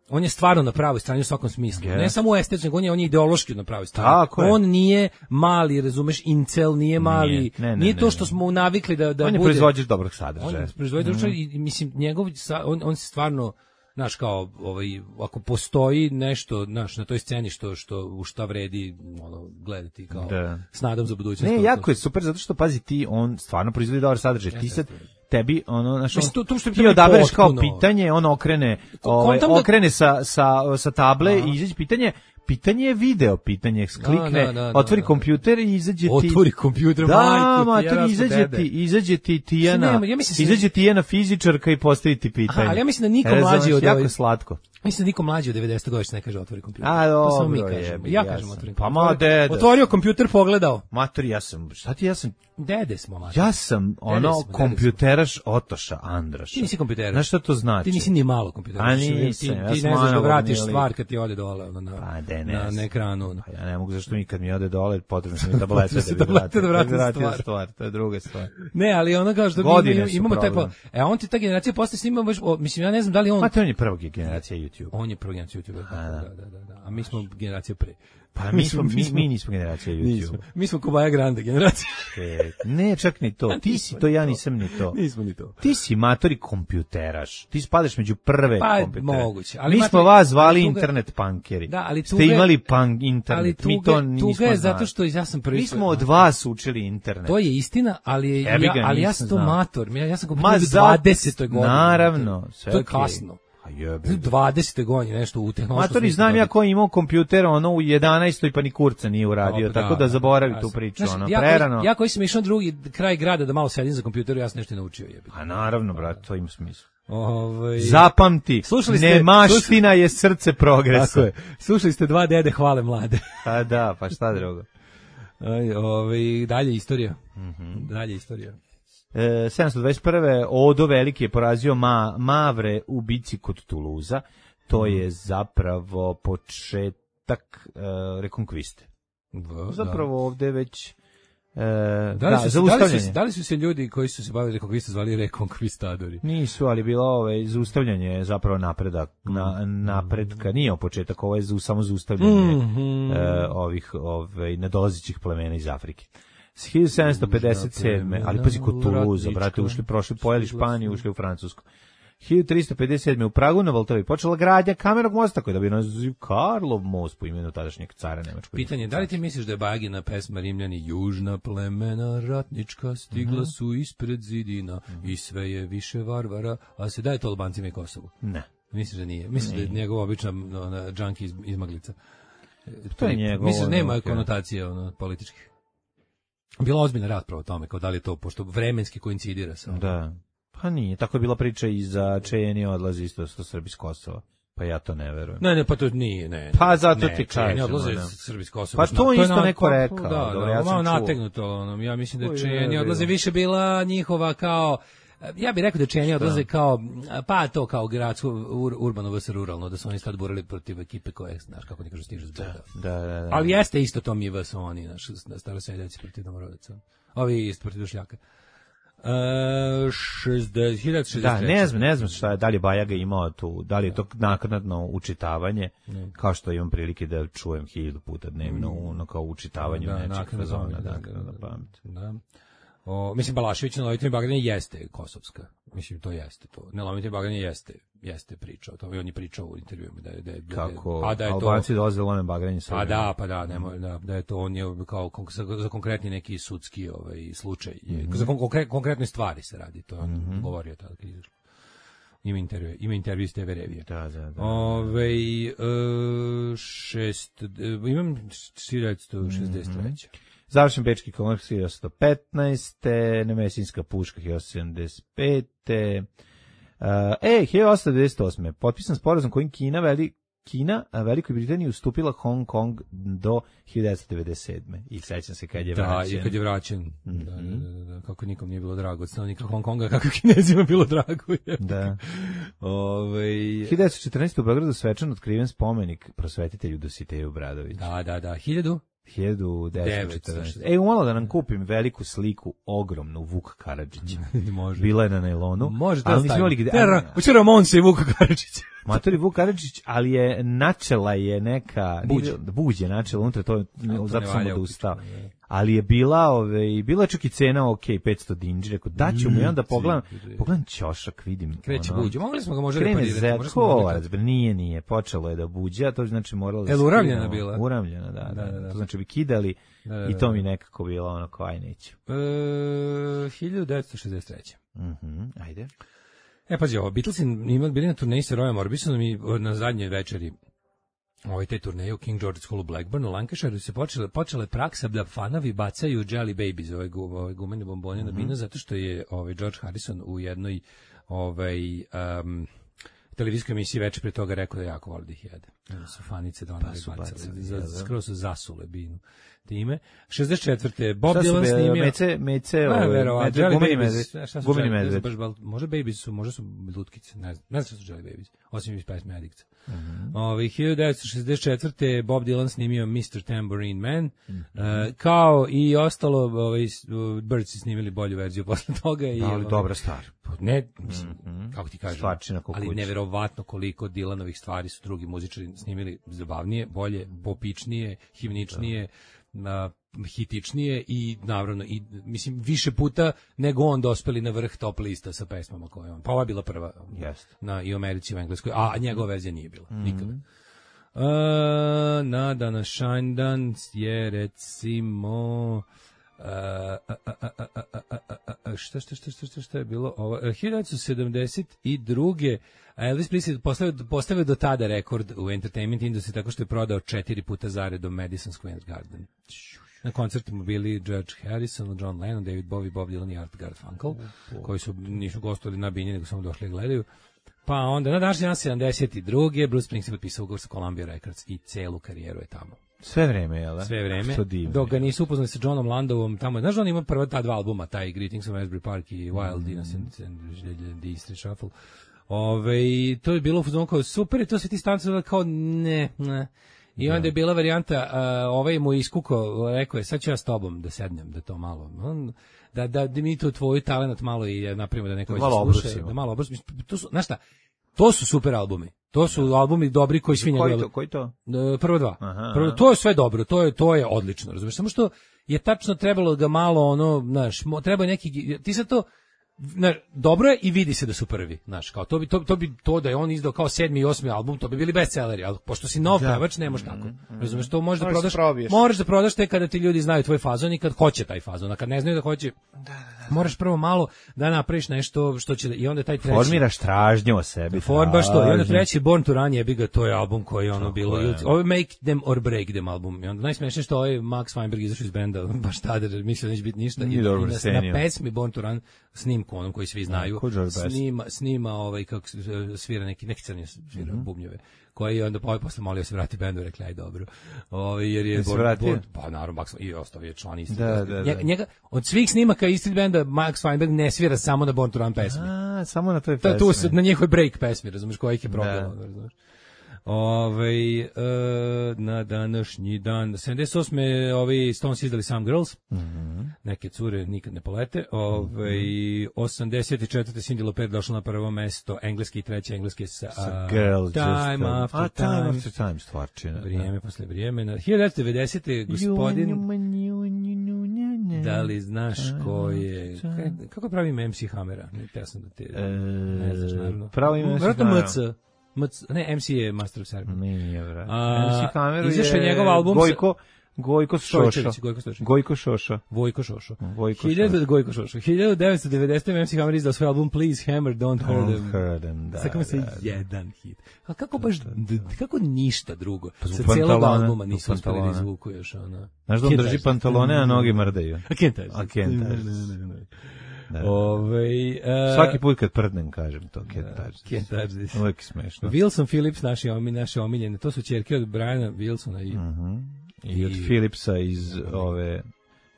on je stvarno na pravoj strani u svakom smislu. Yeah. Ne samo u estetskom, on je, on je ideološki na pravoj strani. On nije mali, razumeš, incel, nije mali, nije, ne, ne, nije to što smo navikli da, da on bude. On je proizvođač dobrog sadržaja. On je proizvođač mm. i mislim, njegov, on, on se stvarno, znaš, kao, ovaj, ako postoji nešto, znaš, na toj sceni što, što, u šta vredi, ono, gledati, kao, da. S nadom za budućnost. Ne, jako je super, zato što, pazi, ti, on stvarno proizvodi dobar sadržaj. Ja, ti sad, tebi ono znači to, to što ti odabereš kao pitanje, on okrene ovaj da... okrene sa sa sa table Aha. i izađe pitanje pitanje je video, pitanje klikne, da, da, da, otvori da, kompjuter i izađe ti otvori kompjuter, da, majku, ti izađe ti izađe ti Tijana, ja izađe ti jedna fizičarka i postavi ti pitanje. Aha, ali ja mislim da niko mlađi od jako slatko. Mislim da niko mlađi od devedeset godina ne kaže otvori kompjuter. A, dobro, to samo mi kažemo. Ja kažem otvori. Pa ma dede. Otvorio kompjuter, pogledao. Matori, ja sam, šta ti ja sam dede smo, matori. Ja sam ono smo, kompjuteraš Otoša Andraša. Ti nisi kompjuteraš. Znaš šta to znači? Ti nisi ni malo kompjuteraš. A nisam, ti, ja ti ne znaš da vratiš stvar kad ti ode dole ono, na, pa, de, ne, na, na ekranu. Pa ja ne mogu, zašto mi kad mi ode dole potrebno sam mi tableta da bi vratio, da vratim stvar. stvar. To je druga stvar. Ne, ali ono kao što mi imamo, imamo taj pa, e on ti ta generacija posle snima baš, mislim ja ne znam da li on. Pa to on je prva generacija YouTube. On je prva generacija YouTube. Da, da, da, da. A mi smo generacija pre. Pa mi smo, mi, mi nismo generacija YouTube. Nismo. Mi smo Kobaja Grande generacija. E, ne, čak ni to. Ti si to, ja nisam ni to. Nismo ni to. Ti si matori kompjuteraš. Ti spadaš među prve pa, kompjutere. Moguće. Ali mi matori, smo vas zvali tuga, internet punkeri. Da, ali tuga, ste imali punk internet. Ali tuga, mi to nismo tuga je znali. zato što ja sam prvi. Mi smo od vas učili internet. To je istina, ali je, ja, ali ja sam to mator. Ja, ja sam Ma, u dvadesetoj godini. Naravno. Sve to je okay. Kasno. dvadesete godine nešto u tehnološkom. Matori, znam ja ko je imao kompjuter ono u jedanaestoj pa ni kurca nije uradio, tako da zaboravi tu priču, ono, prerano. Ja koji sam išao drugi kraj grada da malo sedim za kompjuteru, ja sam nešto naučio, jebi. A naravno, brate, to ima smisla. Ovaj zapamti, nemaština je srce progresa. Tako je. Slušali ste dva dede hvale mlade. Pa da, pa šta drugo. Aj, ovaj dalje istorija. Mhm. Dalje istorija. E, sedamsto dvadeset prve. Odo Veliki je porazio Ma, Mavre u bici kod Tuluza. To je zapravo početak e, rekonkviste. Da, zapravo da. Ovde već e, da, da, su, zaustavljanje. Da li, su, da li su se ljudi koji su se bavili rekonkvistom zvali rekonkvistadori? Nisu, ali bilo ovaj, zaustavljanje zapravo napredak, na, napredka. Nije o početak, ovo je za, samo zaustavljanje mm -hmm. e, ovih ovaj, nadolazećih plemena iz Afrike. hiljadu sedamsto pedeset sedme ali pazi kod Tuluza, brate, ušli, prošli, pojeli Španiju, ušli u Francusku. hiljadu tristo pedeset sedme u Pragu na Voltovi počela gradnja kamenog mosta koji da bi naziv Karlov most po imenu tadašnjeg cara Nemačkog. Pitanje, da li ti misliš da je Bagina pesma Rimljani južna plemena ratnička stigla mm-hmm. su ispred zidina mm-hmm. i sve je više varvara, a se daje to Albancima i Kosovu? Ne. Misliš da nije? Misliš nije. Da je njegova obična ona, džanki iz, izmaglica? To je njegov. Misliš da nema ono, konotacije ono, političkih? Bila ozbiljna rasprava o tome, kao da li je to, pošto vremenski koincidira sa. Da. Pa nije, tako je bila priča i za Čejeni odlazi isto što Srbi iz Kosova. Pa ja to ne verujem. Ne, ne, pa to nije, ne. Pa zato ne, ti kažem. Čejeni odlaze iz Srbi iz Kosova. Pa to, to isto neko rekao. Da, dobro, da, ja malo nategnuto. Ono, ja mislim da Čejeni odlaze više bila njihova kao, ja bih rekao da Čejeni odlaze kao, pa to kao gradsko, ur, urbano vs ruralno, da su oni sad borili protiv ekipe koje, znaš, kako ne kažu, stižu zbog. Da, da, da. Ali jeste isto to mi vs oni, naš, staroseljaci protiv domorodaca. Ovi isto protiv Dušljaka. Uh, šezdeset, hiljadu šezdeset treće. Da, ne znam, ne znam šta je, da li je Bajaga imao tu, da li je to naknadno učitavanje, ne. Kao što imam prilike da čujem hiljadu puta dnevno, ono kao učitavanje da, nečeg fazona, da, naknadno pamet. Da. O, mislim, Balašević na Lovitim Bagdanje jeste kosovska. Mislim, to jeste to. Na Lovitim Bagdanje jeste, jeste priča o tome. On je pričao u intervjuima da je, da je, kako pa da je Albanci dolaze u Lovitim Bagdanje. Pa da, pa da, nemoj, da, da je to, on je kao za, za konkretni neki sudski ovaj, slučaj. Mm-hmm. Za konkre, konkretne stvari se radi, to on mm-hmm. govorio tada kad izašlo. Ima intervju, ima intervju s te ve Revije. Da, da, da. Ove, uh, šest, uh, imam hiljadu šezdeset treće. Mm-hmm. Završen Bečki konkurs hiljadu petnaeste. Nemesinska puška hiljadu sedamdeset pete. Uh, e, hiljadu devedeset osme. Potpisan sporazum kojim Kina veli Kina, a Velikoj Britaniji ustupila Hong Kong do hiljadu devedeset sedme. I sećam se kad je da, vraćen. Da, i kad je vraćen. Mm-hmm. Da, da, da, da, kako nikom nije bilo drago od stanovnika Hong Konga, kako Kinezima bilo drago. Je. Da. Ove, hiljadu devetsto četrnaeste. u Beogradu svečano otkriven spomenik prosvetitelju Dositeju Bradoviću. Da, da, da. Hiljadu? hiljadu devetsto četrnaeste. E, umalo da nam kupim veliku sliku, ogromnu, Vuk Karadžića. Može. Bila je na nailonu. Može da stavim. Hoće Ramonse i Vuk Karadžić. Matori Vuk Karadžić, ali je načela je neka... Buđe. Buđe načela, unutra to, zato sam odustao. Ali je bila, ove, bila je čak i cena, ok, petsto dinđi, rekao, daću mu i onda pogledam, pogledam ćošak, vidim. Kreće ono, buđe, mogli smo ga možda reparirati. Krene zekovac, nije, nije, počelo je da buđe, a to znači moralo da... Je li uravljena bila? Uravljena, da, da, da, da. To znači bi kidali da, da, da. I to mi nekako bilo ono, kao aj neću. E, hiljadu devetsto šezdeset treće. Mhm, ajde. E, pazi, ovo, Beatlesi imali bili na turneji sa Royom Orbisonom i na zadnjoj večeri ovoj te turneje u King George's Hall u Blackburnu, u Lancashireu se počela, počela je praksa da fanovi bacaju Jelly Babies, ove, ove gumene bombone mm-hmm. na binu, zato što je ovaj George Harrison u jednoj ovaj, um, televizijskoj emisiji večer pre toga rekao da jako voli da ih jede. Da su fanice da ona pa bacali, za, skoro su zasule binu time. šezdeset četvrte. Bob Dylan snimio... Mece, mece, ove, gumeni medved. Gumeni medved. Može Babies su, može su lutkice, ne znam, ne znam što su Jelly Babies, osim iz pesme Addicts. Mm-hmm. Ove, hiljadu devetsto šezdeset četvrte. Bob Dylan snimio mister Tambourine Man, mm-hmm. uh, kao i ostalo, ovaj, Birds su snimili bolju verziju posle toga. I, ali ovaj, dobra stvar. Ne, mislim, mm-hmm. kako ti kažem, stvarčina ali neverovatno koliko Dylanovih stvari su drugi muzičari snimili zabavnije, bolje, popičnije, himničnije, na hitičnije i naravno i mislim više puta nego on dospeli na vrh top lista sa pesmama koje on. Pa ova je bila prva yes. na i u Americi i u Engleskoj, a njegova verzija nije bila mm-hmm. nikada. Uh, na danas Shinedan je recimo Uh, a, a, a, a, a, a, a, šta, šta, šta, šta, šta, šta je bilo ovo? hiljadu devetsto sedamdeset druge. Elvis Presley postavio, postavio do tada rekord u entertainment industriji tako što je prodao četiri puta zaredom Madison Square Garden. Na koncertima bili George Harrison, John Lennon, David Bowie, Bob Dylan i Art Garfunkel, koji su nisu gostovali na bini, nego samo došli i gledaju. Pa onda na današnji dan sedamdeset druge. Bruce Springsteen potpisao ugovor sa Columbia Records i celu karijeru je tamo. Sve vreme, jel da? Sve vreme. Dok ga nisu upoznali sa Johnom Landovom, tamo, znaš da on ima prva ta dva albuma, taj Greetings from Asbury Park i Wild mm. Innocent and the Street Shuffle. Ove, to je bilo u fazonu kao super i to se ti stanci kao ne, ne. I onda je bila varijanta, uh, ovaj mu iskuko, rekao je, sad ću ja s tobom da sednem, da to malo, on, da, da, da mi to tvoj talent malo i napravimo da neko da malo sluša, da malo obrusimo. To su, znaš šta, To su super albumi. To su albumi dobri koji svi njegove. Koji to? Koji to? Prvo dva. Aha, Prvo, to je sve dobro, to je to je odlično, razumeš? Samo što je tačno trebalo ga malo ono, znaš, treba neki ti sad to na, dobro je i vidi se da su prvi, znaš, kao to bi to, to bi to da je on izdao kao sedmi i osmi album, to bi bili bestselleri, al pošto si nov pevač, ne možeš tako. Razumeš, to možeš da prodaš, možeš da prodaš te kada ti ljudi znaju tvoj fazon i kad hoće taj fazon, a kad ne znaju da hoće. Da, da, da. Moraš prvo malo da napraviš nešto što će i onda taj treći formiraš tražnju o sebi. For baš to. I onda treći Born to Run, jebi ga, to je album koji je ono bilo. Ovo Make Them or Break Them album. I onda najsmešnije što ovaj Max Weinberg izašao iz benda, baš tada mislio da neće biti ništa. I, i na, na pesmi Born to Run snimku onom koji svi znaju. Snima snima ovaj kako svira neki neki crni svira mm-hmm. bubnjeve. Koji je onda ovaj posle molio se vrati bendu, rekli aj dobro. Ovaj jer je Born, Born, pa naravno Max i ostavio član isti. Da, da, da. Njega od svih snimaka istog benda Max Weinberg ne svira samo na Born to Run pesmi. A, samo na toj pesmi. To tu na njihovoj break pesmi, razumeš, koji je problem, razumeš. Ovaj e, na današnji dan sedamdeset osme ovi Stones izdali Some Girls. Mm-hmm. Neke cure nikad ne polete. Ovaj mm-hmm. osamdeset četvrte Cyndi Lauper došla na prvo mesto, engleski i treći engleski sa, sa Girls, Time just, After a, Time. Time After Time stvarčina. Vrijeme posle vrijeme. Na hiljadu devetsto devedesete gospodin da li znaš ko je kako pravi ime em ce Hammera? Ja sam da te e, ne znaš naravno. Pravi ime em ce Hammera. Ne, em ce je Master of Ceremony. Nije, vrat. em ce Hammeru je njegov album Gojko, Gojko Šošo. Gojko Šošo. Gojko Šošo. Vojko Šošo. Vojko Šošo. Gojko Šošo. hiljadu devetsto devedesete em ce Hammer izdao svoj album Please Hammer, Don't Hurt Them. Hurt them, da. Sakamo se jedan hit. A kako baš, kako ništa drugo? Sa cijelog albuma nisu uspjeli da izvuku još ona. Znaš da on drži pantalone, a noge mrdaju. A kentaž. A kentaž. Da. Ove, uh, svaki put kad prdnem kažem to kentaž. Uvijek smešno. Wilson Phillips, naši, naše omiljene, to su ćerke od Briana Wilsona i, uh-huh. I, i od Phillipsa iz ove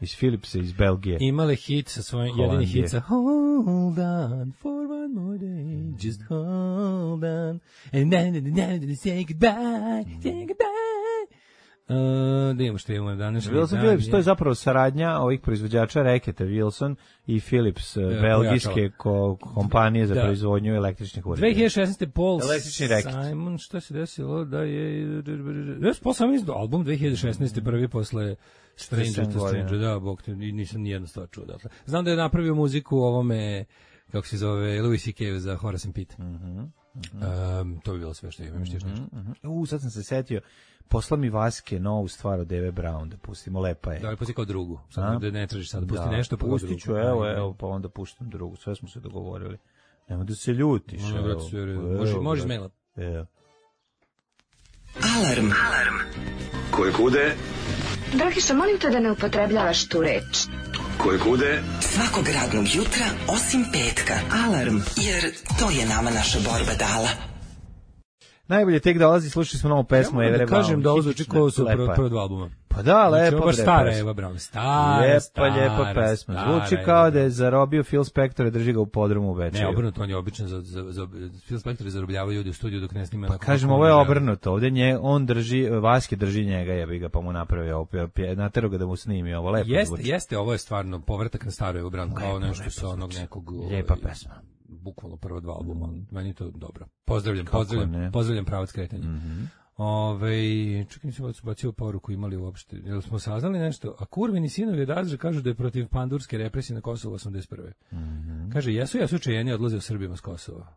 iz Philipsa iz Belgije. Imale hit sa svojim jedini hit sa Hold on for one more day, just hold on and then, then, then, then say goodbye, say goodbye. Uh, da imamo što imamo danas. Wilson Phillips, to je zapravo saradnja ovih proizvođača reketa Wilson i Philips, da, belgijske ko, kompanije za da. proizvodnju električnih uređaja. dve hiljade šesnaeste Paul reket. Simon, što se desilo da je... Jes, Paul Simon izdao album dve hiljade šesnaeste prvi posle Stranger to Stranger, da, bog te, nisam nijedno stvar čuo. Dakle. Znam da je napravio muziku u ovome, kako se zove, Louis C K za Horace and Pete. Mhm. Um, to bi bilo sve što imam, još nešto. Uh, uh, sad sam se setio, posla mi Vaske novu stvar od Dave Brown, da pustimo, lepa je. Da, ali pusti kao drugu, sad da ne tražiš sad, da pusti da, nešto pa pustit ću, evo, evo, pa onda puštam drugu, sve smo se dogovorili. Nemo da se ljutiš. No, evo, sve, može, možeš maila. Evo. Alarm. Alarm. Koje kude? Dragiša, molim te da ne upotrebljavaš tu reč. Koje kude? Svakog radnog jutra, osim petka. Alarm, jer to je nama naša borba dala. Najbolje tek dolazi, slušali smo novu pesmu Eve Brown. Ja da kažem da ovo zvuči kao su prva dva albuma. Pa da, lepo. Znači, baš stara Eva Brown, stara, lijepa, stara, lijepa pesma. Zvuči kao da je zarobio Phil Spector i drži ga u podrumu u Bečeju. Ne, obrnuto, on je običan za, za, za Phil Spector i zarobljava ljudi u studiju dok ne snima. Pa kažem, ovo je obrnuto, ovdje nje, on drži, Vaske drži njega, jebi ga, pa mu napravi ovo, natero ga da mu snimi ovo, lepo jeste, zvuči. Jeste, ovo je stvarno povratak na staru Eva Brown, kao nešto sa onog nekog... Lijepa pesma. Bukvalno prvo dva albuma, mm. meni to dobro. Pozdravljam, Kako pozdravljam, ne? pozdravljam pravac kretanja. Mm-hmm. Ove, čekaj, nisam bacio poruku imali uopšte. Jel smo saznali nešto? A Kurvini sinovi od Azra kažu da je protiv pandurske represije na Kosovu osamdeset prve. Mm-hmm. Kaže, jesu, jesu čejeni odlaze u Srbima s Kosova.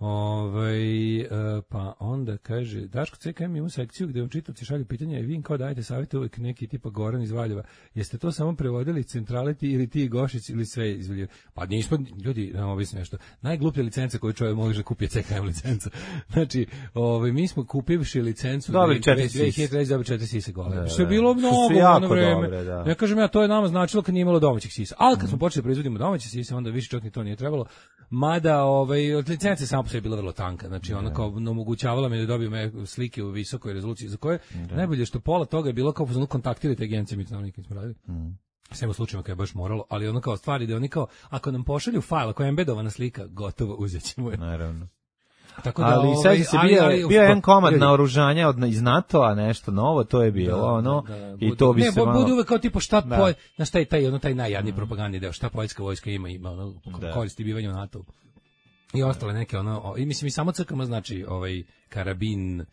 Ove, e, pa onda kaže, Daško C K M ima sekciju gde vam čitavci šalju pitanja i vi im kao dajete savjeti uvijek neki tipa Goran iz Valjeva. Jeste to samo prevodili centraliti ili ti Gošić ili sve izvoljivo? Pa nismo, ljudi, nam objasnim nešto. Najgluplja licenca koju čovjek može da kupi je C K M licenca. Znači, ove, mi smo kupivši licencu dobri četiri dve hiljade treće dobri četiri sise gole. Što je bilo mnogo u ono vreme. Dobre, da. Ja kažem ja, to je nama značilo kad nije imalo domaćih sisa. Ali kad mm. smo počeli da proizvodimo domaće sise, onda više čak ni to nije trebalo. Mada, ovaj, od licence samo je bila vrlo tanka, znači ona kao omogućavala mi da dobijem slike u visokoj rezoluciji za koje da. Najbolje što pola toga je bilo kao pozvano kontaktirati agencije, mi to nikad nismo radili. Mm. Sve u slučajima kad je baš moralo, ali ono kao stvari da oni kao, ako nam pošalju fajl, ako je embedovana slika, gotovo uzet ćemo je. Naravno. Tako da, ali ovaj, se bio, ali, bio jedan komad naoružanja od, iz NATO-a, nešto novo, to je bilo, da, ono, da, da, i budu, to bi ne, se malo... Ne, bude uvek kao tipo šta, da. Poj, na šta je taj, ono, taj najjadniji mm. propagandni deo, šta poljska vojska ima, ima ono, koristi bivanje u NATO-u. I ostale neke ono, i mislim i samo C K M znači ovaj karabin,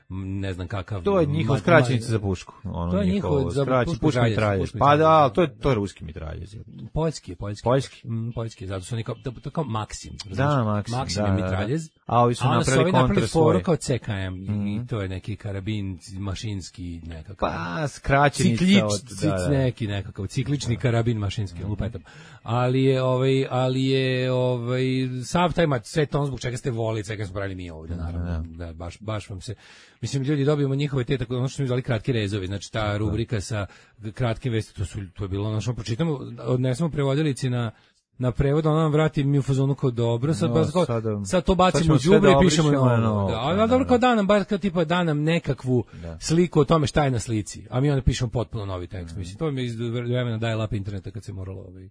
ne znam kakav. To je njihov skraćenica za pušku. Ono to je njihov za pušku, pušku mitraljez. Pa da, to je to je ruski mitraljez. Poljski, poljski. Poljski. Mm, poljski, zato su oni kao, to kao Maksim. Da, Maksim. Maksim da, je mitraljez. A ovi su napravili kontra svoje. Kao C K M mm. i to je neki karabin mašinski nekakav. Pa skraćenica Ciklič, od da, da. neki nekakav ciklični da. karabin mašinski, mm. lupetam. Ali je ovaj, ali je ovaj sav taj mat sve to zbog čega ste volili, čega smo pravili mi ovde naravno. Da, da baš baš vam se mislim ljudi dobijemo njihove te tako ono što smo zvali kratki rezovi, znači ta rubrika sa kratkim vestima, to su to je bilo ono što pročitamo, odnesemo prevodilici na na prevod, ona nam vrati mi u fazonu kao dobro, sad, no, sad, sada, sad to bacimo u đubre i pišemo novo. No, da, ali da, dobro kao da nam, bar kao tipa da nam nekakvu da. sliku o tome šta je na slici, a mi onda pišemo potpuno novi tekst. Mm. Mislim, to mi je iz vremena dial-up interneta kad se moralo ovaj,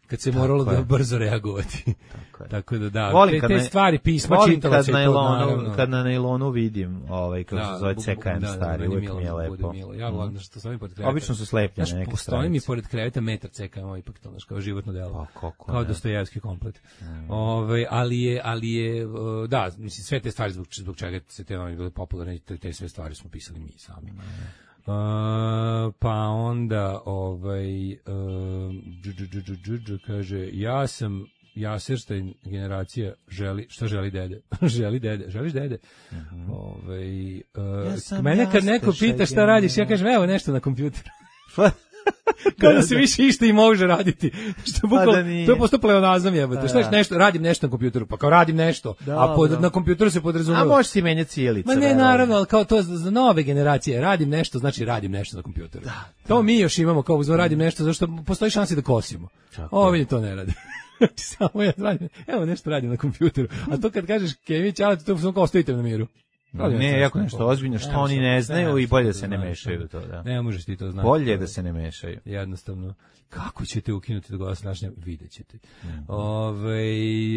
kad se moralo da brzo reagovati. Tako, Tako da da, volim te, te stvari pisma čitalo se to. Kad na nailonu vidim ovaj kako da, se zove C K M da, stari, uvijek mi je lepo. Ja volim što stojim pored kreveta. Obično su slepljene neke stranice. Stojim mi pored kreveta metar C K M, ipak to naš kao životno delo. Pa, kako, kao Dostojevski komplet. Mm. Ovaj, ali je, ali je, da, mislim, sve te stvari zbog, zbog čega se te novine bile popularne, te, te sve stvari smo pisali mi sami. Mm. Uh, pa onda ovaj uh, dž, dž, dž, dž, dž, kaže ja sam Jaserstein generacija želi šta želi dede želi dede želiš dede uh-huh. ovaj uh, ja mene kad neko pita šta radiš ja kažem evo nešto na kompjuteru kao da se više išta i može raditi. Što bukvalno, pa to je postao pleonazam jebote. Šta nešto, radim nešto na kompjuteru, pa kao radim nešto, da, a pod, na kompjuteru se podrazumeva. A možeš si menjati cijelice. Ma ne, naravno, ali kao to za nove generacije, radim nešto, znači radim nešto na kompjuteru. Da, to da. Mi još imamo kao uzvo radim nešto, zašto postoji šansa da kosimo. Ovi to ne rade. Samo ja radim, evo nešto radim na kompjuteru. A to kad kažeš Kević, ali to samo kao ostavite na miru. Ne, ne jako nešto ozbiljno, što oni ne znaju ne, i bolje da se ne mešaju to, da. Ne možeš ti to znati. Bolje da se ne mešaju. Jednostavno. Kako ćete ukinuti do glasa našnja? Vidjet ćete. Mm-hmm. Ove,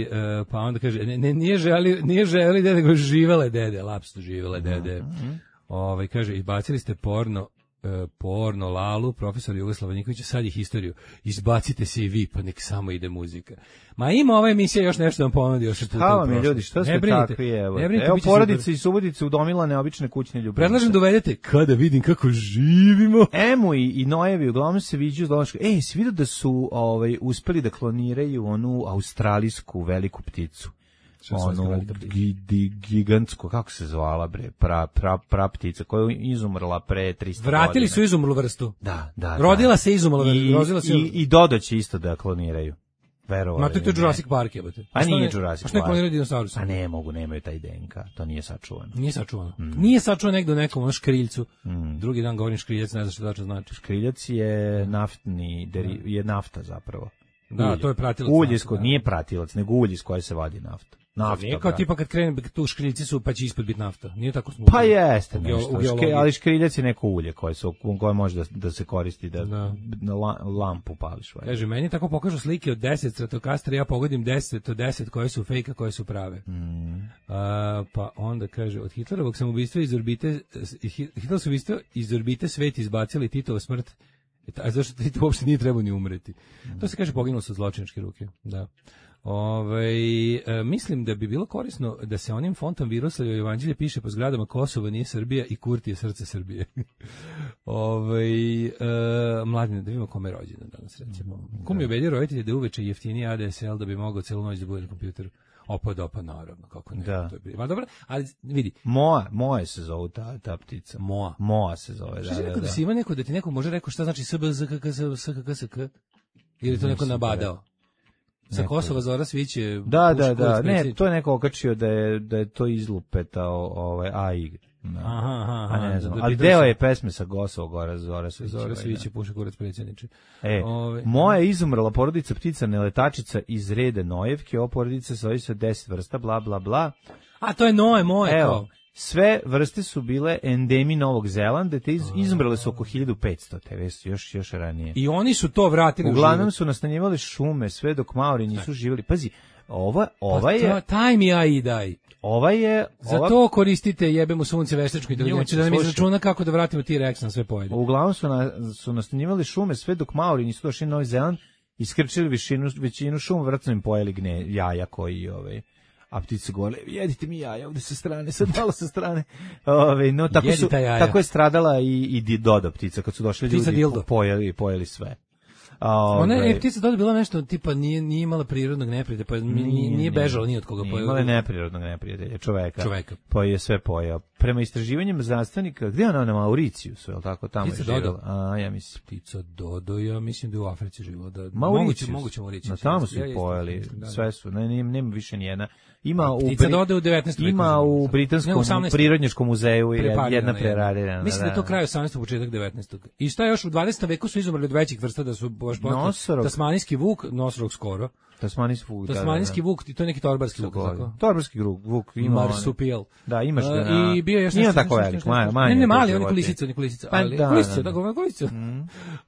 e, pa onda kaže, ne, ne, nije želi, nije želi dede, nego živele dede, lapsu živele dede. Mm-hmm. Ove, kaže, izbacili ste porno, e, porno, lalu, profesor Jugoslava Nikolića, sad je historiju. Izbacite se i vi, pa nek samo ide muzika. Ma ima ova emisija još nešto vam ponudi još puta. Hvala mi ljudi, što ste takvi, evo. Evo porodice i Subotice udomilane obične kućne ljubimce. Predlažem da uvedete kada vidim kako živimo. Emu i, i Nojevi uglavnom se viđu iz Donoška. Ej, si vidio da su ovaj, uspeli da kloniraju onu australijsku veliku pticu? Onu gigantsku, kako se zvala bre, pra, pra, pra ptica koja je izumrla pre tristo godina. Vratili su izumrlu vrstu. Da, da. Rodila da. se izumrla vrstu. I, i, i Dodo će isto da kloniraju. Verovali. Ma to je Jurassic Park jebote. A nije Jurassic Park. A što kloniraju dinosaurusa? A ne mogu, nemaju taj D N K, to nije sačuvano. Nije sačuvano. Mm. Nije sačuvano negde u nekom ono škriljcu. Mm. Drugi dan govorim škriljac, ne znam što tačno znači. Škriljac je naftni, deri, je nafta zapravo. Da, ulje. To je pratilac. Ulje iz koje nije pratilac, nego ulje iz koje se vadi nafta. Nafta. Nije kao tipa kad krene tu škriljci su pa će ispod biti nafta. Nije tako smo. Pa jeste nešto. Ške, ali škriljac je neko ulje koje se koje može da, da se koristi da, da. na la, lampu pališ. Kaže meni tako pokažu slike od deset Stratocastera, ja pogodim deset od deset koje su fejka, koje su prave. Mm. A, pa onda kaže od Hitlerovog samoubistva iz orbite Hitlerovog samoubistva iz orbite svet izbacili Titova smrt. A zašto Tito uopšte nije trebao ni umreti? Mm. To se kaže poginulo sa zločinačke ruke. Da. Ove, e, mislim da bi bilo korisno da se onim fontom Viroslavljevo evanđelje piše po zgradama Kosovo nije Srbija i Kurti je srce Srbije. Ove, e, mladine, da vidimo kome je rođendan danas recimo. Mm, Ko mi obedio roditelje da uveče jeftiniji A D S L da bi mogao celu noć da bude na kompjuteru? Opa, dopa, naravno, kako ne. Da. To je Ma dobro, ali vidi. Moa, Moa se zove ta, ta ptica. Moa. Moa se zove, da, da, da. da, da si ima neko, da ti neko može rekao šta znači S B Z K K S K K S K? Ili to neko nabadao? Sa Kosova Zora Sviće. Da, da, da, ne, to je neko okačio da je, da je to izlupetao ovaj A I. No. Aha, aha, a ne znam, da, ali deo je pesme sa Kosova Gora Zora Sviće. Zora Sviće, puše kurac predsjedniče. E, Ove, moja izumrla porodica ptica neletačica iz reda Nojevke, o porodica sastoji se deset vrsta, bla, bla, bla. A to je Noje, moje, evo, sve vrste su bile endemi Novog Zelanda, te iz, izumrle su oko hiljadu petsto, te već još, još ranije. I oni su to vratili. Uglavnom su nastanjivali šume, sve dok Maori nisu živjeli. Pazi, ova, ova pa je... Taj mi ja i daj. Ova je... Ova... Za to koristite jebemo sunce veštačku inteligenciju, da nam izračuna kako da vratimo T-Rex na sve pojede. Uglavnom su, na, su nastanjivali šume sve dok Maori nisu došli na Novi Zeland iskrčili većinu, većinu šuma, vratno im pojeli gne, jaja koji, ovaj, a ptice govore, jedite mi jaja ovde sa strane, sad malo sa strane. Ove, no, tako, su, tako je stradala i, i Dodo ptica, kad su došli ljudi, pojeli, pojeli sve. Ona je ptica Dodo bila nešto tipa nije nije imala prirodnog neprijatelja, pa nije, nije, nije bežala ni od koga. Nije imala neprirodnog neprijatelja, čoveka. Čoveka. Pa je sve pojeo. Prema istraživanjima znanstvenika, gde je ona na Mauricijusu, je li tako tamo ptica je živjela? A, ja mislim. Ptica Dodo, ja mislim da je u Africi živjela. Da, Mauricijus. Moguće, moguće Mauricijus. Na tamo su ja, pojeli, da, sve su, ne, nema, nema više nijedna. Ima u, ptica Dodo u devetnaestom veku. Ima u Britanskom prirodnjačkom muzeju jedna preradirana. Mislim da je to kraj osamnaestog početak devetnaestog. I šta još u dvadesetom veku su izumrli od većih vrsta da su baš tasmanijski vuk, nosorog skoro. Tasmanijski vuk, Tasmanijski vuk, to je neki torbarski vuk, tako? Torbarski vuk, ima marsupijal. Da, imaš ga. I bio još nije tako velik, manje. Ne, ne, mali, oni kolisice, oni kolisice, ali kolisice, tako, kolisice.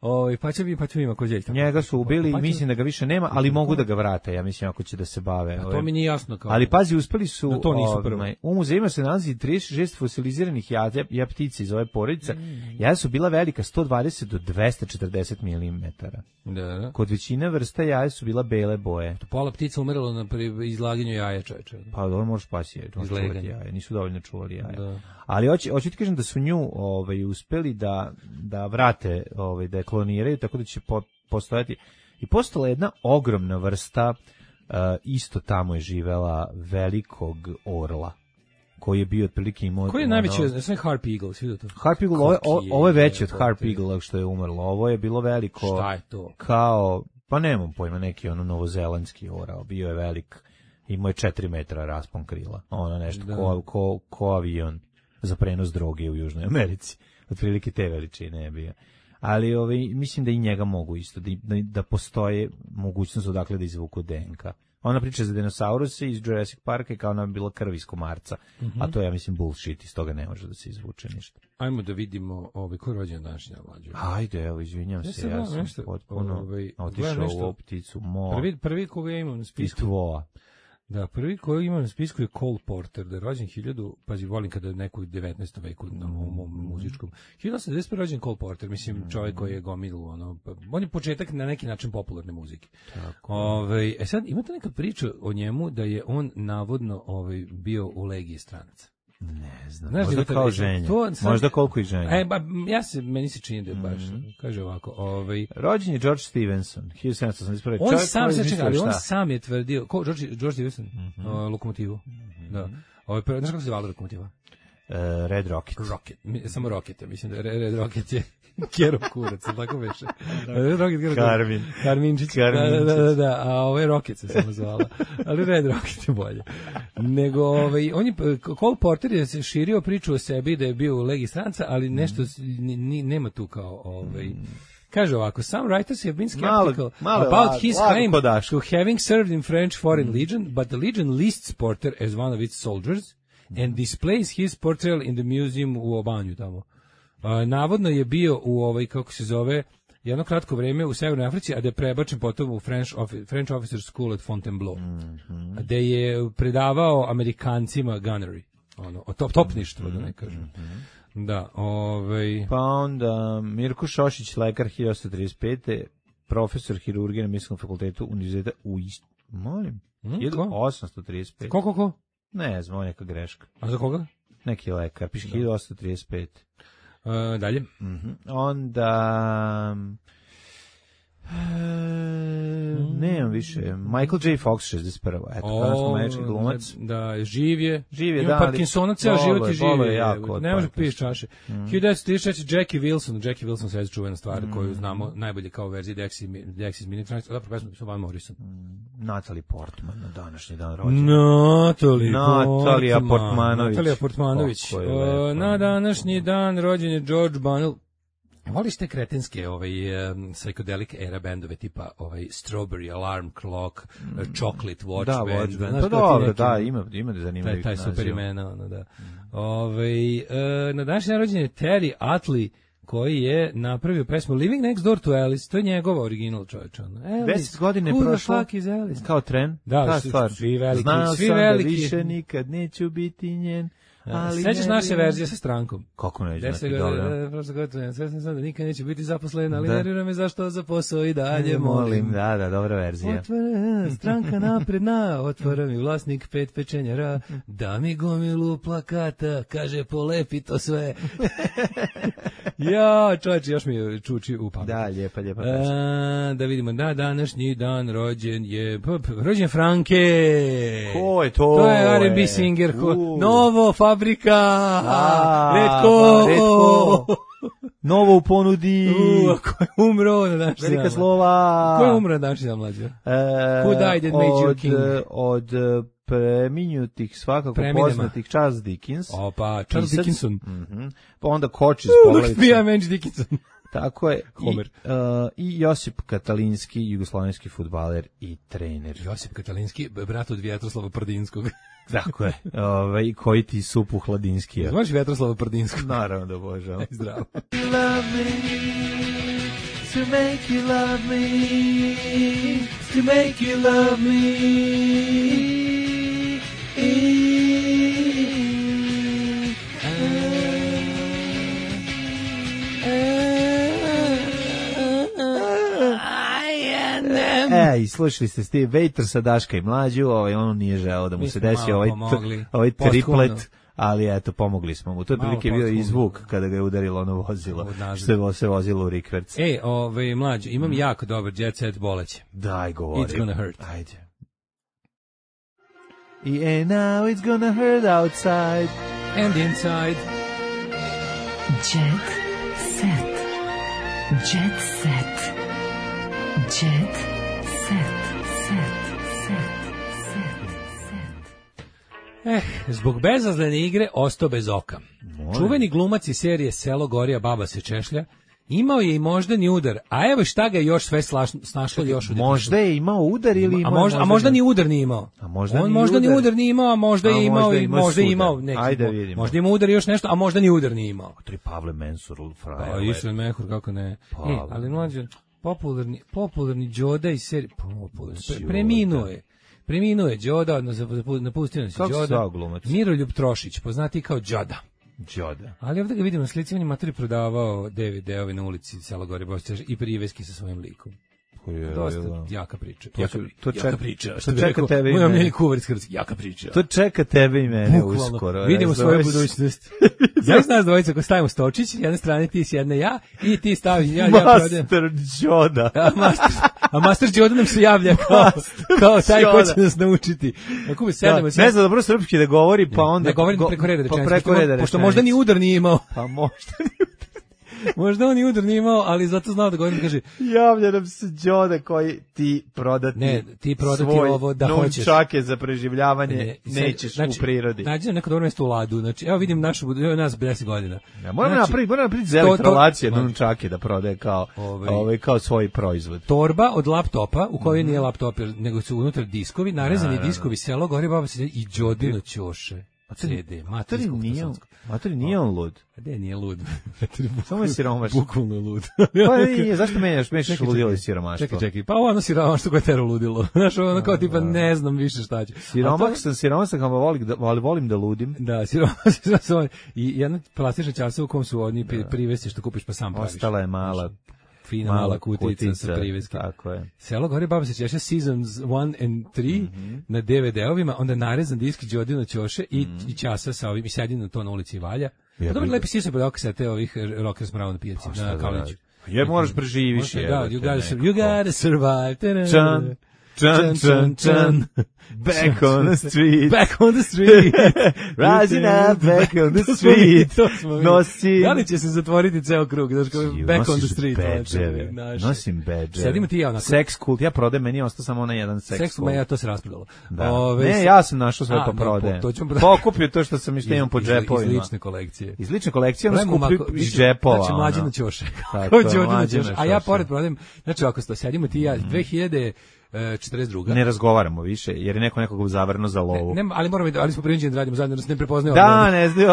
Oj, pa će bi, pa će ima ko đeljka. Njega su ubili i mislim da ga više nema, ali mogu da ga vrate, ja mislim ako će da se bave. To mi nije jasno kao. Ali pazi, uspeli su, u muzejima se nalazi trideset šest fosiliziranih jaja, ja ptica iz ove porodice. Jaja su bila velika sto dvadeset do dvesta četrdeset milimetara. Da. Kod većine vrsta jaja su bila bele boje. Pola ptica umiralo na izlaganju jaja, čoveče. Pa dobro, možeš pasi jaja, nisu dovoljno čuvali jaja. Da. Ali hoću hoću ti kažem da su nju ovaj uspeli da da vrate, ovaj da je kloniraju, tako da će po, postojati i postala jedna ogromna vrsta, uh, isto tamo je živela, velikog orla, koji je bio otprilike imao... Koji je najveći, ono, sve Harp Eagle, svi da to? Harp Eagle, ovo, ovo je veće od Harp Eagle što je umrlo, ovo je bilo veliko... Šta je to? Kao, pa nemam pojma, neki ono novozelandski orao, bio je velik, imao je četiri metra raspon krila, ono nešto, ko, ko, ko avion za prenos droge u Južnoj Americi, otprilike te veličine je bio. Ali ovaj, mislim da i njega mogu isto, da, da, da postoje mogućnost odakle da izvuku D N K. Ona priča za dinosauruse iz Jurassic Parka i kao ona bila krv iz komarca, mm-hmm. a to je, ja mislim, bullshit, iz toga ne može da se izvuče ništa. Ajmo da vidimo ovaj, ko je rođen današnja mlađa. Ajde, evo, izvinjam se, ja sam nešto, potpuno ovaj, otišao u ovu pticu. Mo, prvi, prvi koga ja imam na spisku. Istvoa. Da, prvi koji imam na spisku je Cole Porter, da je rođen hiljadu, pazi, volim kada je neku devetnaestom veku na mom, mom muzičkom. hiljadu osamsto devedeset prve rođen Cole Porter, mislim, čovjek koji je gomilu, ono, on je početak na neki način popularne muzike. Tako. Ove, e sad, imate neka priča o njemu da je on navodno ovaj, bio u legiji stranaca. Ne znam, znaš, možda kao ženja, sad, možda koliko i ženja. E, ba, ja se, meni se čini da je baš, mm-hmm. kaže ovako, ovaj... Rođen je George Stevenson, hiljadu sedamsto osamdeset prve. On sam se čeka, ali on sam je tvrdio, ko, George, George Stevenson, mm-hmm. uh, Lokomotivu, mm-hmm. da. Ovaj, znaš kako se zvala Lokomotiva? Uh, Red Rocket. Rocket, Mi, samo Rocket, mislim da Red Rocket je Kero kurac, tako veše. Red Rocket, Kero Karmin. Karminčić, Karminčić. Da, da, da, da, a ovaj Rocket se samo zvala. Ali Red Rocket je bolje. Nego, ovaj, on je, Cole Porter je se širio priču o sebi da je bio u legiji stranca, ali nešto, ni, ni, nema tu kao, ovaj... Kaže ovako, some writers have been skeptical malo, malo about lag, his claim to having served in French Foreign mm. Legion, but the Legion lists Porter as one of its soldiers mm. and displays his portrayal in the museum u Obanju tamo. Uh, navodno je bio u ovaj, kako se zove, jedno kratko vreme u Severnoj Africi, a da je prebačen potom u French, French Officer School at Fontainebleau, mm-hmm. a da je predavao Amerikancima gunnery, ono, top, topništvo, mm-hmm. da ne kažem. Mm-hmm. Da, ovaj... Pa onda Mirko Šošić, lekar hiljadu osamsto trideset pete, profesor hirurgije na Medicinskom fakultetu Univerziteta u Ist... Molim? Mm, hiljadu osamsto trideset pete. Ko, ko, ko? Ne znam, neka greška. A za koga? Neki lekar, piše hiljadu osamsto trideset pete. Uh, dalje. Mm-hmm. Onda... E, nemam više. Michael J. Fox šezdeset prva. Eto, kanadsko američki glumac. Da, živ je. Živ je, ima da. Parkinsona, ceo život je živ. Je jako. Ne može piješ čaše. Mm. hiljadu devetsto trideset četvrte. Jackie Wilson. Jackie Wilson se je čuvena stvar mm. koju znamo najbolje kao verziji Dexys Minitronics. Odapro pesmu su Van Morrison. Mm. Natalie Portman na današnji dan rođena. Natalie Natalia Portmanović. Natalia Portmanović. O, na današnji dan rođen je George Bunnell. Voliš te kretenske ovaj, um, psychedelic era bendove tipa ovaj, Strawberry Alarm Clock, mm. Chocolate Watch da, Band. Da, pa dobro, da, ima, ima da zanimljivih taj, taj super imena, ono, da. Mm. Ovaj, uh, na današnji rođen je Terry Utley, koji je napravio pesmu Living Next Door to Alice, to je njegova original čovječa. Deset godine je prošlo, kao tren, da, ta stvar. Svi veliki, Znao svi sam veliki. da više nikad neću biti njen. Ali sećaš naše verzije sa strankom? Kako ne znati, dobro. Prosto gotovo, sve sam sad da nikad neće biti zaposlen, ali nervira me zašto za posao i dalje molim. Da, da, dobra verzija. Otvara, stranka napredna, otvara mi vlasnik pet pečenjara, da mi gomilu plakata, kaže polepi to sve. Ja, čovječe, još mi je čuči u pamet. Da, lijepa, lijepa. A, da vidimo, da, današnji dan rođen je, rođen Franke. Ko je to? To je R and B singer, ko, Novo, Fabrika, A, Redko, Redko. Novo u ponudi. U, ko je umro na današnji dan? Velika slova. Ko je umro na današnji dan, mlađe? E, Who died and made you king? Od, od preminutih svakako Preminema. Poznatih Charles Dickens. Opa, Charles Dickinson. Mm-hmm. Pa onda Koč iz Uh, Poglavice. Look me, Dickinson. Tako je. Homer. I, uh, I Josip Katalinski, jugoslovenski fudbaler i trener. Josip Katalinski, brat od Vjetroslava Prdinskog. Tako je. Ovaj koji ti supu hladinski. Znaš Vjetroslava Prdinskog? Naravno da obožavam. Zdravo. Love me, to make you love me, to make you love me. E, i slušali ste Steve Waiter sa Daška i Mlađu, ovaj, on nije želeo da mu se desi ovaj, ovaj triplet, ali eto, pomogli smo mu. To je prilike bio i zvuk kada ga je udarilo ono vozilo, što se vozilo u rikverc. Ej, ovaj, Mlađu, imam jako dobar jet set boleće. Daj, govori. It's gonna hurt. Ajde. And now it's gonna hurt outside and inside. Jet set. Jet set. Jet set. Set. Set. Set. Set. Eh, zbog bezazlene igre ostao bez oka. Moje. Čuveni glumac iz serije Selo Gorija, baba se češlja, imao je i moždani udar, a evo šta ga je još sve snašlo još u možda je imao udar ili imao, a možda, a možda ni udar nije imao. A možda on možda ni udar. udar nije imao, a možda a je imao možda i možda je imao neki. Ajde vidimo. Možda ima udar i još nešto, a možda ni udar nije imao. Tri Pavle Mensur, frajer. Pa Isran Mehur, kako ne. E, ali mlađe, popularni popularni Đoda iz serije popularni pre, preminuo je. Preminuo je Đoda, odnosno napustio nas Đoda. Miroljub Trošić, poznati kao Đoda. Đoda. Ali ovdje ga vidimo na slici, on je materi prodavao D V D-ovi na ulici Selo Gore Bostić i priveski sa svojim likom. Je, dosta je, jaka priča. To, jaka, to čeka, jaka priča. To čeka tebe i mene. Moj omljeni kuvar iz Hrvatske, jaka priča. To čeka tebe i mene uskoro. Vidimo svoju budućnost. Ja sam nas dvojica ko stavimo Stočić, s jedne strane ti, s jedne ja, i ti staviš ja, ja prodajem. Master Đoda. A Master, a Master Đoda nam se javlja kao, kao taj ko će nas naučiti. Ako bi sedemo, da, ne zna dobro srpski da govori, pa onda... Ne govori preko reda rečenice. Pa preko reda Pošto možda ni udar nije imao. Pa možda ni udar. Možda on i udar nije imao, ali zato znao da govorim, kaže... Javlja nam se Đoda koji ti prodati ne, ti prodati ovo da hoćeš. Nunčake za preživljavanje ne, nećeš znači, u prirodi. Nađi na neko dobro mjesto u Ladu. Znači, evo vidim našu, evo nas deset godina. Ja, moram znači, napraviti, moram napraviti za elektrolacije nunčake da prodaje kao, ovaj, ovaj, kao svoj proizvod. Torba od laptopa, u kojoj mm. nije laptop, nego su unutra diskovi, narezani da, diskovi, Selo Gore, baba se i Đodino ćoše. C D, materi nije, materi nije on lud. A gde nije lud? Samo je siromaš. Bukvalno je lud. Pa nije, zašto menjaš, mešaš ludilo i siromaštvo? Čekaj, čekaj, pa ono siromaštvo koje tero ludilo. Znaš, ono kao tipa ne znam više šta će. Siromak sam, siromak sam, ali volim da ludim. Da, siromak sam. I jedna plastična časa u kom su oni privesti što kupiš pa sam praviš. Ostala je mala. Fina mala kutica sa priveskom. Tako je. Selo Gore baba se češe Seasons one and three mm-hmm. na D V D-ovima, onda narezan disk Đodino ćoše i, mm. i časa sa ovim, i sedi na to na ulici Valja. Ja, dobro, lepi si se pod okasete ovih rockers pravo na pijaci, pa, na Kalniću. Je, moraš preživiš. Da, you gotta, you gotta survive. Čan. Chun, chun, chun, back on the street, back on the street, rising up, back on the street, nosim... Da li će se zatvoriti ceo krug, znaš kao back on the street? Bedževe, nosim bedževe. Sedimo ti ja onako. Sex kult, ja prodajem, meni je ostao samo onaj jedan sex kult. Sex kult, ja to se raspredalo. Ne, ja sam našao sve pa prodajem. Pokupio to što sam što imam po džepovima. Iz lične kolekcije. Iz lične kolekcije, ono skupio iz džepova. Znači, mlađina ćoše. A ja pored prodajem, znači ako sedimo ti ja, dve hiljade četrdeset druga Ne razgovaramo više, jer je neko nekog zavrno za lovu. Ne, ne, ali moramo, ali smo prinuđeni da radimo zajedno, da se ne prepoznaju. Da, ne znaju,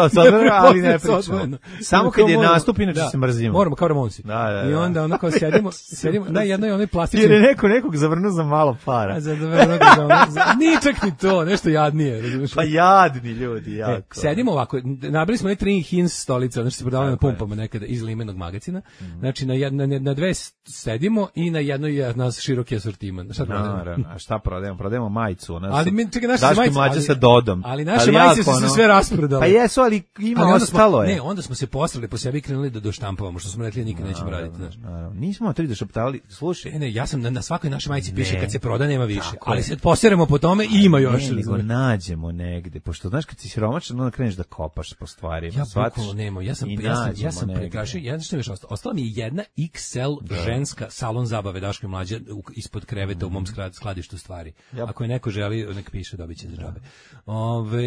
ali ne pričamo. Samo kad je nastup, inače se mrzimo. Moramo, kao Ramonsi. Da, da, da. I onda ono kao sedimo, sedimo na jednoj onoj plastičnoj... Jer je neko nekog zavrnuo za malo para. A za zavrnuo za ono... Nije čak ni to, nešto jadnije, razumiješ? Pa jadni ljudi, jako. E, sedimo ovako, nabili smo ne tri Hins stolice, ono što se prodavalo na pumpama nekada iz limenog magazina. Mm. Znači, na, jedna, na dve sedimo i na jednoj je nas široki asortiman. Šta prodajemo? A šta prodajemo? Prodajemo majicu. Ona ali mi, čekaj, naše Daške majice... mlađe sa Dodom. Ali naše majice su se sve rasprodale. Pa jesu, ali ima ali ostalo smo, je. Ne, onda smo se posrali po sebi i krenuli da doštampavamo, što smo rekli nikad no, nećemo raditi. Znaš. No, nismo tri došaptali, slušaj. Ne, ne, ja sam na, na svakoj našoj majici piše ne, kad se proda nema više, ali se poseremo po tome i ima još. Ne, nego nađemo negde, pošto znaš kad si siromašan, onda kreneš da kopaš po stvarima. Ja bukvalno nemam, ja sam, ja sam, ja sam prekrašio, ja što mi još ostalo, ostala mi je jedna iks el da. ženska salon zabave Daško i mlađe ispod kreveta mm. u mom skladištu stvari. Yep. Ako je neko želi, nek piše, dobit će za džabe. Ove,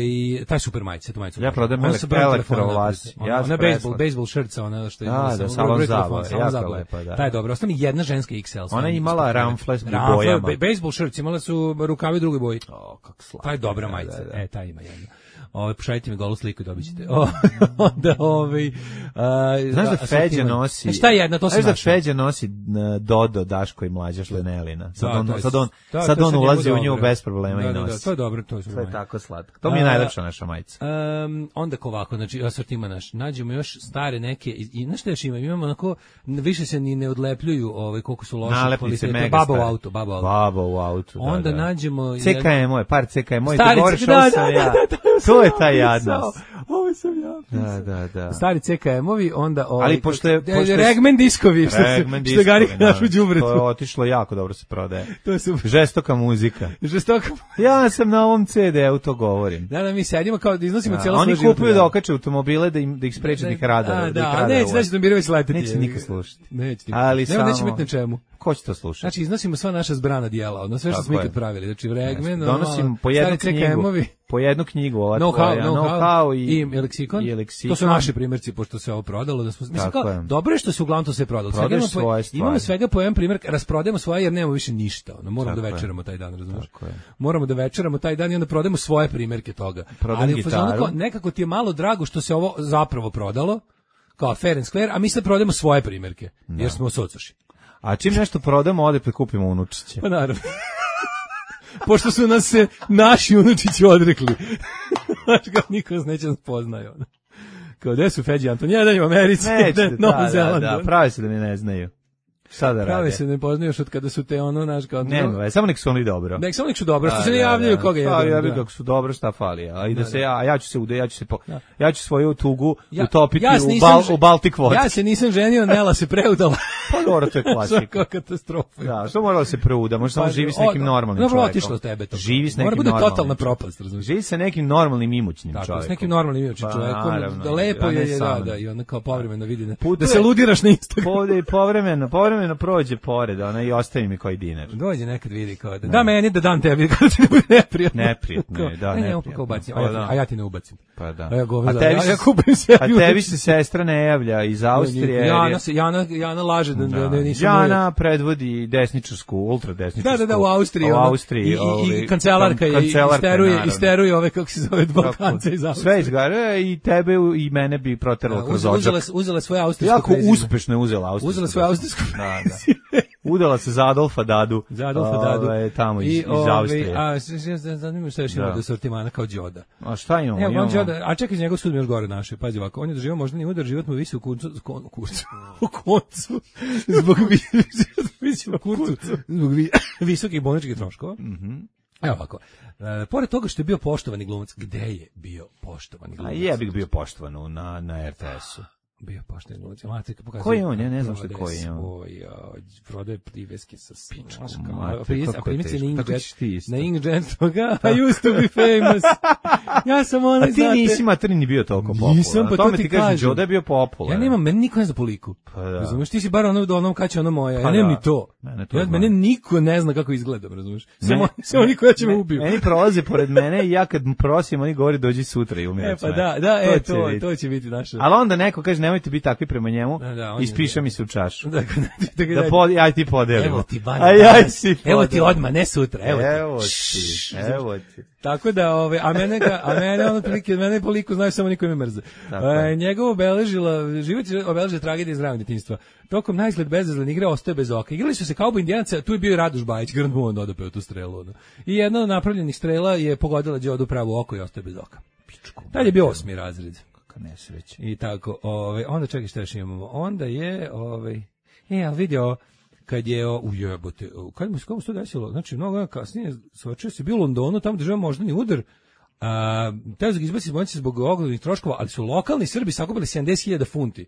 taj super majice, tu majicu. Ja prodajem elektrovlas. Ja ona baseball, baseball šrca, ona što je da, da, salon zabave, jako lepa, da. Taj je dobro, ostala mi jedna ženska iks el. Ona je imala ramfles u bojama. Baseball šrca, imala su rukavi druge boje. O, kako slatko. Taj je dobra majica, e, taj ima jedna. Ove, pošaljite mi golu sliku i dobit ćete. Onda, ove... Znaš da Feđa nosi... Šta je jedna, to se znaš da Feđa nosi Dodo, Daško i mlađa šlenelina. Sad on, sad on, sad on ulazi u nju bez problema i nosi. To je dobro, to je sve tako slatko. To mi je najlepša naša majica. Onda ovako, znači, asortima naš, nađemo još stare neke, i znaš šta još ima? Imamo onako, više se ni ne odlepljuju koliko su loše kvalitete. Baba u auto, baba u auto. Baba u auto, da, Onda nađemo... C K M je, par C K M je, ti govoriš ovo sam ja. To je taj jadnost. Ovo sam ja. Da, da, da. Stari C K M-ovi, onda... Ovaj, ali pošto je... Pošto Regmen diskovi, što, Regmen što gari našu đubretu. To je otišlo jako dobro se prodaje. To su... Žestoka muzika. Žestoka Ja sam na ovom ce de u to govorim. Da, da, mi sedimo kao da iznosimo cijelo svoje život. Oni kupuju da okače automobile da, im, da ih spreče da ih rada. Da, da, neće, neće da Mirović leteti. Neće nikad slušati. Neće nikad. Ali samo... Neće biti na čemu. Ko će to slušati? Znači, iznosimo sva naša zbrana dijela, ono sve što smo ikad pravili. Znači, Regmen, donosim po jednu knjigu, po jednu knjigu, ova tvoja, know-how i, i leksikon. i leksikon. To su naši primjerci, pošto se ovo prodalo. Da smo, mislim, kao, dobro je što se uglavnom to sve prodalo. Prodaješ svoje stvari. Imamo svega po jedan primjer, rasprodajemo svoje jer nemamo više ništa. Ono, moramo da večeramo taj dan, razumiješ? Moramo da večeramo taj dan i onda prodajemo svoje primjerke toga. Prodajemo gitaru. Nekako ti je malo drago što se ovo zapravo prodalo, kao fair and square, a mi sad prodajemo svoje primjerke, jer smo socoši. A čim nešto prodamo, ode prikupimo unučiće. Pa naravno. Pošto su nas se naši unučići odrekli. Znaš kao niko nas neće nas poznaju. Kao gde su Feđi Anton? Jedan je u Americi, jedan Novom Zelandu. Da, da, pravi se da mi ne znaju. Šta da rade? Pravi se ne poznaju još od kada su te ono, naš kao... Ne, no, samo nek su oni dobro. Nek su oni su dobro, što se ne javljaju koga je. Pa ja bih kako su dobro, šta fali. A i da se ja, ja ću se ude, ja ću se po, ja ću svoju tugu utopiti u Bal, u Baltic Vodu. Ja se nisam ženio, Nela se preudala. Pa dobro, to je klasika. Svaka katastrofa. Da, što moralo se preuda, može samo živi s nekim normalnim čovjekom. Dobro, otišlo tebe to. Živi s nekim normalnim. Mora bude totalna propast, razumiješ. Živi sa nekim normalnim imućnim čovjekom. Tako, s nekim normalnim imućnim čovjekom. Da lepo je da i onda kao povremeno vidi da se ludiraš na Instagramu. Povremeno, povremeno prođe pored, ona i ostavi mi koji dinar. Dođe nekad vidi kao da, da meni da dam tebi, kada ti ne bude neprijatno. Neprijatno je, da, neprijatno. A ja, a ja ti ne ubacim. Pa da. A ja govim, a tebi ja, ja kupim se. A tebi se sestra ne javlja iz Austrije. Jana, se, Jana, Jana laže da, da, da nisam... Jana predvodi desničarsku, ultradesničarsku. Da, da, da, u Austriji. U Austriji. I, i, i kancelarka je, isteruje, isteruje ove, kako se zove, Balkance iz Austrije. Sve izgara i tebe i mene bi proteralo kroz ođak. Uzela svoje austrijsko jako uspešno je uzela austrijsko. Uzela svoje austrijsko da, da. Udala se za Adolfa Dadu. Za Adolfa Dadu. Ove, tamo iz, I, iz Austrije. A zanimljivo što još ima do sortimana kao Đoda. A šta imamo? Evo, imamo... Đoda, a čekaj, njegov sud mi još gore naše. Pazi ovako, on je doživio možda ni udar, život mu visi u kurcu, u kurcu, u koncu, zbog visi u kurcu, zbog visokih bolničkih troškova. Mhm. Evo ovako, e, pored toga što je bio poštovani glumac, gde je bio poštovani glumac? A je bih bio poštovan na, na er te esu. Bio pošteni glumac. Matica pokazuje. Ko je on? Ja ne znam što je ko je on. Oj, prodaje priveske sa pičkom. A primice na Ingrid. Na Ingrid toga. I used to be famous. Ja sam onaj, znate. A ti nisi materni bio toliko popularan. Nisam, pa to ti kažem. Đoda je bio popularan. Ja nemam, meni niko ne zna po liku. Razumeš, ti si bar ono do onom kad će ono moja. Ja nemam ni to. Ja, mene niko ne zna kako izgledam, razumeš. Samo samo niko ja će me ubiju. Meni prolaze pored mene i ja kad prosim, oni govore dođi sutra i umire. E pa da, da, e to, to će biti naše. Ali onda neko kaže nemojte biti takvi prema njemu, da, da, ispiša mi se u čašu. Da, da, da pod, aj ti podelimo. Evo ti, Banja, aj, aj ti evo ti odmah, ne sutra, evo ti. Evo ti, evo ti. Tako da, ove, a mene ga, a mene ono prilike, mene po liku znaju samo niko me mrze. E, njegov obeležila, život je obeležila tragedija iz ranog djetinjstva. Tokom najizgled bezazlen igre ostaje bez oka. Igrali su se kao Indijanaca, tu je bio Radoš Bajić, Grand Moon odopeo tu strelu. Ono. I jedna od napravljenih strela je pogodila Đodu pravo oko i ostaje bez oka. Pičku. Tad je bio osmi razred. Kakav nesreća. I tako, ove, onda čekaj šta još imamo. Onda je, ove, e, ali vidio, kad je, ujebote, kad mu se kako se to desilo, znači, mnogo kasnije, svačio se bio u Londonu, tamo država moždani udar, a, teo ga izbaci iz bolnice zbog oglednih troškova, ali su lokalni Srbi sakupili sedamdeset hiljada funti.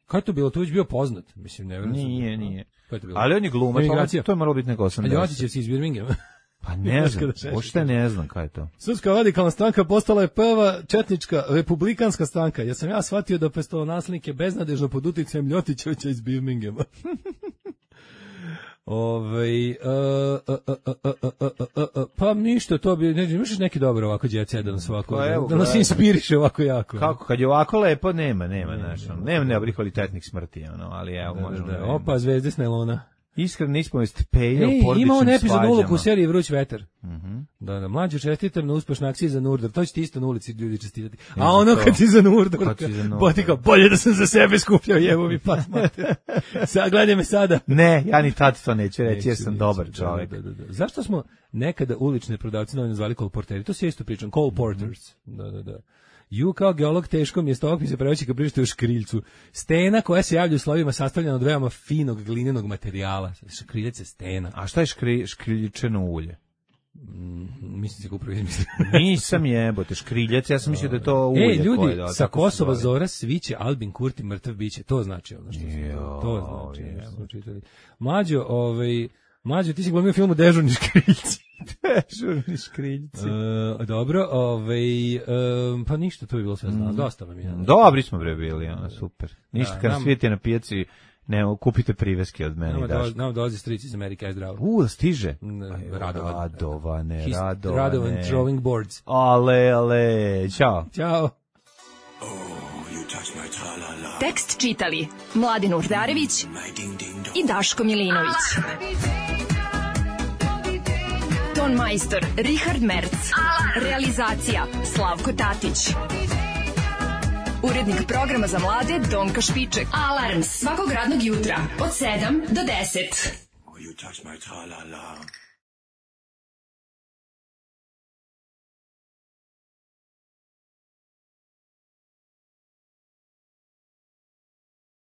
Kako je to bilo? To već bio poznat. Mislim, ne vjerujem. Nije, nije. Je to bilo? Ali on je glumac, to, to je moralo biti neko osamdeset. Ljotićevci iz Birminghama. Pa ne znam, uopšte ne znam kaj je to. Srpska radikalna stranka postala je prva četnička republikanska stranka. Ja sam ja shvatio da prestolonaslednik je beznadežno pod uticajem Ljotićevića iz Birminghama. Ovaj uh, uh, uh, uh, uh, uh, uh, uh, pa ništa, to bi ne misliš neki dobro ovako đece da nas ovako pa, evo, da nas inspiriše ovako jako. Kako kad je ovako lepo nema, nema znači, nema ne kvalitetnih smrti ono, ali evo da, možemo. Da, da, opa, zvezde s nelona. Iskrena ispovest Peja u porodičnim ima on epizodnu ulogu u seriji Vruć vetar. Mhm. Da, da, mlađu čestitam na uspešna akcija za Nurdar. To će ti isto na ulici ljudi čestitati. A ono kad ti za Nurdar, botika, bolje da sam za sebe skupljao jevo mi pas mater. Sad gledaj me sada. Ne, ja ni tad to neću reći, jer sam dobar čovjek. Da, da, da. Zašto smo nekada ulične prodavci novi nazvali kolporteri? To se isto pričam, call porters. Da, da, da. Ju kao geolog teško mi je stovak mi se preveći kad prište u škriljcu. Stena koja se javlja u slovima sastavljena od veoma finog glinenog materijala. Škriljac je stena. A šta je škri, škriljičeno ulje? Mm, mislim se ga upravo izmislio. Nisam jebote, škriljac, ja sam mislio da je to ulje. E, ljudi, koje, da, sa Kosova Zora sviće, Albin Kurti mrtav biće. To znači ono što se jo, to znači. Je, Mlađo, ovaj, Mlađo, ti si glumio filmu Dežurni škriljci. Dežurni škriljci. Uh, dobro, ovaj, um, pa ništa, to je bilo sve znao. Mm. Dosta vam je. Dobri smo bre bili, ono, super. Ništa, da, kad nam svijete na pijaci, ne, kupite priveske od mene. Nama, do, nama dolazi stric iz Amerike, aj zdravo. U, stiže. Ne, Radovan. Radovane, His, Radovane. Radovan throwing boards. Ale, ale, čao. Ćao. Oh, you touch my tra-la-la. Tekst čitali Mladin Urdarević i Daško Milinović. Ton majstor Richard Merc. Realizacija Slavko Tatić. Urednik programa za mlade Donka Špiček. Alarms svakog radnog jutra od sedam do deset. Oh, you touch my tra-la-la.